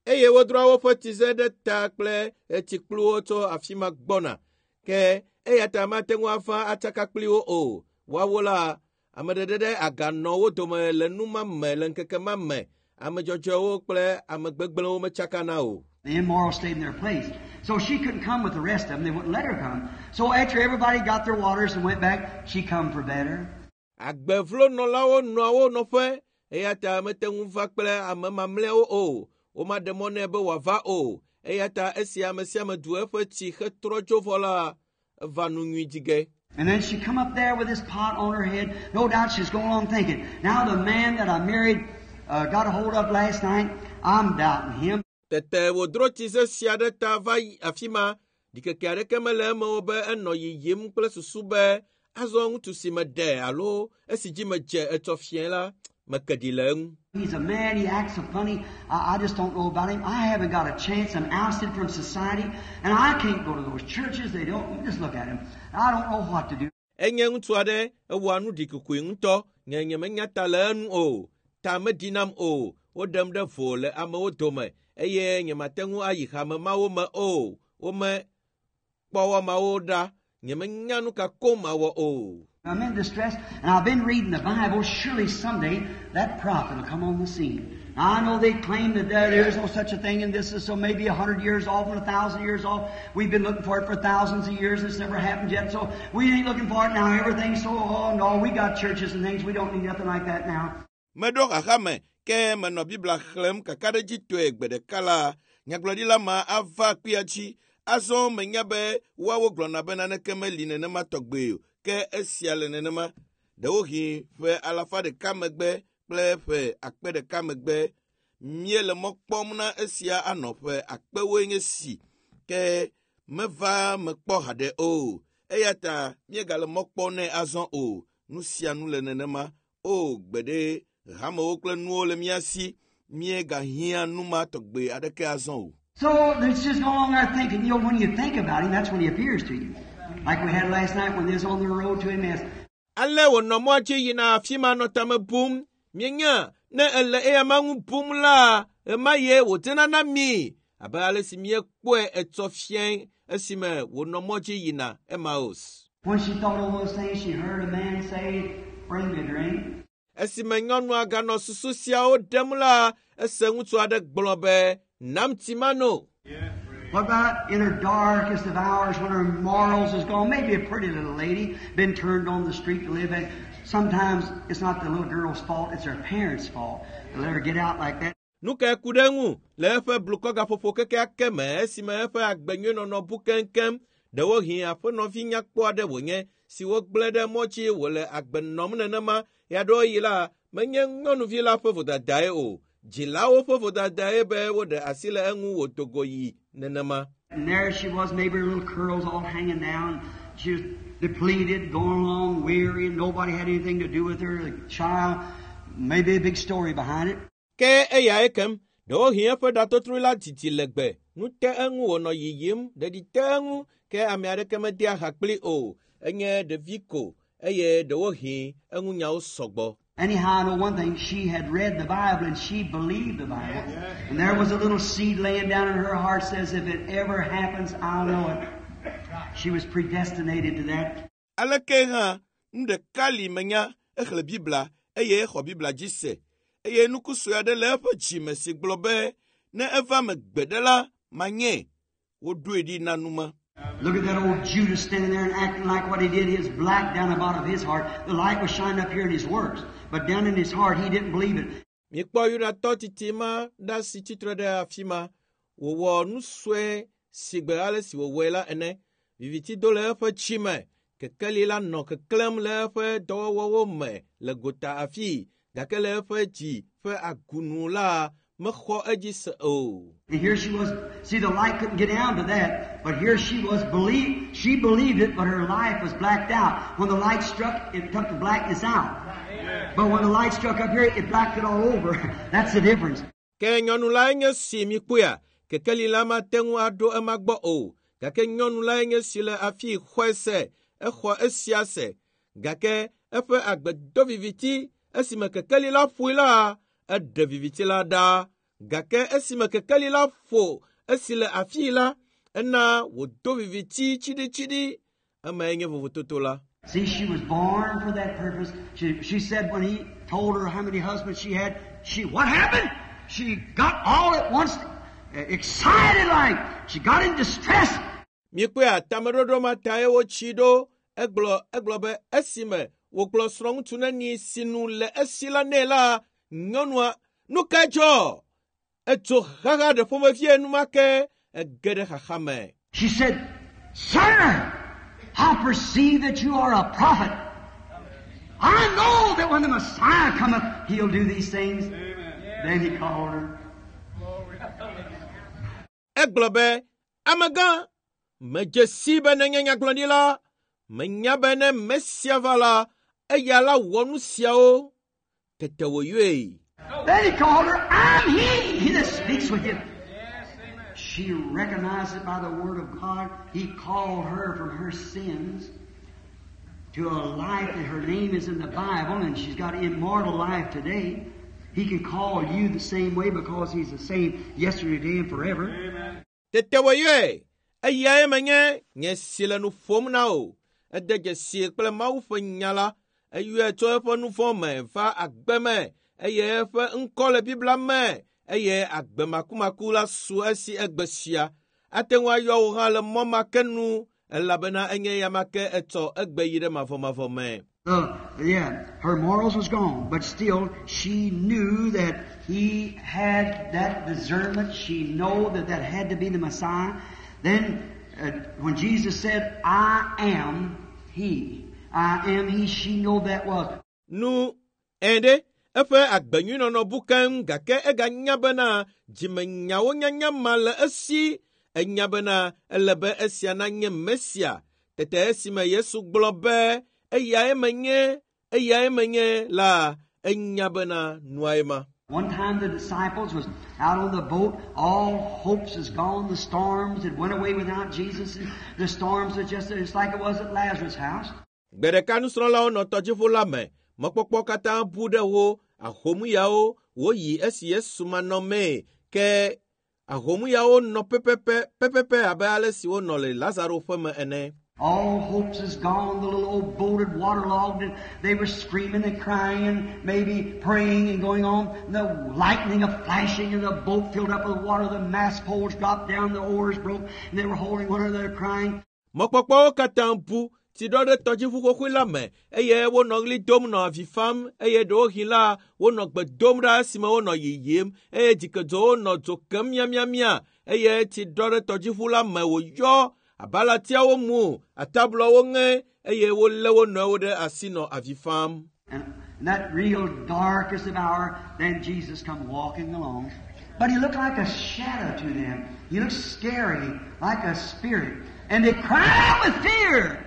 Eye wodroa woƒe tsize ɖe ta kple tsikpluwo tso afi ma gbɔna. Ke eya ta mate ŋu ava atsaka kpli wo o. Woawo la, ame ɖeɖe ɖe aga nɔ wo dome le nu ma me le ŋkeke ma me. Ame dzɔdzɔewo kple ame gbegblẽwo metsakana o. The immoral stayed in their place. So she couldn't come with the rest of them. They wouldn't let her come. So after everybody got their waters and went back, she come for better. Agbevlonɔlawo nɔa wo nɔƒe eya ta mete ŋu va kple ame mamlɛawo o. Womaɖe mɔ nɛ be wòava o. Eya ta esi ame sia ame du eƒe tsi hetrɔ dzo vɔ la, eva nu nyui dzi ge. And then she come up there with this pot on her head. No doubt she's going on thinking, now the man that I married uh, got a hold of last night, I'm doubting him. Tete wòdro tsize sia ɖe ta va yi afi ma. Ɖikeke aɖeke mele eme o be enɔ yiyim kple susu be azɔ ŋutsu si meɖe alo esi dzi medze etsɔ fiẽ la, meke ɖi le eŋu. He's a man, he acts so funny. I, I just don't know about him. I haven't got a chance. I'm ousted from society, and I can't go to those churches. They don't, just look at him. I don't know what to do. Enye ŋutsu aɖe ewɔa nu ɖikokoe ŋutɔ. Nye nyemenya ta le enu o. Ta meɖi nam o. Woɖem ɖe vo le amewo dome eye nyemate ŋu ayi hame mawo me o. Wome kpɔ wɔmawo ɖa. Nyemenya nu ka koŋ mawɔ o. I'm in distress, and I've been reading the Bible. Surely someday that prophet will come on the scene. Now, I know they claim that there, there is no such a thing, and this is so maybe a hundred years off and a thousand years off. We've been looking for it for thousands of years, and it's never happened yet, so we ain't looking for it now. Everything's so, oh no, we got churches and things. We don't need nothing like that now. Meɖo xaxa me ke menɔ Biblia xlẽm kakaɖedzitɔe gbe ɖeka la, nyagblɔɖila ma ava kpuia dzi. Azɔ menya be woawo gblɔna be naneke meli nenema tɔgbe o. Ke esia le nenema. Ɖewohĩ ƒe alafa ɖeka megbe kple ƒe akpe ɖeka megbe míele mɔ kpɔm na esia anɔ ƒe akpewoe nye si. Ke meva mekpɔ haɖe o. Eya ta míegale mɔ kpɔm nɛ azɔ o. Nu sia nu le nenema. O gbeɖe hamewo kple nuwo le mía si. Míegahiã nu ma tɔgbe aɖeke azɔ o. So it's just no longer thinking. You know, when you think about him, that's when he appears to you. Like we had last night when they was on the road to Emmaus. Ale wònɔ mɔa dzi yina afi ma nɔ tame bum. Míenya ne ele eya ma ŋu bum la, ɣema ye wòdzena na mí abe ale si míekpɔe etsɔ fiẽ esime wònɔ mɔ dzi yina Emmaus. When she thought of those things, she heard a man say, Bring me a drink. Esime nyɔnua ganɔ susu siawo ɖem la, ese ŋutsu aɖe gblɔ be, Nam tsi mano. What about in her darkest of hours when her morals is gone? Maybe a pretty little lady, been turned on the street to live in. Sometimes it's not the little girl's fault, it's her parents' fault to let her get out like that. Nu kae ku ɖe eŋu le eƒe blukɔgaƒoƒo kekeake me esime eƒe agbenyuinɔnɔ bu keŋkeŋ. Ɖewohĩ aƒenɔvi nyakpɔ aɖe wònye si wogblẽ ɖe mɔ dzi wòle agbe nɔm nenema. Ɣeaɖewoɣi la, menye nyɔnuvi la ƒe vodadae o. Dzilawo ƒe vodadae be woɖe asi le eŋu wòdo go yi nenema. And there she was, maybe her little curls all hanging down. She was depleted, going along weary, and nobody had anything to do with her. The child, maybe a big story behind it. Ke eyae kem, ɖewohĩ eƒe ɖatotrui la didi legbe. Nu te eŋu wònɔ yiyim, ɖeɖi te eŋu, ke ame aɖeke medea ha kpli o. Enye ɖevi ko eye ɖewohĩ eŋunyawo sɔgbɔ. Anyhow, I know one thing. She had read the Bible and she believed the Bible. And there was a little seed laying down in her heart says, if it ever happens, I'll know it. She was predestinated to that. Aleke hã, nu ɖeka li menya, exlẽ Biblia eye exɔ Biblia dzi se. Eye nuku sue aɖe le eƒe dzime si gblɔ be, ne eva me gbe ɖe la, manye. Woɖoe ɖi na numa. Look at that old Judas standing there and acting like what he did. He was black down the bottom of his heart. The light was shining up here in his works. But down in his heart, he didn't believe it. Mikpɔ Yudatɔ titi ma ɖa si tsitre ɖe afi ma. Wòwɔ nu sue si gbe ale si wòwɔe la ene. Viviti do le eƒe dzime. Kekeli la nɔ keklẽm le eƒe dɔwɔwɔwo me le gota afii gake le eƒe dzi ƒe agunu la mexɔ edzi se o. And here she was. See, the light couldn't get down to that. But here she was, believe, she believed it, but her life was blacked out. When the light struck, it took the blackness out. But when the light struck up here, it blacked it all over. That's the difference. Ke nyɔnu lae nye si mikpɔea, Kekeli la mate ŋu aɖo ema gbɔ o. Gake nyɔnu lae nye si le afi xɔe se, exɔ esia se. Gake eƒe agbe do viviti esime kekeli la ƒoe la, eɖe viviti la ɖa. Gake esime kekeli la ƒo esi le afii la, ena wòdo viviti tsiɖitsiɖi. Emae nye vovototo la. See, she was born for that purpose. She, she said when he told her how many husbands she had, she, what happened? She got all at once uh, excited like. She got in distress. Míekpɔe tameɖoɖo ma tae wotsi ɖo. Egblɔ egblɔ be esime wògblɔ srɔ̃ŋutsu neni si nu le esi la nɛ la, nyɔnua, nu ka dzɔ? Etso xaxa ɖe ƒomevie enumake ege ɖe xaxa me. She said, Sir, I perceive that you are a prophet. I know that when the Messiah cometh, he'll do these things. Then he called her. Egblɔ be, amegã, medze si be nenye nyagblɔɖila, menya be ne Mesia va la, eya la wɔ nu siawo. Tete wòyɔe. Then he called her, I'm he, he that speaks with you. She recognized it by the word of God. He called her from her sins to a life that her name is in the Bible and she's got immortal life today. He can call you the same way because he's the same yesterday, today, and forever. Tete wòyɔe. Eyae menye nye si le nu ƒom na wò. Ede dzesi kple Mawu ƒe nya la. Eyɔe tso eƒe nu vɔ̃ me va agbe me eye eƒe ŋkɔ le Biblia me eye agbe makumaku la su esi egbe sia. Ate ŋu ayɔ wò hã le mɔ ma ke nu elabena enye ya ma ke etsɔ egbe yi ɖe mavɔmavɔ me. Uh, yeah, her morals was gone, but still she knew that he had that discernment. She knew that that had to be the Messiah. Then, uh, when Jesus said, I am he, I am he, she knew that was. Nu ẽ ɖe eƒe agbenyuinɔnɔ bu keŋ gake eganya bena dzimenyawo nyanya ma le esi. Enya bena ele be esia nanye Mesia. Tete esime Yesu gblɔ be eyae menye, eyae menye la, enya bena nuae ma. One time the disciples was out on the boat, all hopes is gone, the storms had went away without Jesus, and the storms are just it's like it was at Lazarus' house. Gbe ɖeka nusrɔ̃lawo nɔ tɔdziʋu la me. Mɔkpɔkpɔ katã bu ɖe wo. Ahomuyawo woyi esi Yesu manɔmee ke ahomuyawo nɔ pɛpɛpɛ pɛpɛpɛ abe ale si wonɔ le Lazaro ƒe me ene. All hopes is gone. The little old boat had waterlogged, and they were screaming and crying and maybe praying and going on. And the lightning a flashing, and the boat filled up with water. The mast poles dropped down, the oars broke, and they were holding one another crying. Mɔkpɔkpɔwo katã bu tsi ɖɔ ɖe tɔdziʋu xoxoe la me eye wonɔ ɣli dom nɔ avi fam eye ɖewohĩ la wonɔ gbe dom ɖa esime wonɔ yiyim eye dzikedzowo nɔ dzo kem miamiamia eye tsi ɖɔ ɖe tɔdziʋu la me wòyɔ abalatiawo mu atablɔwo ŋe eye wolé wo nɔewo ɖe asi nɔ avi fam. And in that real darkest of hour, then Jesus come walking along. But he looked like a shadow to them. He looked scary, like a spirit. And they cried out with fear.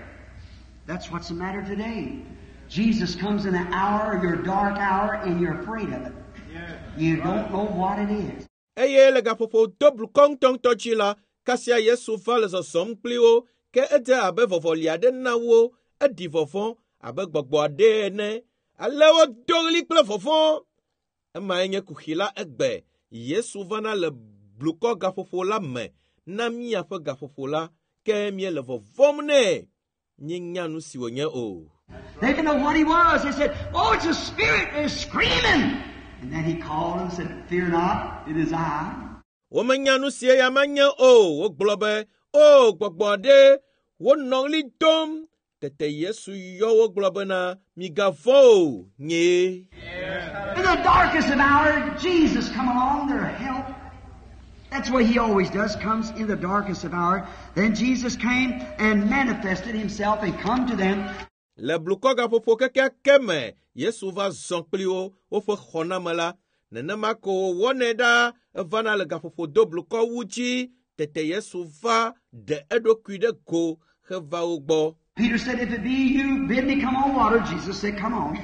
That's what's the matter today. Jesus comes in the hour, your dark hour, and you're afraid of it. You don't know what it is. Eye le gaƒoƒo do blukɔ ŋutɔŋutɔ dzi la, kasia Yesu va le zɔzɔm kpli wo ke edze abe vɔvɔli aɖe na wo, eɖi vɔvɔ̃ abe gbɔgbɔ aɖe ene. Ale wodo ɣli kple vɔvɔ̃. Emae nye kuxi la egbe. Yesu vana le blukɔ gaƒoƒo la me na míaƒe gaƒoƒo la, ke míele vɔvɔ̃m nɛ. Míenya nu si wònye o. They didn't know what he was. They said, Oh, it's a spirit. They're screaming. And then he called and said, Fear not, it is I. Womenya nu si eya ma nye o. Wogblɔ be, O, gbɔgbɔ aɖe, wonɔ ɣli dom. Tete Yesu yɔ wo gblɔ bena, migavɔ̃ o, nyee. In the darkest of hour, Jesus come along to help. That's what he always does, comes in the darkest of hour. Then Jesus came and manifested himself and come to them. Le blukɔ gaƒoƒo kekeake me, Yesu va zɔ kpli wo woƒe xɔname la. Nenema ko wòwɔnɛ ɖa evana le gaƒoƒo do blukɔ wu dzi. Tete Yesu va ɖe eɖokui ɖe go heva wo gbɔ. Peter said, If it be you, bid me come on water. Jesus said, Come on.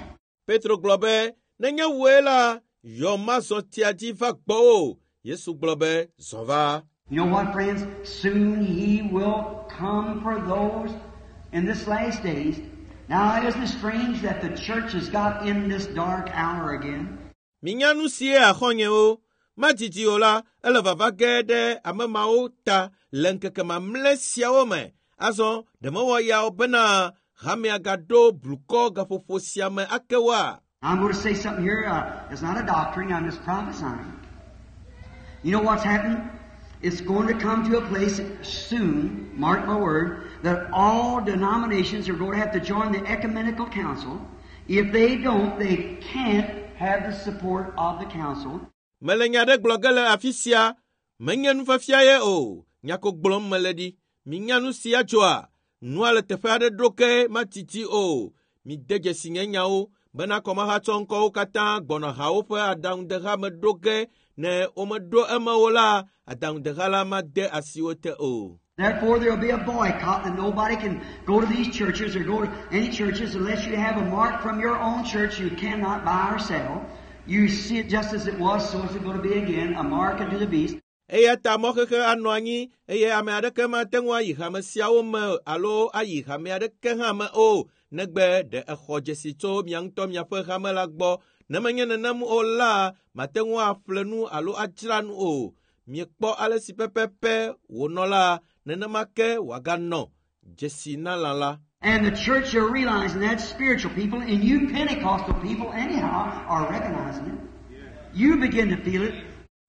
Petro gblɔ be, nenye wòe la, yɔ mazɔ tsia dzi va gbɔwò. Yesu gblɔ be zɔ va. You know what, friends? Soon He will come for those in this last days. Now, isn't it strange that the church has got in this dark hour again? Minya nu sie axɔnyewo. Madidi o la, ele vava ge ɖe ame mawo ta le ŋkeke mamlɛ siawo me. Azɔ ɖe mewɔ ya o bena hamea gaɖo blukɔ gaƒoƒo sia me ake woa? I'm going to say something here. Uh, it's not a doctrine. I'm just prophesying. You know what's happened? It's going to come to a place soon, mark my word, that all denominations are going to have to join the ecumenical council. If they don't, they can't have the support of the council. Mele nya ɖe gblɔ ge le afi sia, menye nufiafia ye o, nya ko gblɔm mele ɖi. Minya nu sia tsoa? Nua le teƒe aɖe ɖo ke matiti o. Mide dzesi nye nyawo bena kɔmahatsɔ ŋkɔwo katã gbɔna hawo ƒe aɖaŋudeha me ɖo ge ne womeɖo eme o la, aɖaŋudeha la made asi wo te o. Therefore, there will be a boycott and nobody can go to these churches or go to any churches unless you have a mark from your own church. You cannot buy or sell. You see it just as it was, so is it going to be again, a mark unto the beast. Eya ta mɔxexe anɔ anyi eye ame aɖeke mate ŋu ayi hame siawo me alo ayi hame aɖeke hã me o negbe ɖe exɔ dzesi tso mia ŋutɔ miaƒe hame la gbɔ. Ne menye nenem o la, mate ŋu aƒle nu alo adzra nu o. Miekpɔ ale si pɛpɛpɛ wònɔ la, nenema ke wòaganɔ dzesi na lã la. And the church are realizing that spiritual people, and you Pentecostal people anyhow, are recognizing it. You begin to feel it.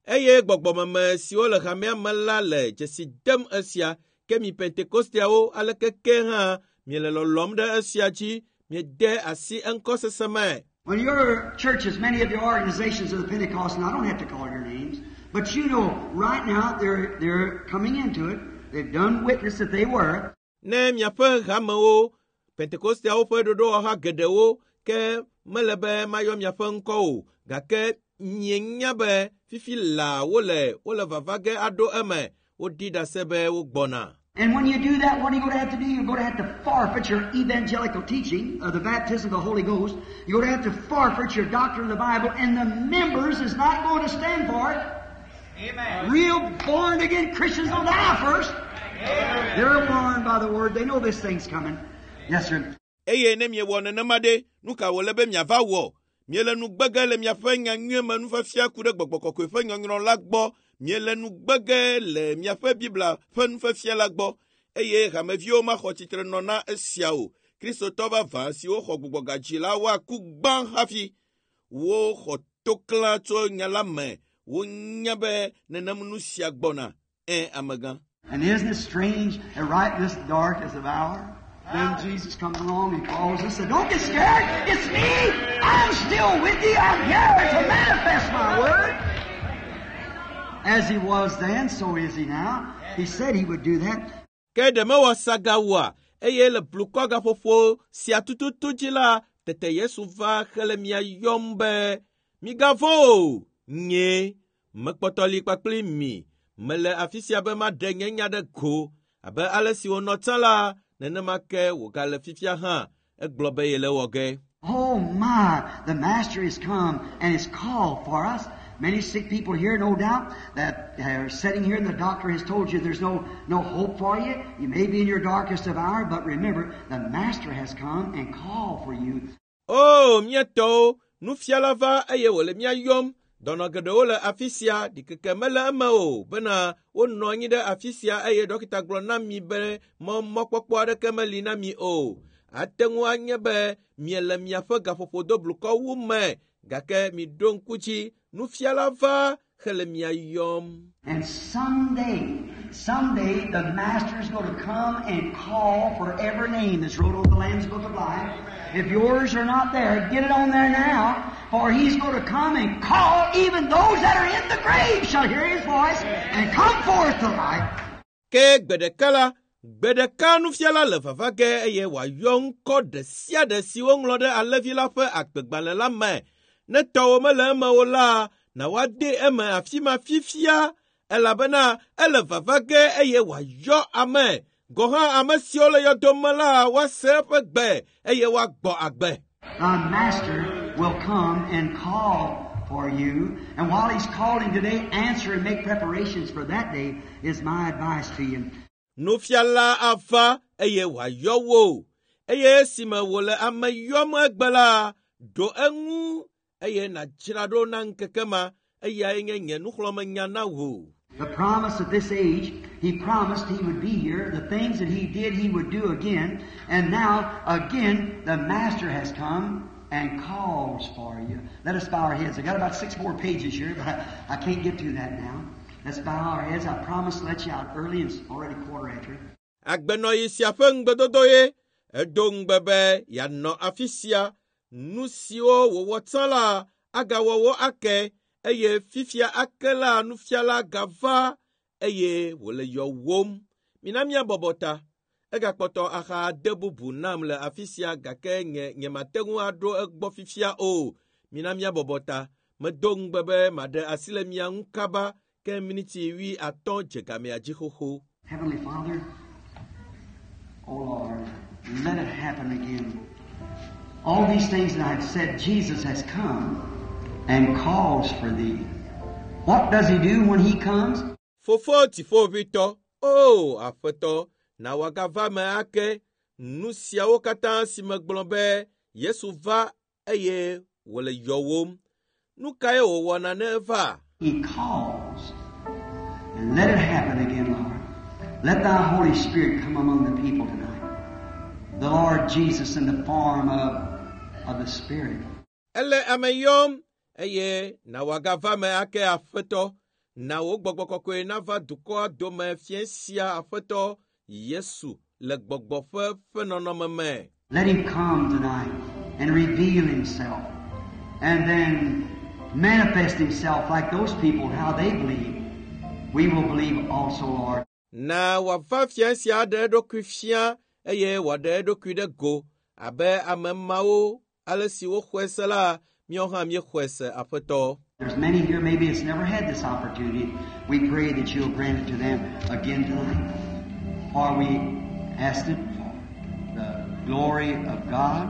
Eye gbɔgbɔmeme siwo le hamea me la le dzesi dem esia ke mi pentekosteawo aleke ke hã miele lɔlɔm ɖe esia dzi miede asi eŋkɔ sese me. When your churches, many of your organizations of the Pentecost, and I don't have to call your names, but you know right now they're, they're coming into it. They've done witness that they were. Ne miaƒe hamewo, pentekosteawo ƒe ɖoɖowɔha geɖewo ke mele be mayɔ miaƒe ŋkɔ o, gake mienya be fifi laa wole wole vava ge aɖo eme, woɖi ɖase be wogbɔna. And when you do that, what are you going to have to do? You're going to have to forfeit your evangelical teaching of the baptism of the Holy Ghost. You're going to have to forfeit your doctrine of the Bible, and the members is not going to stand for it. Amen. Real born again Christians will die first. Amen. They're warned by the word. They know this thing's coming. Yes, sir. Eye ne miewɔ nenema ɖe, nu ka wòle be miava wɔ? Miele nu gbege le miaƒe nyanyui me nufiafia ku ɖe gbɔgbɔ kɔkɔe ƒe nyɔnyrɔ la gbɔ. Miele nu gbege le miaƒe Biblia ƒe nufiafia la gbɔ. Eye hameviwo maxɔ tsitre nɔ na esia o. Kristotɔ vavã siwo xɔ gbugbɔgadzi la woaku gbã hafi. Woxɔ toklã tso nya la me. Wonya be nenem nu sia gbɔna. Ẽ amegã. And isn't it strange that right in this darkest of hour, then Jesus comes along and calls us and says, don't get scared, it's me! I'm still with you, I'm here to manifest my word. As he was then, so is he now. He said he would do that. Ke ɖe mewɔ sagawoa eye le blukɔ gaƒoƒo sia tututu dzi la, tete Yesu va hele mia yɔm be, migavɔ̃ o, nye mekpɔtɔ li kpakpli mi. Mele afi sia be maɖe nye nya ɖe go abe ale si wònɔ tsã la, nenema ke wògale fifia hã. Egblɔ be yele wɔ ge. Oh my, the Master has come and has called for us. Many sick people here, no doubt, that are sitting here and the doctor has told you there's no, no hope for you. You may be in your darkest of hour, but remember, the Master has come and called for you. O, mía tɔwo, nufiala va eye wòle mía yɔm. Dɔnɔ geɖewo le afi sia, ɖikeke mele eme o bena wonɔ anyi ɖe afi sia eye dɔkita gblɔ na mi be mɔ mɔkpɔkpɔ aɖeke meli na mi o. Ate ŋu anye be miele miaƒe gaƒoƒo do blukɔwu me, gake miɖo ŋku dzi, nufiala va hele mia yɔm. And someday, someday, the Master's going to come and call for every name that's wrote on the Lamb's Book of Life. If yours are not there, get it on there now, for He's going to come and call even those that are in the grave shall hear His voice and come forth to life. Ke gbe ɖeka la, gbe ɖeka nufiala le vava ge eye wòayɔ ŋkɔ ɖe sia ɖe si woŋlɔ ɖe alẽvi la ƒe agbegbalẽ la me. Ne tɔwò mele eme o la, na woade eme afi ma fifia, elabena ele vava ge eye wòayɔ ame. Gɔ̃ hã ame siwo le yɔdo me la, woase eƒe gbe eye woagbɔ agbe. The Master will come and call for you. And while He's calling today, answer and make preparations for that day is my advice to you. Nufiala ava eye wòayɔ wò eye esime wòle ame yɔm egbe la, ɖo eŋu eye nàdzra ɖo na ŋkeke ma eyae nye nye nuxlɔ̃amenya na wò. The promise of this age, He promised He would be here. The things that He did, He would do again. And now, again, the Master has come and calls for you. Let us bow our heads. I got about six more pages here, but I, I can't get to that now. Let's bow our heads. I promise to let you out early, and it's already quarter after. Agbenɔɣi sia ƒe ŋugbedodo ye edo ŋugbe be yeanɔ afi sia. Nu siwo wòwɔ tsã la agawɔ wo ake eye fifia ake la nufiala gava eye wòle yɔwòm. Mina míabɔbɔ ta. Egakpɔtɔ axa ade bubu nam le afi sia gake nye nyemate ŋu aɖo egbɔ fifia o. Mina míabɔbɔ ta. Medo ŋugbe be maɖe asi le mia ŋu kaba ke miniti wui atɔ̃ dze gamea dzi xoxo. Heavenly Father, oh Lord, let it happen again. All these things that I've said, Jesus has come and calls for thee. What does he do when he comes? Fofo dziƒoʋĩtɔ, o Aƒetɔ, na wòagava me ake nu siawo katã si megblɔ be Yesu va eye wòle yɔwòm. Nu kae wòwɔna ne eva? He calls. And let it happen again, Lord. Let thy Holy Spirit come among the people tonight. The Lord Jesus in the form of, of the Spirit. Ele ame yɔm eye na wòagava me ake Aƒetɔ. Na wò gbɔgbɔ kɔkɔe nava dukɔa dome fiẽ sia Aƒetɔ Yesu le gbɔgbɔ ƒe ƒe nɔnɔme me. Let him come tonight and reveal himself and then manifest himself like those people, how they believe. We will believe also, Lord. Na wòava fiẽ sia aɖe eɖokui fia eye wòaɖe eɖokui ɖe go abe ame mawo ale si woxɔe se la, míawo hã míexɔe se Aƒetɔ. There's many here maybe that's never had this opportunity. We pray that you'll grant it to them again tonight. For we asked it for the glory of God.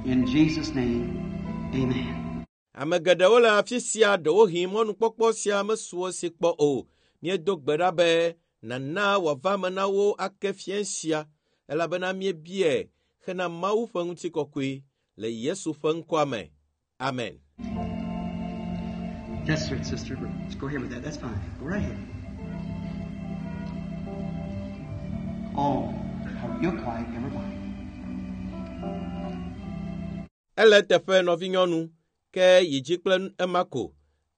In Jesus' name, amen. Ame geɖewo le afi sia ɖewohĩ mɔnukpɔkpɔ sia mesu wo si kpɔ o. Míedo gbe ɖa be nana wòava me na wo ake fiẽ sia elabena míebiae hena Mawu ƒe ŋutikɔkɔe le Yesu ƒe ŋkɔa me. Amen. That's right, sister. Let's go ahead with that. That's fine. Go right ahead. Oh, you're quiet, everybody. Ele teƒe nɔvinyɔnu ke yi dzi kple ema ko.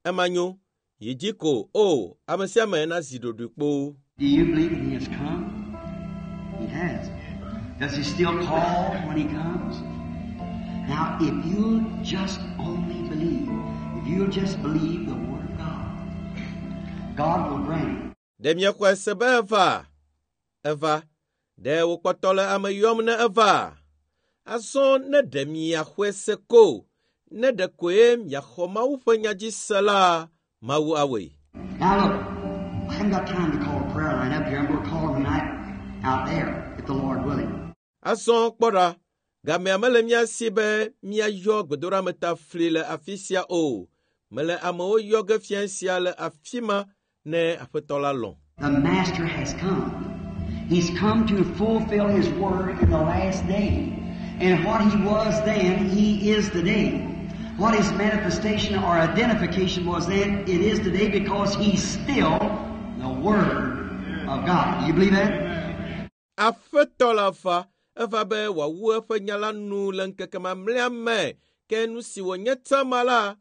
Ema nyo. Yi dzi ko o ame sia ame nazi ɖoɖoe kpoo. Do you believe that he has come? He has. Does he still call when he comes? Now, if you'll just only believe, if you'll just believe the Word of God, God will grant it. Ɖe miexɔe se be eva? Eva. Ɖe wòkpɔtɔ le ame yɔm ne eva? Azɔ ne ɖe miaxɔe se ko, ne ɖe koe miaxɔ Mawu ƒe nya dzi se la, Mawu awɔe. Now look, I haven't got time to call a prayer line up here. I'm going to call them tonight out there, if the Lord willing. Azɔ kpɔ ɖa, gamea mele mía si be míayɔ gbedoɖametafli le afi sia o. Mele amewo yɔ ge fiẽ sia le afi ma ne Aƒetɔ la lɔ̃. The Master has come. He's come to fulfill His word in the last day. And what He was then, He is today. What His manifestation or identification was then, it is today because He's still the Word of God. Do you believe that? Aƒetɔ la va, eva be wòawu eƒe nya la nu le ŋkeke mamlɛa me. Ke nu si wònye tsã ma la,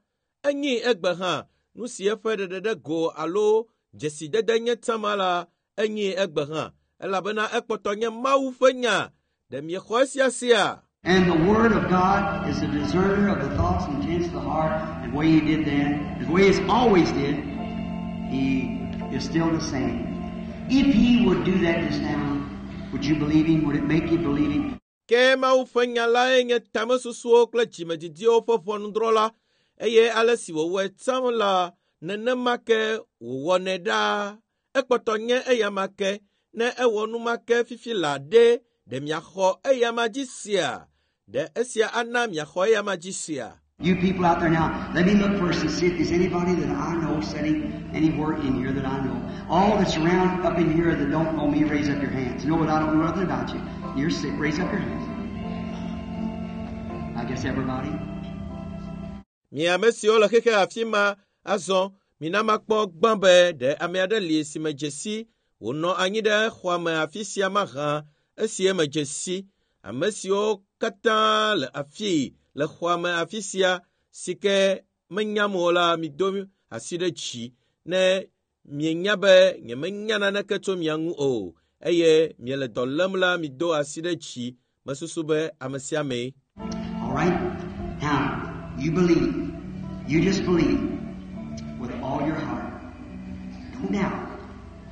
enyi egbe hã. Nu si eƒe ɖeɖe go alo dzesidede nye tsã ma la, enyi egbe hã. Elabena ekpɔtɔ nye Mawu ƒe nya. Ɖe miexɔ esia sia? And the Word of God is the discerner of the thoughts and intents of the heart. And the way He did then, the way He's always did, He is still the same. If He would do that just now, would you believe Him? Would it make you believe Him? Ke Mawu ƒe nya lae nye tamesusuwo kple dzimedidiwo ƒe ʋɔnudrɔ̃la eye ale si wòwɔe tsã la, nenema ke wòwɔnɛ ɖaa. Ekpɔtɔ nye eyama ke ne ewɔ nu ma ke fifi la ɖe, ɖe miaxɔ eyama dzi sia? Ɖe esia ana miaxɔ eyama dzi sia? You people out there now, let me look first and see if there's anybody that I know sitting anywhere in here that I know. All that's around up in here that don't know me, raise up your hands. You know what? I don't know nothing about you. You're sick. Raise up your hands. I guess everybody. Mi ame siwo le xexe afi ma azɔ mina makpɔ gbã be ɖe ame aɖe li si me dze si wònɔ anyi ɖe xɔa me afi sia mahã esi me dze si ame siwo katã le afii le xɔa me afi sia si ke menyam o la mido asi ɖe dzi ne mienya be nyemenya naneke tso mia ŋu o eye miele dɔ lém la mido asi ɖe dzi mesusu be ame sia amee. All right? Now, you believe. You just believe with all your heart. Don't doubt.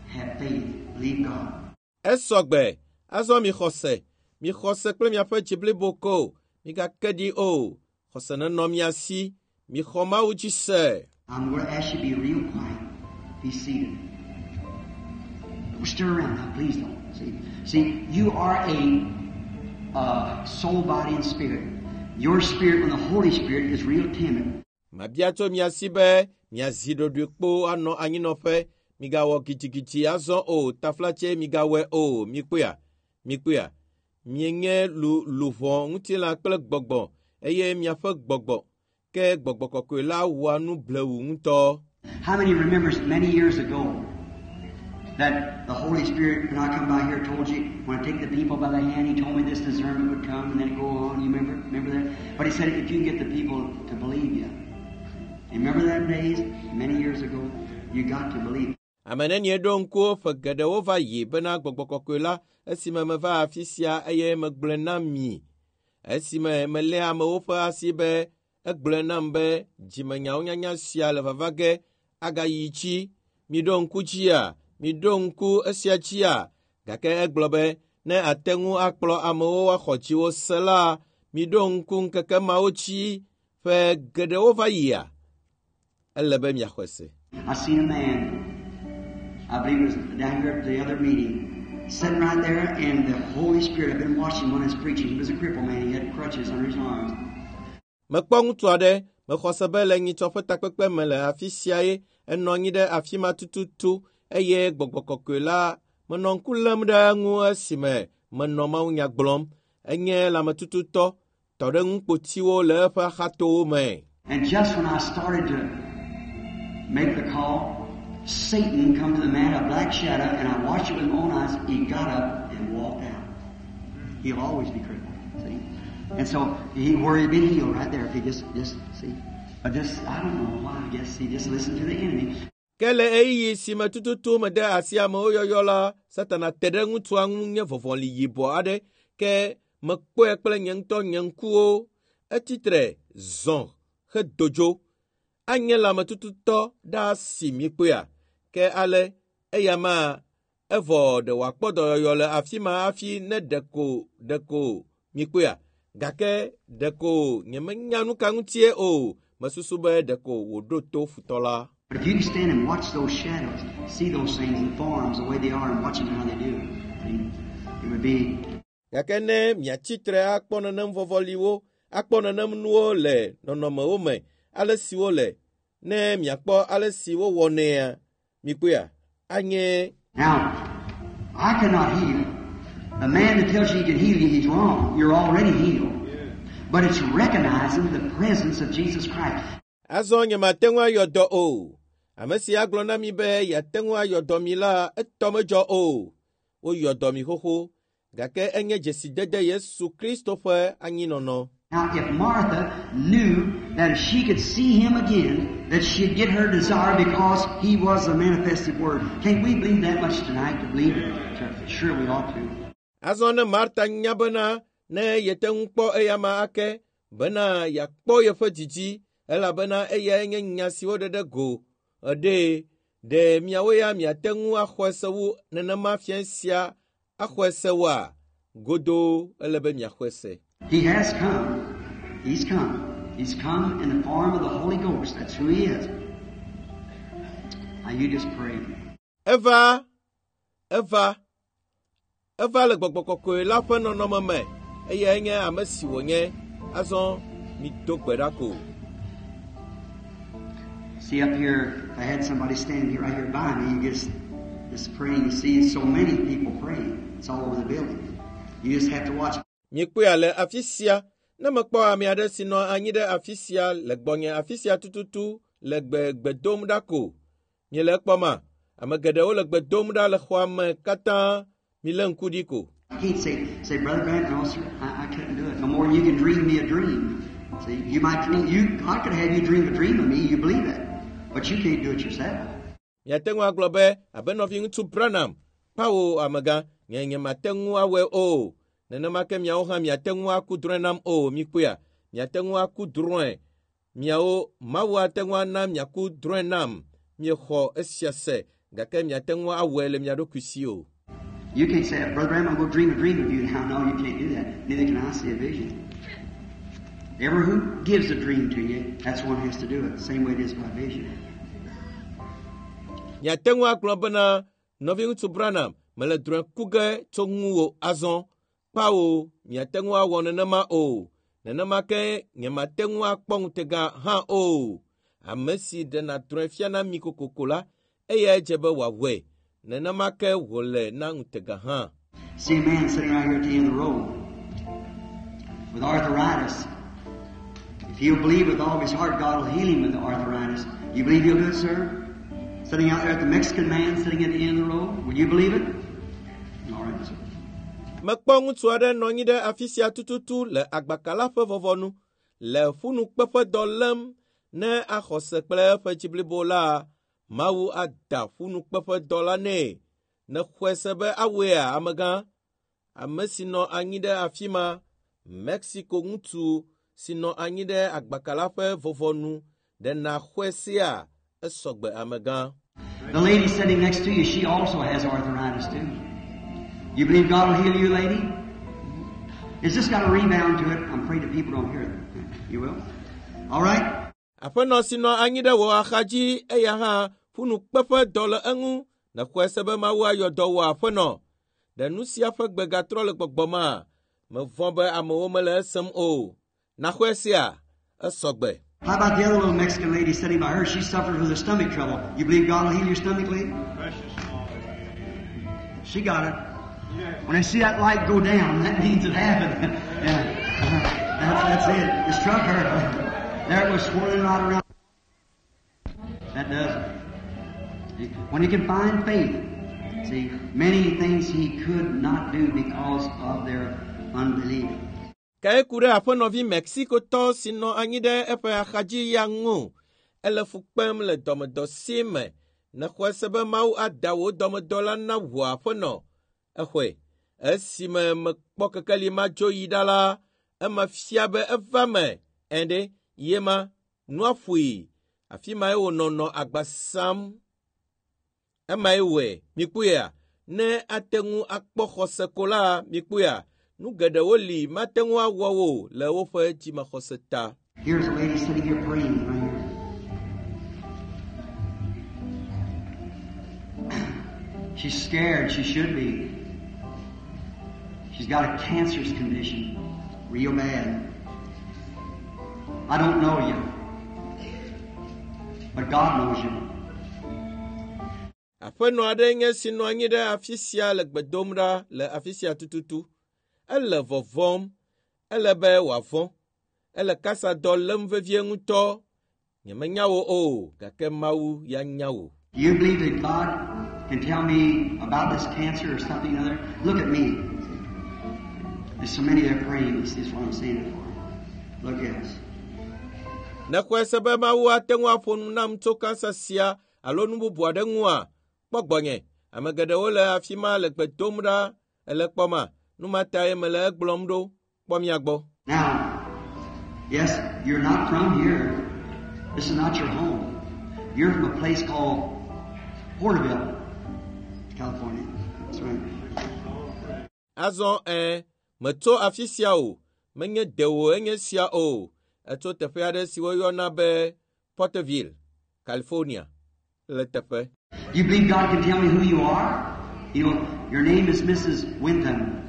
Have faith. Believe God. Esɔgbe azɔ mi xɔse mi xɔse kple miaƒe dzi blibo ko migake ɖi o xɔse nenɔ mia si mi xɔ Mawu dzi se. I'm going to ask you to be real quiet. Be seated. Don't stir around now, please don't. See, see, you are a uh, soul, body, and spirit. Your spirit, when the Holy Spirit is real timid. Mabia tso mia si be miazi ɖoɖoe kpo anɔ anyinɔƒe migawɔ gidigidi azɔ o taflatse migawɔe o mikpɔea mikpɔea mienye lu luʋɔ ŋutilã kple gbɔgbɔ eye miaƒe gbɔgbɔ ke gbɔgbɔ kɔkɔe la wɔa nu blewu ŋutɔ. How many remembers many years ago that the Holy Spirit, when I come by here, told you when I take the people by the hand, He told me this discernment would come and then it go on. You remember? Remember that? But He said if you can get the people to believe you. You remember that days many years ago? You got to believe. Ame nenie ɖo ŋku ƒe geɖewo va yi bena gbɔgbɔ kɔkɔe la esime meva afi sia eye megblɔe na mi. Esime melé amewo ƒe asi be egblɔe nam be dzimenyawo nyanya sia le vava ge agayi dzi. Miɖo ŋku dzia, miɖo ŋku esia dzia. Gake egblɔ be ne ate ŋu akplɔ amewo woaxɔ dziwo se la, miɖo ŋku ŋkeke mawo dzi ƒe geɖewo va yia. Ele be miaxɔe se. I seen a man, I believe it was down here at the other meeting, sitting right there, and the Holy Spirit, I've been watching when he was preaching. He was a crippled man. He had crutches under his arms. Mekpɔ ŋutsu aɖe, mexɔ se be le nyitsɔ ƒe takpekpe me le afi sia ye enɔ anyi ɖe afi ma tututu eye gbɔgbɔ kɔkɔe la menɔ ŋku lém ɖe eŋu esime menɔ mawunya gblɔm. Enye lãmetututɔ, tɔ ɖe ŋukpotiwo le eƒe axatowo me. And just when I started to make the call, Satan come to the man, a black shadow, and I watched it with my own eyes. He got up and walked out. He'll always be crippled, see? And so he where he'd been healed right there if he just, just, see? But just, I don't know why, I guess he just listened to the enemy. Ke le ɣeyiɣi si me tututu mede asi amewo yɔyɔ la, Satana te ɖe ŋutsua ŋu nye vɔvɔli yibɔ aɖe ke mekpɔe kple nye ŋutɔ nye ŋkuwo. Etsitre zɔ hedo dzo. Anye lãmetututɔ ɖaa si mikpɔea. Ke ale eya ma evɔ ɖe wòakpɔ dɔyɔyɔ le afi ma hafi ne ɖeko ɖeko mikpɔea. Gake ɖeko nyemenya nu ka ŋutie o. Mesusu be ɖeko wòɖo to futɔ la. But if you can stand and watch those shadows, see those things and forms the way they are and watch them how they do, see, it would be Gake ne miatsitre akpɔ nenem vɔvɔliwo, akpɔ nenem nuwo le nɔnɔmewo me, ale si wole, ne miakpɔ ale si wowɔnɛa, mikpɔea, anye Now, I cannot heal. The man that tells you he can heal you, he's wrong. You're already healed. But it's recognizing the presence of Jesus Christ. Azɔ nyemate ŋu ayɔ dɔ o. Ame si agblɔ na mi be yeate ŋu ayɔ dɔ mi la, etɔ medzɔ o. Woyɔ dɔ mi xoxo, gake enye dzesidede Yesu Kristo ƒe anyinɔnɔ. Now, if Martha knew that if she could see him again, that she'd get her desire because he was the manifested Word. Can't we believe that much tonight to believe it? Sure, we ought to. Azɔ ne Marta nya bena ne yete ŋu kpɔ eyama ake bena yeakpɔ yeƒe didi elabena eyae nye nya si woɖe ɖe go eɖee ɖe miawo ya miate ŋu axɔe se wu nenema fia sia axɔe se woa godoo ele be miaxɔe se. He has come. He's come. He's come in the form of the Holy Ghost. That's who he is. Now you just pray. Eva, eva, eva le gbɔgbɔ kɔkɔe la ƒe nɔnɔme me eyae nye ame si wònye. Azɔ mido gbe ɖa ko. See up here, if I had somebody standing here right here by me, you just just praying. You see so many people praying. It's all over the building. You just have to watch. Mikpɔe le afi sia ne mekpɔ ame aɖe si nɔ anyi ɖe afi sia le gbɔnye afi sia tututu le gbe gbe dom ɖa ko. Miele ekpɔma? Ame geɖewo le gbe dom ɖa le xɔa me katã. Milé ŋku ɖi ko. I can't say, say, Brother Grant, no, sir, I, I couldn't do it. No more than you can dream me a dream. See, you might dream, you, God could have you dream a dream of me, you believe it. But you can't do it yourself. Miate ŋu agblɔ be abe nɔviŋutsu Branham, kpawo amegã, nye nyemate ŋu awɔe o. Nenema ke miawo hã miate ŋu aku drɔ̃e nam o, mikpɔea? Miate ŋu aku drɔ̃e. Miawo Mawu ate ŋu ana miaku drɔ̃e nam. Miexɔ esia se gake miate ŋu awɔe le mia ɖokui si o. You can't say, Brother Branham, I'm going to dream a dream of you now. No, you can't do that. Neither can I see a vision. Ever who gives a dream to you, that's the one who has to do it. Same way it is by vision. Miate ŋu agblɔ bena nɔviŋutsu Branham mele drɔ̃e ku ge tso ŋuwò azɔ. Kpawo miate ŋu awɔ nenema o. Nenema ke nyemate ŋu akpɔ ŋutega hã o. Ame si ɖena drɔ̃e fiana mi kokoko la, eyae dze be wòawɔe. Nenema ke wòle na ŋutega hã. See a man sitting right here at the end of the road with arthritis. If he'll believe with all of his heart, God will heal him with the arthritis. You believe he'll do it, sir? Sitting out there at the Mexican man sitting at the end of the road. Will you believe it? All right, sir. Mekpɔ ŋutsu aɖe nɔ anyi ɖe afi sia tututu le agbaka la ƒe vɔvɔnu le ƒunukpeƒedɔ lém ne axɔ se kple eƒe dzi blibo la, Mawu ada ƒunukpeƒedɔ la nɛ. Ne xɔe se be awɔea amegã? Ame si nɔ anyi ɖe afi ma, Mexico ŋutsu si nɔ anyi ɖe agbaka la ƒe vɔvɔnu, ɖe nàxɔe sea? Esɔgbe amegã. The lady sitting next to you, she also has arthritis too. You believe God will heal you, lady? It's just got a rebound to it. I'm afraid the people don't hear it. You will? All right? Aƒenɔ si nɔ anyi ɖe wò axadzi eya hã ƒunukpeƒedɔ le eŋu. Nèxɔe se be Mawu ayɔ dɔ wò aƒenɔ. Ɖe nu sia ƒe gbe gatrɔ le gbɔgbɔma? Mevɔ̃ be amewo mele esem o. Nàxɔe sea? Esɔgbe. How about the other little Mexican lady sitting by her? She suffers with her stomach trouble. You believe God will heal your stomach, lady? She got it. When I see that light go down, that means it happened. Yeah. Uh-huh. That's, that's it. It struck her. There it was swirling right around. That does it. When you can find faith, see, many things he could not do because of their unbelief. Ke eku ɖe aƒenɔvi Mexicotɔ si nɔ anyi ɖe eƒe axadzi ya ŋu. Ele fu kpem le dɔmedɔ si me. Nèxɔe se be Mawu ada wò dɔmedɔ la na wò aƒenɔ. Exɔe. Esime mekpɔ kekeli ma dzo yi ɖa la, ema fia be eva me. Ɛ̃ ɖe, yema, nua ƒoe. Afi mae wònɔ nɔ agba sam. Emae wɔe. Mikpɔea? Ne ate ŋu akpɔ xɔse ko la, mikpɔea? Nu geɖewo li mate ŋu awɔ wo le woƒe dzimaxɔse ta. Here's a lady sitting here praying right here. She's scared. She should be. She's got a cancerous condition, real bad. I don't know you, but God knows you. Aƒenɔ aɖe nye si nɔ anyi ɖe afi sia le gbe dom ɖa le afi sia tututu. Ele vɔvɔm. Ele be wòavɔ̃. Ele kasadɔ lém vevie ŋutɔ. Nyemenya wò o, gake Mawu ya nya wò. You believe that God can tell me about this cancer or something other? Look at me. There's so many there praying. This is what I'm saying it for. Look at us. Nèxɔe se be Mawu ate ŋu aƒo nu nam tso kansa sia alo nu bubu aɖe ŋua? Kpɔ gbɔnye. Ame geɖewo le afi ma le gbe dom ɖa ele kpɔma. Nu ma tae mele egblɔm ɖo. Kpɔ mia gbɔ. Now, yes, you're not from here. This is not your home. You're from a place called Porterville, California. That's right. Azɔ ɛ, metso afi sia o. Menye dewò enye sia o. Etso teƒe aɖe si woyɔna be Porterville, California. Le teƒe. You believe God can tell me who you are? You know, your name is Missus Wintham.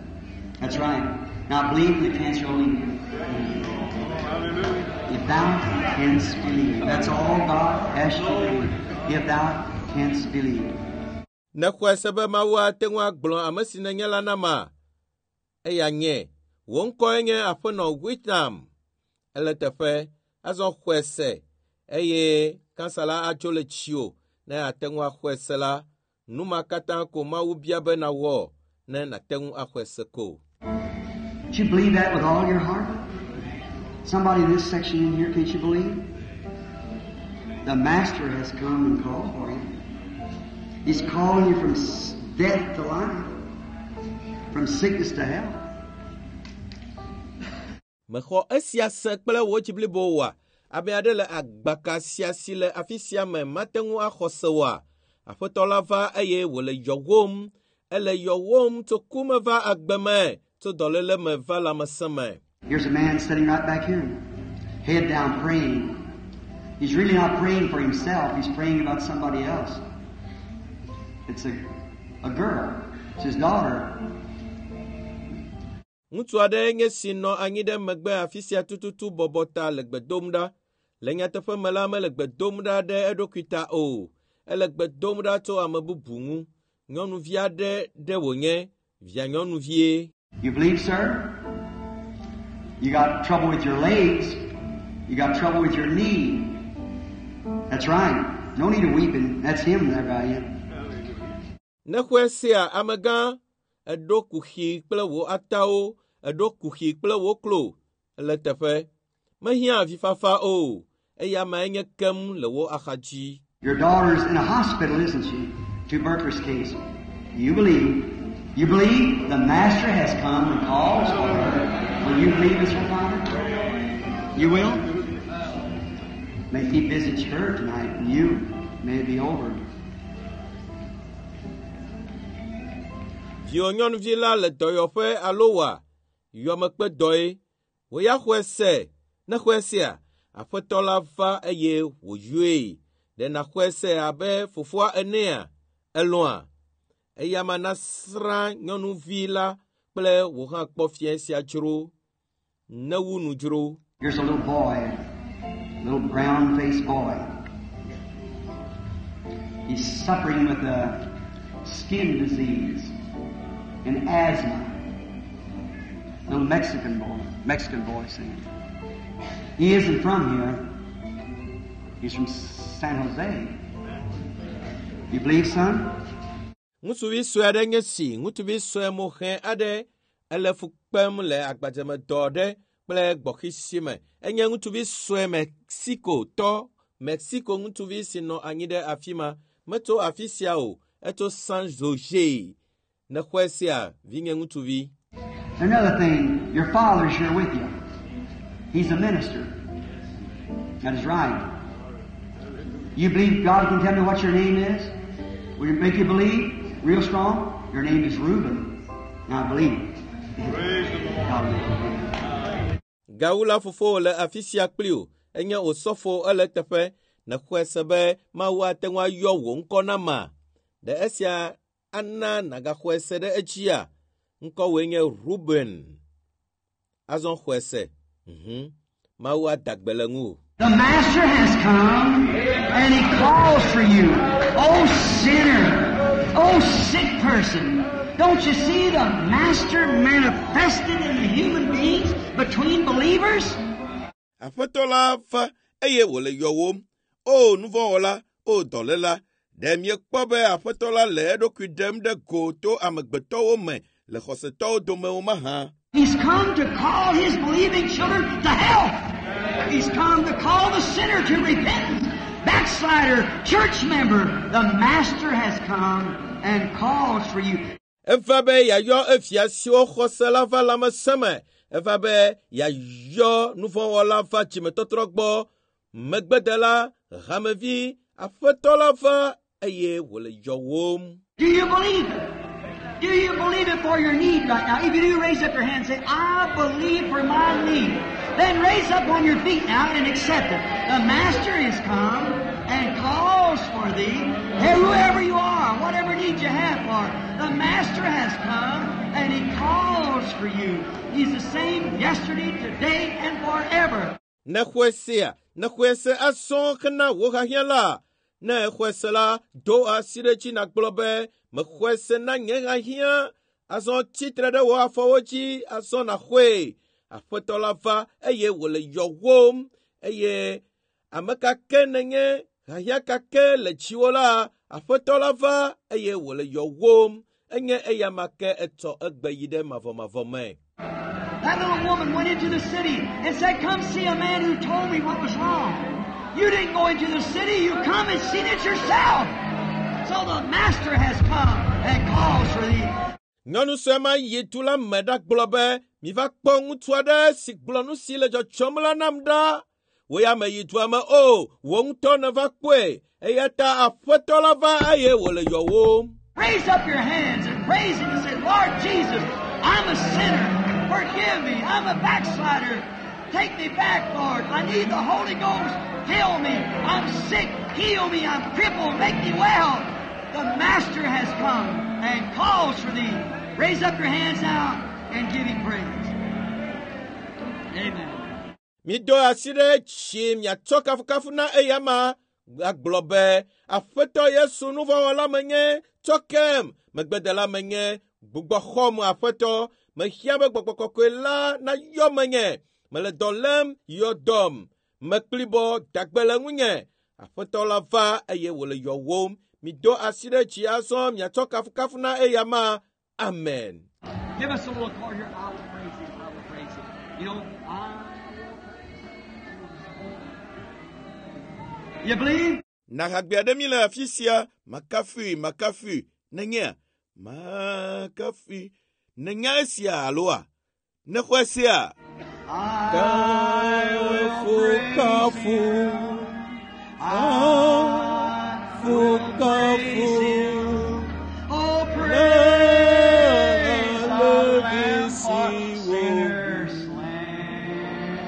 That's right. Now believe the cancer will leave you. Hallelujah. If thou canst believe. That's all God asks you to do. If thou canst believe. Nexɔe se be Mawu ate ŋu agblɔ ame si nènye la nama? Eya nye, wò ŋkɔe nye Aƒenɔ Witnam. Ele teƒe, azɔ xɔe se eye kansa la adzo le tsiwò ne ate ŋu axɔe se la. Nu ma katã ko Mawu bia be nawɔ ne nàte ŋu axɔe se ko. Do you believe that with all your heart? Somebody in this section in here, can't you believe? The Master has come and called for you. He's calling you from s- death to life, from sickness to health. Mexɔ esia se kple wò dzi blibo oa? Ame aɖe le agbaka sia si le afi sia me mate ŋu axɔ se oa? Aƒetɔ la va eye wòle yɔwòm. Ele yɔwòm tso ku me va agbe me, tso dɔléle me va lãmesẽ me. Here's a man sitting right back here, head down praying. He's really not praying for himself, he's praying about somebody else. It's a, a girl. It's his daughter. Ŋutsu aɖe nye si nɔ anyi ɖe megbe afi sia tututu bɔbɔ ta le gbe dom ɖa. Le nyateƒe me la mele gbe dom ɖa ɖe eɖokui ta o. Ele gbe dom ɖa tso ame bubu ŋu. Nyɔnuvi aɖe ɖe wònye, via nyɔnuvie. You believe, sir? You got trouble with your legs. You got trouble with your knee. That's right. No need of weeping. That's him there by you. Nexɔe sea amegã, eɖo kuxi kple wò atawo, eɖo kuxi kple wò klo. Ele teƒe. Mehiã avifafa o. Eya amae nye kem le wò axadzi. Your daughter's in a hospital, isn't she? Tuberculosis case. You believe. You believe the Master has come and calls for her. Will you believe as her father? You will? May he visit her tonight, and you may it be over. Viwò nyɔnuvi la le dɔyɔƒe alo wa yɔmekpe dɔe. Wò ya xɔe se. Ne xɔe sea, Aƒetɔ la va eye wòyɔe. Ɖe nàxɔe se abe fofoa enea? Elɔ̃a? Eya ma nasrã nyɔnuvi la kple wò hã kpɔ fia sia dzro. Newu nu dzro. Here's a little boy, little brown-faced boy. He's suffering with a skin disease and asthma. Little Mexican boy, Mexican boy saying. He isn't from here. He's from San Jose. You believe, son? Ŋutsuvi sue aɖe nye si, ŋutsuvi sue moxɛ aɖe ele fu kpem le agbadzemedɔ aɖe kple gbɔxisi me. Enye ŋutsuvi sue Mexicotɔ, Mexico ŋutsuvi si nɔ anyi ɖe afi ma. Metso afi sia o, etso San Jose. Nexɔe sia, vinye ŋutsuvi. Another thing, your father's here with you. He's a minister. That is right. You believe God can tell me what your name is? Will it make you believe? Real strong? Your name is Reuben. Now believe. Praise the Lord. God will make you believe. Gawu la fofo le afi sia kpli o. Enye osɔfo ele teƒe. Nexɔe se be Mawu ate ŋu ayɔ wò ŋkɔ na ma. Ɖe esia ana nàgaxɔe se ɖe edzia? Ŋkɔwòe nye Ruben. Azɔ xɔe se. Mhm. Mawu ada gbe le ŋuwò. The Master has come and He calls for you. Oh sinner, oh sick person, don't you see the Master manifested in the human beings between believers? Aƒetɔ la va eye wòle yɔwòm. O nuvɔ̃wɔla, o dɔléla, ɖe miekpɔ be Aƒetɔ la le eɖokui ɖem ɖe go to amegbetɔwo me le xɔsetɔwo dome o mahã? He's come to call His believing children to health. He's come to call the sinner to repentance. Backslider, church member, the Master has come and calls for you. Eva be yeayɔ evia siwo xɔse la va lãmesẽ me. Eva be yeayɔ nuvɔ̃wɔla va dzimetɔtrɔ gbɔ. Megbedela, hamevi, Aƒetɔ la va eye wòle yɔwòm. Do you believe it? Do you believe it for your need right now? If you do, raise up your hand and say, I believe for my need. Then raise up on your feet now and accept it. The Master is come and calls for thee. Hey, whoever you are, whatever need you have for, the Master has come and He calls for you. He's the same yesterday, today, and forever. Ne xɔe sea, ne xɔe se azɔ hena wò hiahiã la. Ne exɔe se la, do asi ɖe dzi nàgblɔ be mexɔe se na nye hiahiã. Azɔ tsitre ɖe wò afɔwo dzi, azɔ nàxɔe. Aƒetɔ la va eye wòle yɔwòm eye ame ka ke nenye hiahiã ka ke le dziwò la, Aƒetɔ la va eye wòle yɔwòm. Enye eya ma ke etsɔ egbe yi ɖe mavɔmavɔ me. That little woman went into the city and said, Come see a man who told me what was wrong. You didn't go into the city, you come and seen it yourself. So the master has come and calls for thee. Nyɔnu sue ma yi du la me ɖagblɔ be miva kpɔ ŋutsu aɖe si gblɔ nu si le dzɔdzɔm la nam ɖa. Wò ya meyi dua me o, wò ŋutɔ nèva kpɔe eya ta aƒetɔ la va eye wòle yɔwòm. Raise up your hands and praise him and say, Lord Jesus, I'm a sinner. Forgive me. I'm a backslider. Take me back, Lord. I need the Holy Ghost. Heal me. I'm sick. Heal me. I'm crippled. Make me well. The Master has come and calls for thee. Raise up your hands now and give him praise. Amen. Mido asi ɖe dzi miatsɔ kafukafu na eya ma agblɔ be Aƒetɔ Yesu nuvɔ̃wɔla menye tsɔ kem megbedela menye gbugbɔ xɔm Aƒetɔ mehia be gbɔgbɔ kɔkɔe la nayɔ menye mele dɔ lém yɔ dɔm mekplibɔ dagbe le ŋunye Aƒetɔ la va eye wòle yɔwòm mido asi ɖe dzi azɔ miatsɔ kafukafu na eya ma amen. Give us a little chord here. I will praise him. I will praise him. You know, I will praise him. You believe? Na hagbe aɖe mi le afi sia makafui makafui nenyea makafui nenya esia aloa nexɔe sea. I will praise him. I will praise him. Oh, praise the Lamb for sinners slain.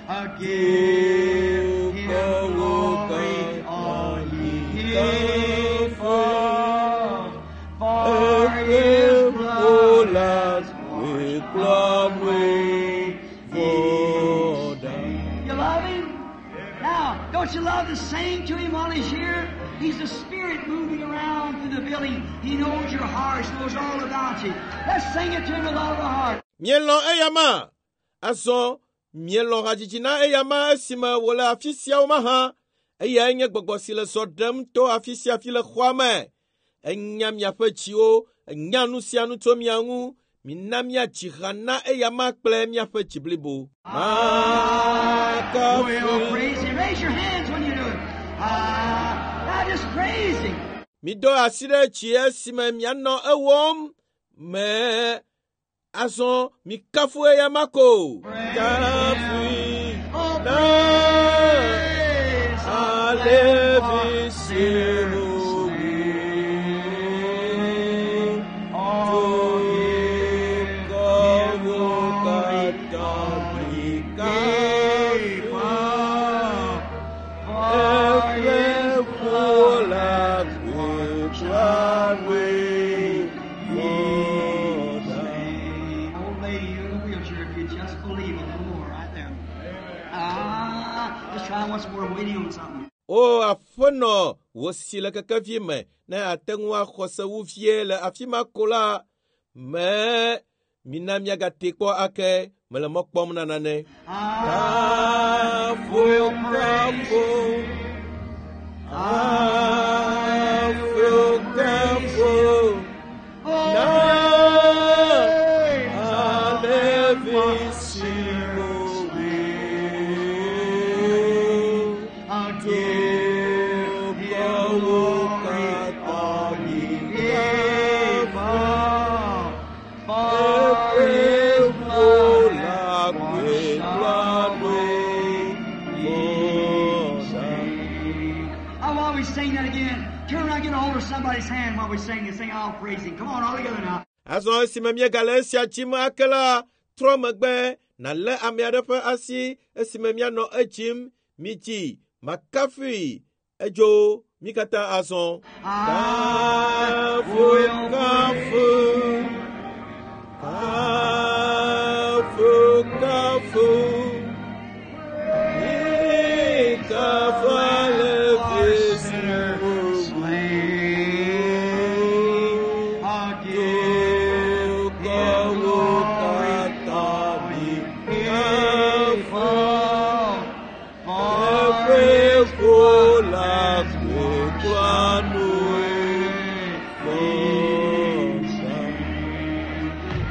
Uh, Give him glory, all ye people, for his blood has washed away ye sins. You love him? Now, don't you love to sing to him while he's here? He's a spirit moving around through the building. He knows your heart, knows all about you. Let's sing it to him with all of our heart. Mielɔ̃ eya ma azɔ mielɔ̃ hadzidzi na eya ma esime wòle afi siawo mahã eyae nye gbɔgbɔ si le zɔ ɖem to afi sia afi le xɔa me enya miaƒe dziwo enya nu sia nu tso mia ŋu mina míadzi ha na eya ma kple míaƒe dzi blibo. We'll praise him. Raise your hands when you do it. Ah, now just praise him. Mido asi ɖe dzi esime mianɔ ewɔm me azɔ mikafu eya ma ko. Kafui Oh, na praise the Lamb for alevi sinners slain. Oh, give him glory, all ye people, for his blood has washed away ye sins. Old lady, you in the wheelchair, if you just believe a little more right there. Ah, let's try once more. Waiting on something. O aƒenɔ wò si le kekevi me ne ate ŋu axɔ se wu vie le afi ma ko la me mina miagate kpɔ ake mele mɔ kpɔm na nane. I will praise him. I will praise him. Oh, praise the Lamb for sinners slain. I'll give him glory, all ye people, for his blood has washed away ye sins. Now, while we sing that again, turn around and get a hold of somebody's hand while we sing and sing, I'll praise him. Come on, all together now. Azɔ esime míegale esia dzim ake la, trɔ megbe nàlé ame aɖe ƒe asi esime míanɔ edzim midzi makafui edzo mí katã azɔ. I Kafu will kafu kafu kafu la kplɔa nu vɔsa.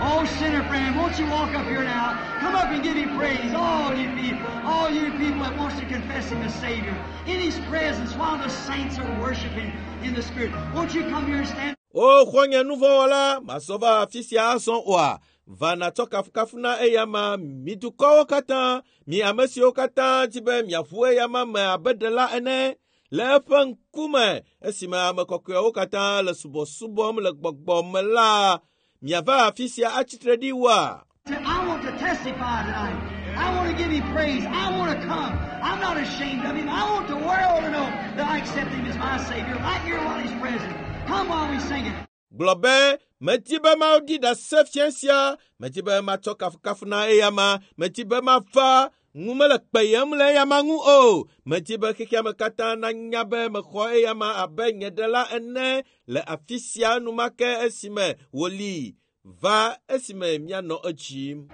Oh, sinner friend, won't you walk up here now? Come up and give him praise, all you people, all you people that wants to confess him as Savior. In his presence, while the saints are worshiping in the Spirit. Won't you come here and stand? O xɔ̃nye nuvɔ̃wɔla, mazɔ va afi sia azɔ oa? Va nàtsɔ kafukafu na eyama, mi dukɔwo katã, mi ame siwo katã di be miaʋu eyama me abe ɖela ene le eƒe ŋkume esime ame kɔkɔewo katã le subɔsubɔm le gbɔgbɔ me la, miava afi sia atsitre ɖi woa? Say, I want to testify tonight. I want to give him praise. I want to come. I'm not ashamed of him. I want the world to know that I accept him as my Savior right here while he's present. Come while we sing it. Gblɔ be, medi be maɖi ɖase fia sia, medi be matsɔ kafukafu na eyama, medi be mava, ŋu mele kpeyem le eyama ŋu o. Medi be xexea me katã nanya be mexɔ eyama abe nye ɖela ene le afi sia enumake esime wòli va esime mianɔ edzim.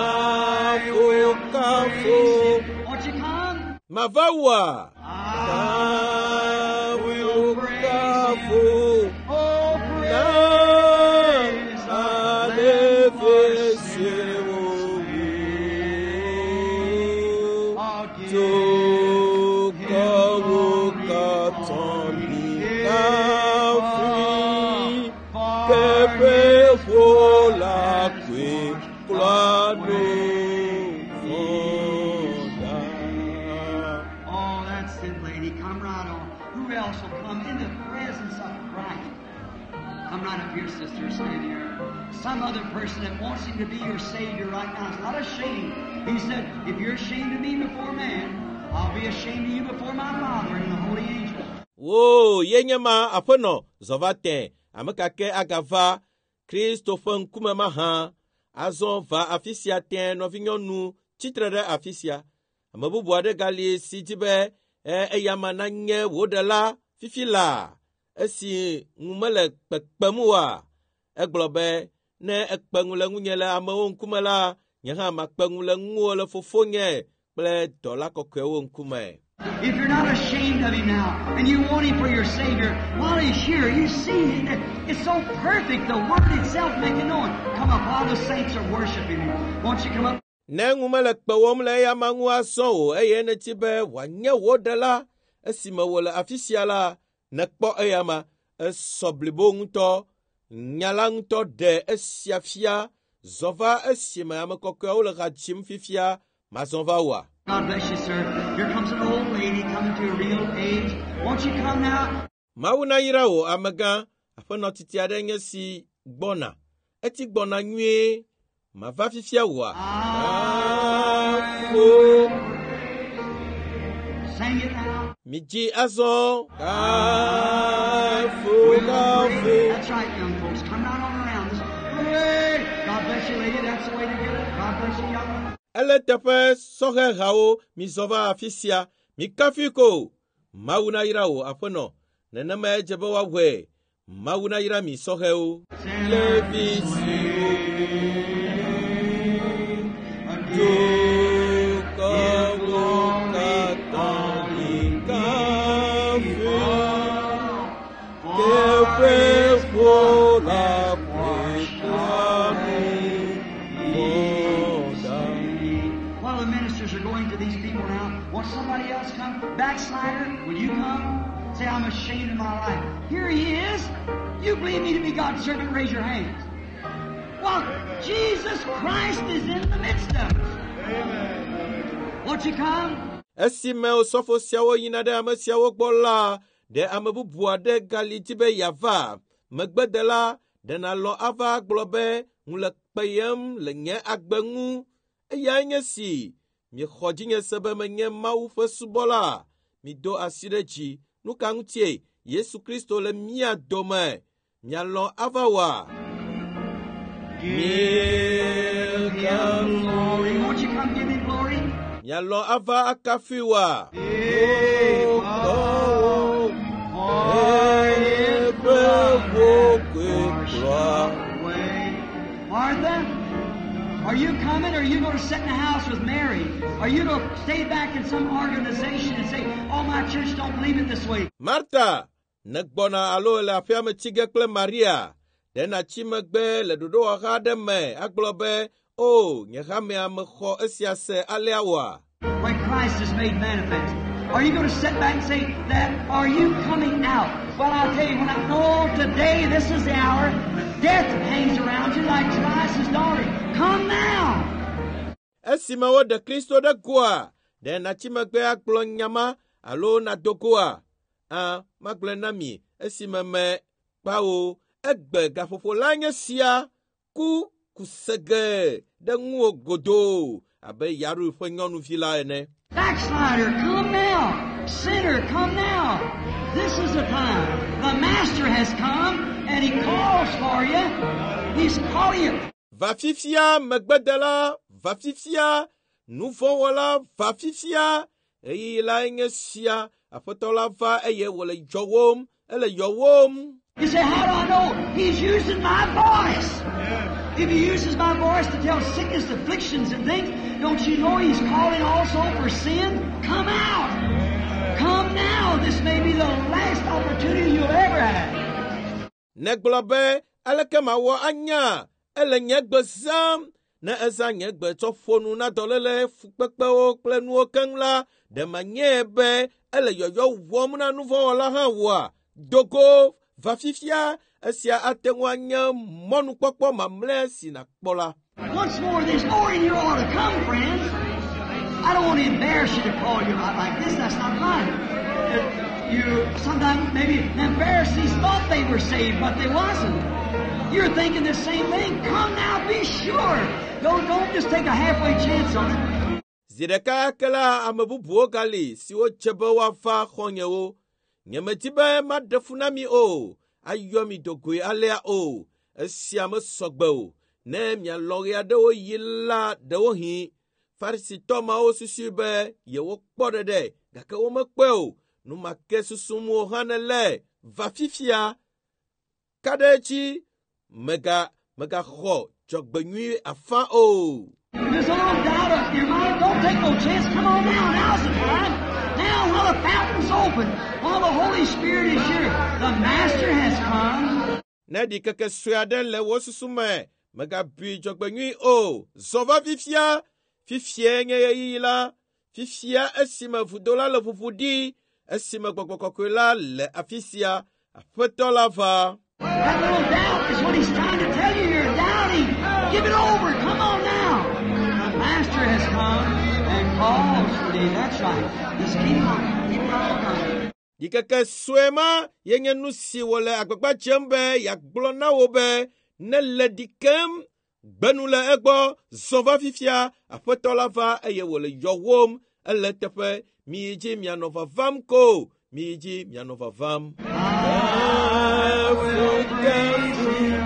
Kafu, kafu. Won't you come? Mava wòa? I Kafu, will praise kafu. him. Oh, Na praise the Lamb for sinners. I'll give Dukɔwo katã mikafui, ke ƒe ƒo la koe klɔa nu vɔ̃ ɖa. Oh, that's it, lady. Come right on. Who else will come in the presence of Christ? Come right up here, sister. Stand here. Some other person that wants him to be your Savior right now is not ashamed. He said, if you're ashamed of me before man, I'll be ashamed of you before my Father and the holy angels. Wo ye nye ma aƒenɔ zɔ va tẽ ame ka ke agava Kristo ƒe ŋkume mahã azɔ va afi sia tẽ nɔvinyɔnu tsitre ɖe afi sia. Ame bubu aɖe gali si di be e, eyama nanye wò ɖela fifi laa esi ŋu mele kpekpem oa. Egblɔ be ne ekpe ŋu le ŋunye le amewo ŋkume la, nye hã makpe ŋu le ŋuwò le fofonye kple dɔla kɔkɔewo ŋkume. If you're not ashamed of him now, and you want him for your Savior, while he's here, you see it. It's so perfect, the Word itself making known. Come up, all the saints are worshiping him. Won't you come up? Ne ŋu mele kpewòm le eyama ŋu azɔ o eye nèdi be wòanye wò ɖela esime wòle afi sia la, nèkpɔ eyama esɔ blibo ŋutɔ. Nya la ŋutɔ ɖe esia fia zɔ va esime ame kɔkɔeawo le ha dzim fifia mazɔ va wòa. God bless you, sir. Here comes an old lady coming to a real age. Won't you come now? Mawu nayra wò amegã, aƒenɔ titi aɖe nye si gbɔna. Eti gbɔna nyuie. Mava fifia wòa? I Kafu. Sing it now. Midzi azɔ. Kafu, kafu. That's right, young folks. Come right on around. This, hooray! God bless you, lady. That's the way to do it. God bless you, young one. Ele teƒe sɔhɛhawo mizɔ va afi sia. Mikafui ko. Mawu nayra wò aƒenɔ. Nenema edze be woawɔe. Mawu nayra mi sɔhɛwo. Levi siwo dukɔwo katã mikafui. Ke ƒe ƒo la koe klɔa nu vɔ̃ ɖa. While the ministers are going to these people now, won't somebody else come? Backslider, will you come? Say, I'm ashamed of my life. Here he is. You believe me to be God's servant, raise your hands. Well, Jesus Christ is in the midst of us. Won't you come? Esime osɔfo siawo yina ɖe ame siawo gbɔ la, ɖe ame bubu aɖe gali di be yeava. Megbedela, ɖe nàlɔ̃ ava gblɔ be ŋu le kpeyem le nye agbe ŋu. Eyae nye si, miexɔ dzinye se be menye Mawu ƒe subɔla. Mido asi ɖe dzi. Nu ka ŋutie? Yesu Kristo le mía dome. Mialɔ̃ ava wòa? Give him glory. Won't you come give him glory? Mialɔ̃ ava akafui wòa? Give Dukɔwo for his eƒe blood ƒo washed koe away. Martha, are you coming or are you going to sit in the house with Mary? Are you to stay back in some organization and say, oh, my church don't believe it this way? Marta, nègbɔna alo le aƒea me tsi ge kple Maria. Ɖe nàtsi megbe le ɖoɖowɔha aɖe me agblɔ be, o, nye hamea mexɔ esia se alea oa? When Christ is made manifest. Are you going to sit back and say that? Are you coming out? Well, I'll tell you, when I know today, this is the hour, death hangs around you like Jairus' daughter. Come now. Esime woɖe Kristo ɖe goa, ɖe nàtsi megbe agblɔ nya ma alo nàdo goa? Ã, magblɔe na mi esime me kpawo egbe gaƒoƒo la nye sia ku kusege ɖe ŋuwò godoo abe Yaru ƒe nyɔnuvi la ene. Backslider, come now. Sinner, come now. This is the time. The Master has come and He calls for you. He's calling you. Va fifia megbedela, va fifia nuvɔ̃wɔla, va fifia ɣeyiɣi lae nye sia. Aƒetɔ la va eye wòle yɔwòm, ele yɔwòm. You say, how do I know? He's using my voice. If He uses my voice to tell sickness, afflictions, and things, don't you know He's calling also for sin? Come out. Come now. This may be the last opportunity you'll ever have. Negblɔ be aleke mawɔ anya ele nye gbe zãm ne ezã nye gbe tsɔ ƒo nu na dɔléle fukpekpewo kple nuwo keŋ la ɖe manye be ele yɔyɔ wɔm na nuvɔ̃wɔla hã oa? Dogo va fifia esia ate ŋu anye mɔnukpɔkpɔ mamlɛ si nàkpɔ la. Once more, there's more in here ought to come, friends. I don't want to embarrass you to call you out like this. That's not right. Uh, You sometimes maybe the Pharisees thought they were saved, but they wasn't. You're thinking the same thing. Come now, be sure. Don't don't just take a halfway chance on it. Zi ɖeka ke la ame bubuwo gali siwo dze be woava xɔ̃nyewo. Nyemedi be maɖe fu na mi o, ayɔ mi dogoe alea o. Esia mesɔgbe o. Ne mialɔ̃ ɣe aɖewo yi la ɖewohĩ Farisitɔ mawo susui be yewokpɔ ɖeɖe gake womekpɔe o. Nu ma ke susum wò hã nèle va fifia. Ka ɖe edzi mega megaxɔ dzɔgbenyui afã o. If there's a little doubt of your mind, don't take no chance. Come on now. Now's the time. Now while the fountain's open, while the Holy Spirit is here, the Master has come. Ne ɖikeke sue aɖe le wò susu me, megabui dzɔgbenyui o. Zɔ va fifia. Fifia nye ɣeyiɣi la. Fifia esime vudo la le ʋuʋu ɖi. Esime gbɔgbɔ kɔkɔe la le afi sia. Aƒetɔ la va. That little doubt is what he's trying to tell you. You're doubting. Give it over. Come on now. The Master has come and calls for thee. That's right. Just keep on. Keep on coming. Ɖikeke sue ma ye nye nu si wòle agbagba dzem be yeagblɔ na wò be ne le ɖi kem, gbe nu le egbɔ, zɔ va fifia, aƒetɔ la va eye wòle yɔwòm. Ele teƒe, miyi dzi mianɔ vavam ko, miyi dzi mianɔ vavam. I will praise him.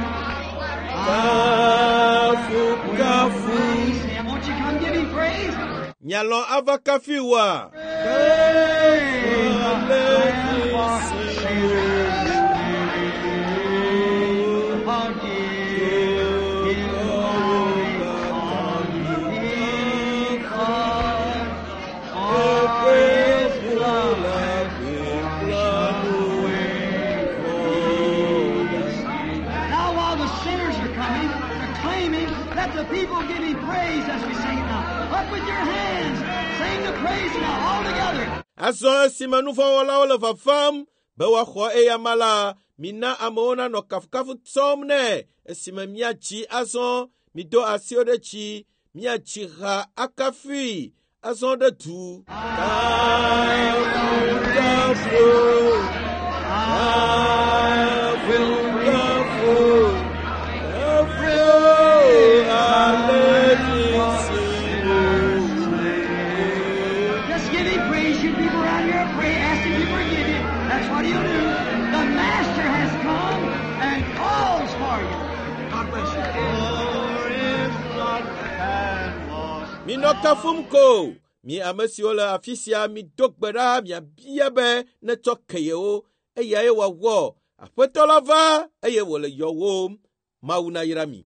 Kafu, kafu. Praise him. Won't you come give him praise? Mialɔ̃ ava kafui oa? Praise the Lamb for sinners. Forgive him all because for his blood Now while the sinners are coming to claim him, let the people give him praise as we sing it now. Up with your hands, sing the praise now all together. Azɔ esime nuvɔ̃wɔlawo le vavam be woaxɔ eyama la, mina amewo nanɔ kafukafu tsɔm nɛ esime miatsi azɔ mido asiwo ɖe dzi miatsi ha akafui azɔ ɖe du. Kafu, kafu, kafu, kafu, ale Just give him praise. You people around here, pray, ask him to forgive you. That's what he'll do. The Master has come and calls for you. God bless you. Minɔ kafum ko. Mi ame siwo le afi sia mido gbe ɖa miabia be netsɔ ke yewo eyae wòawɔ. Aƒetɔ la va eye wòle yɔwòm. Mawu nayra mi.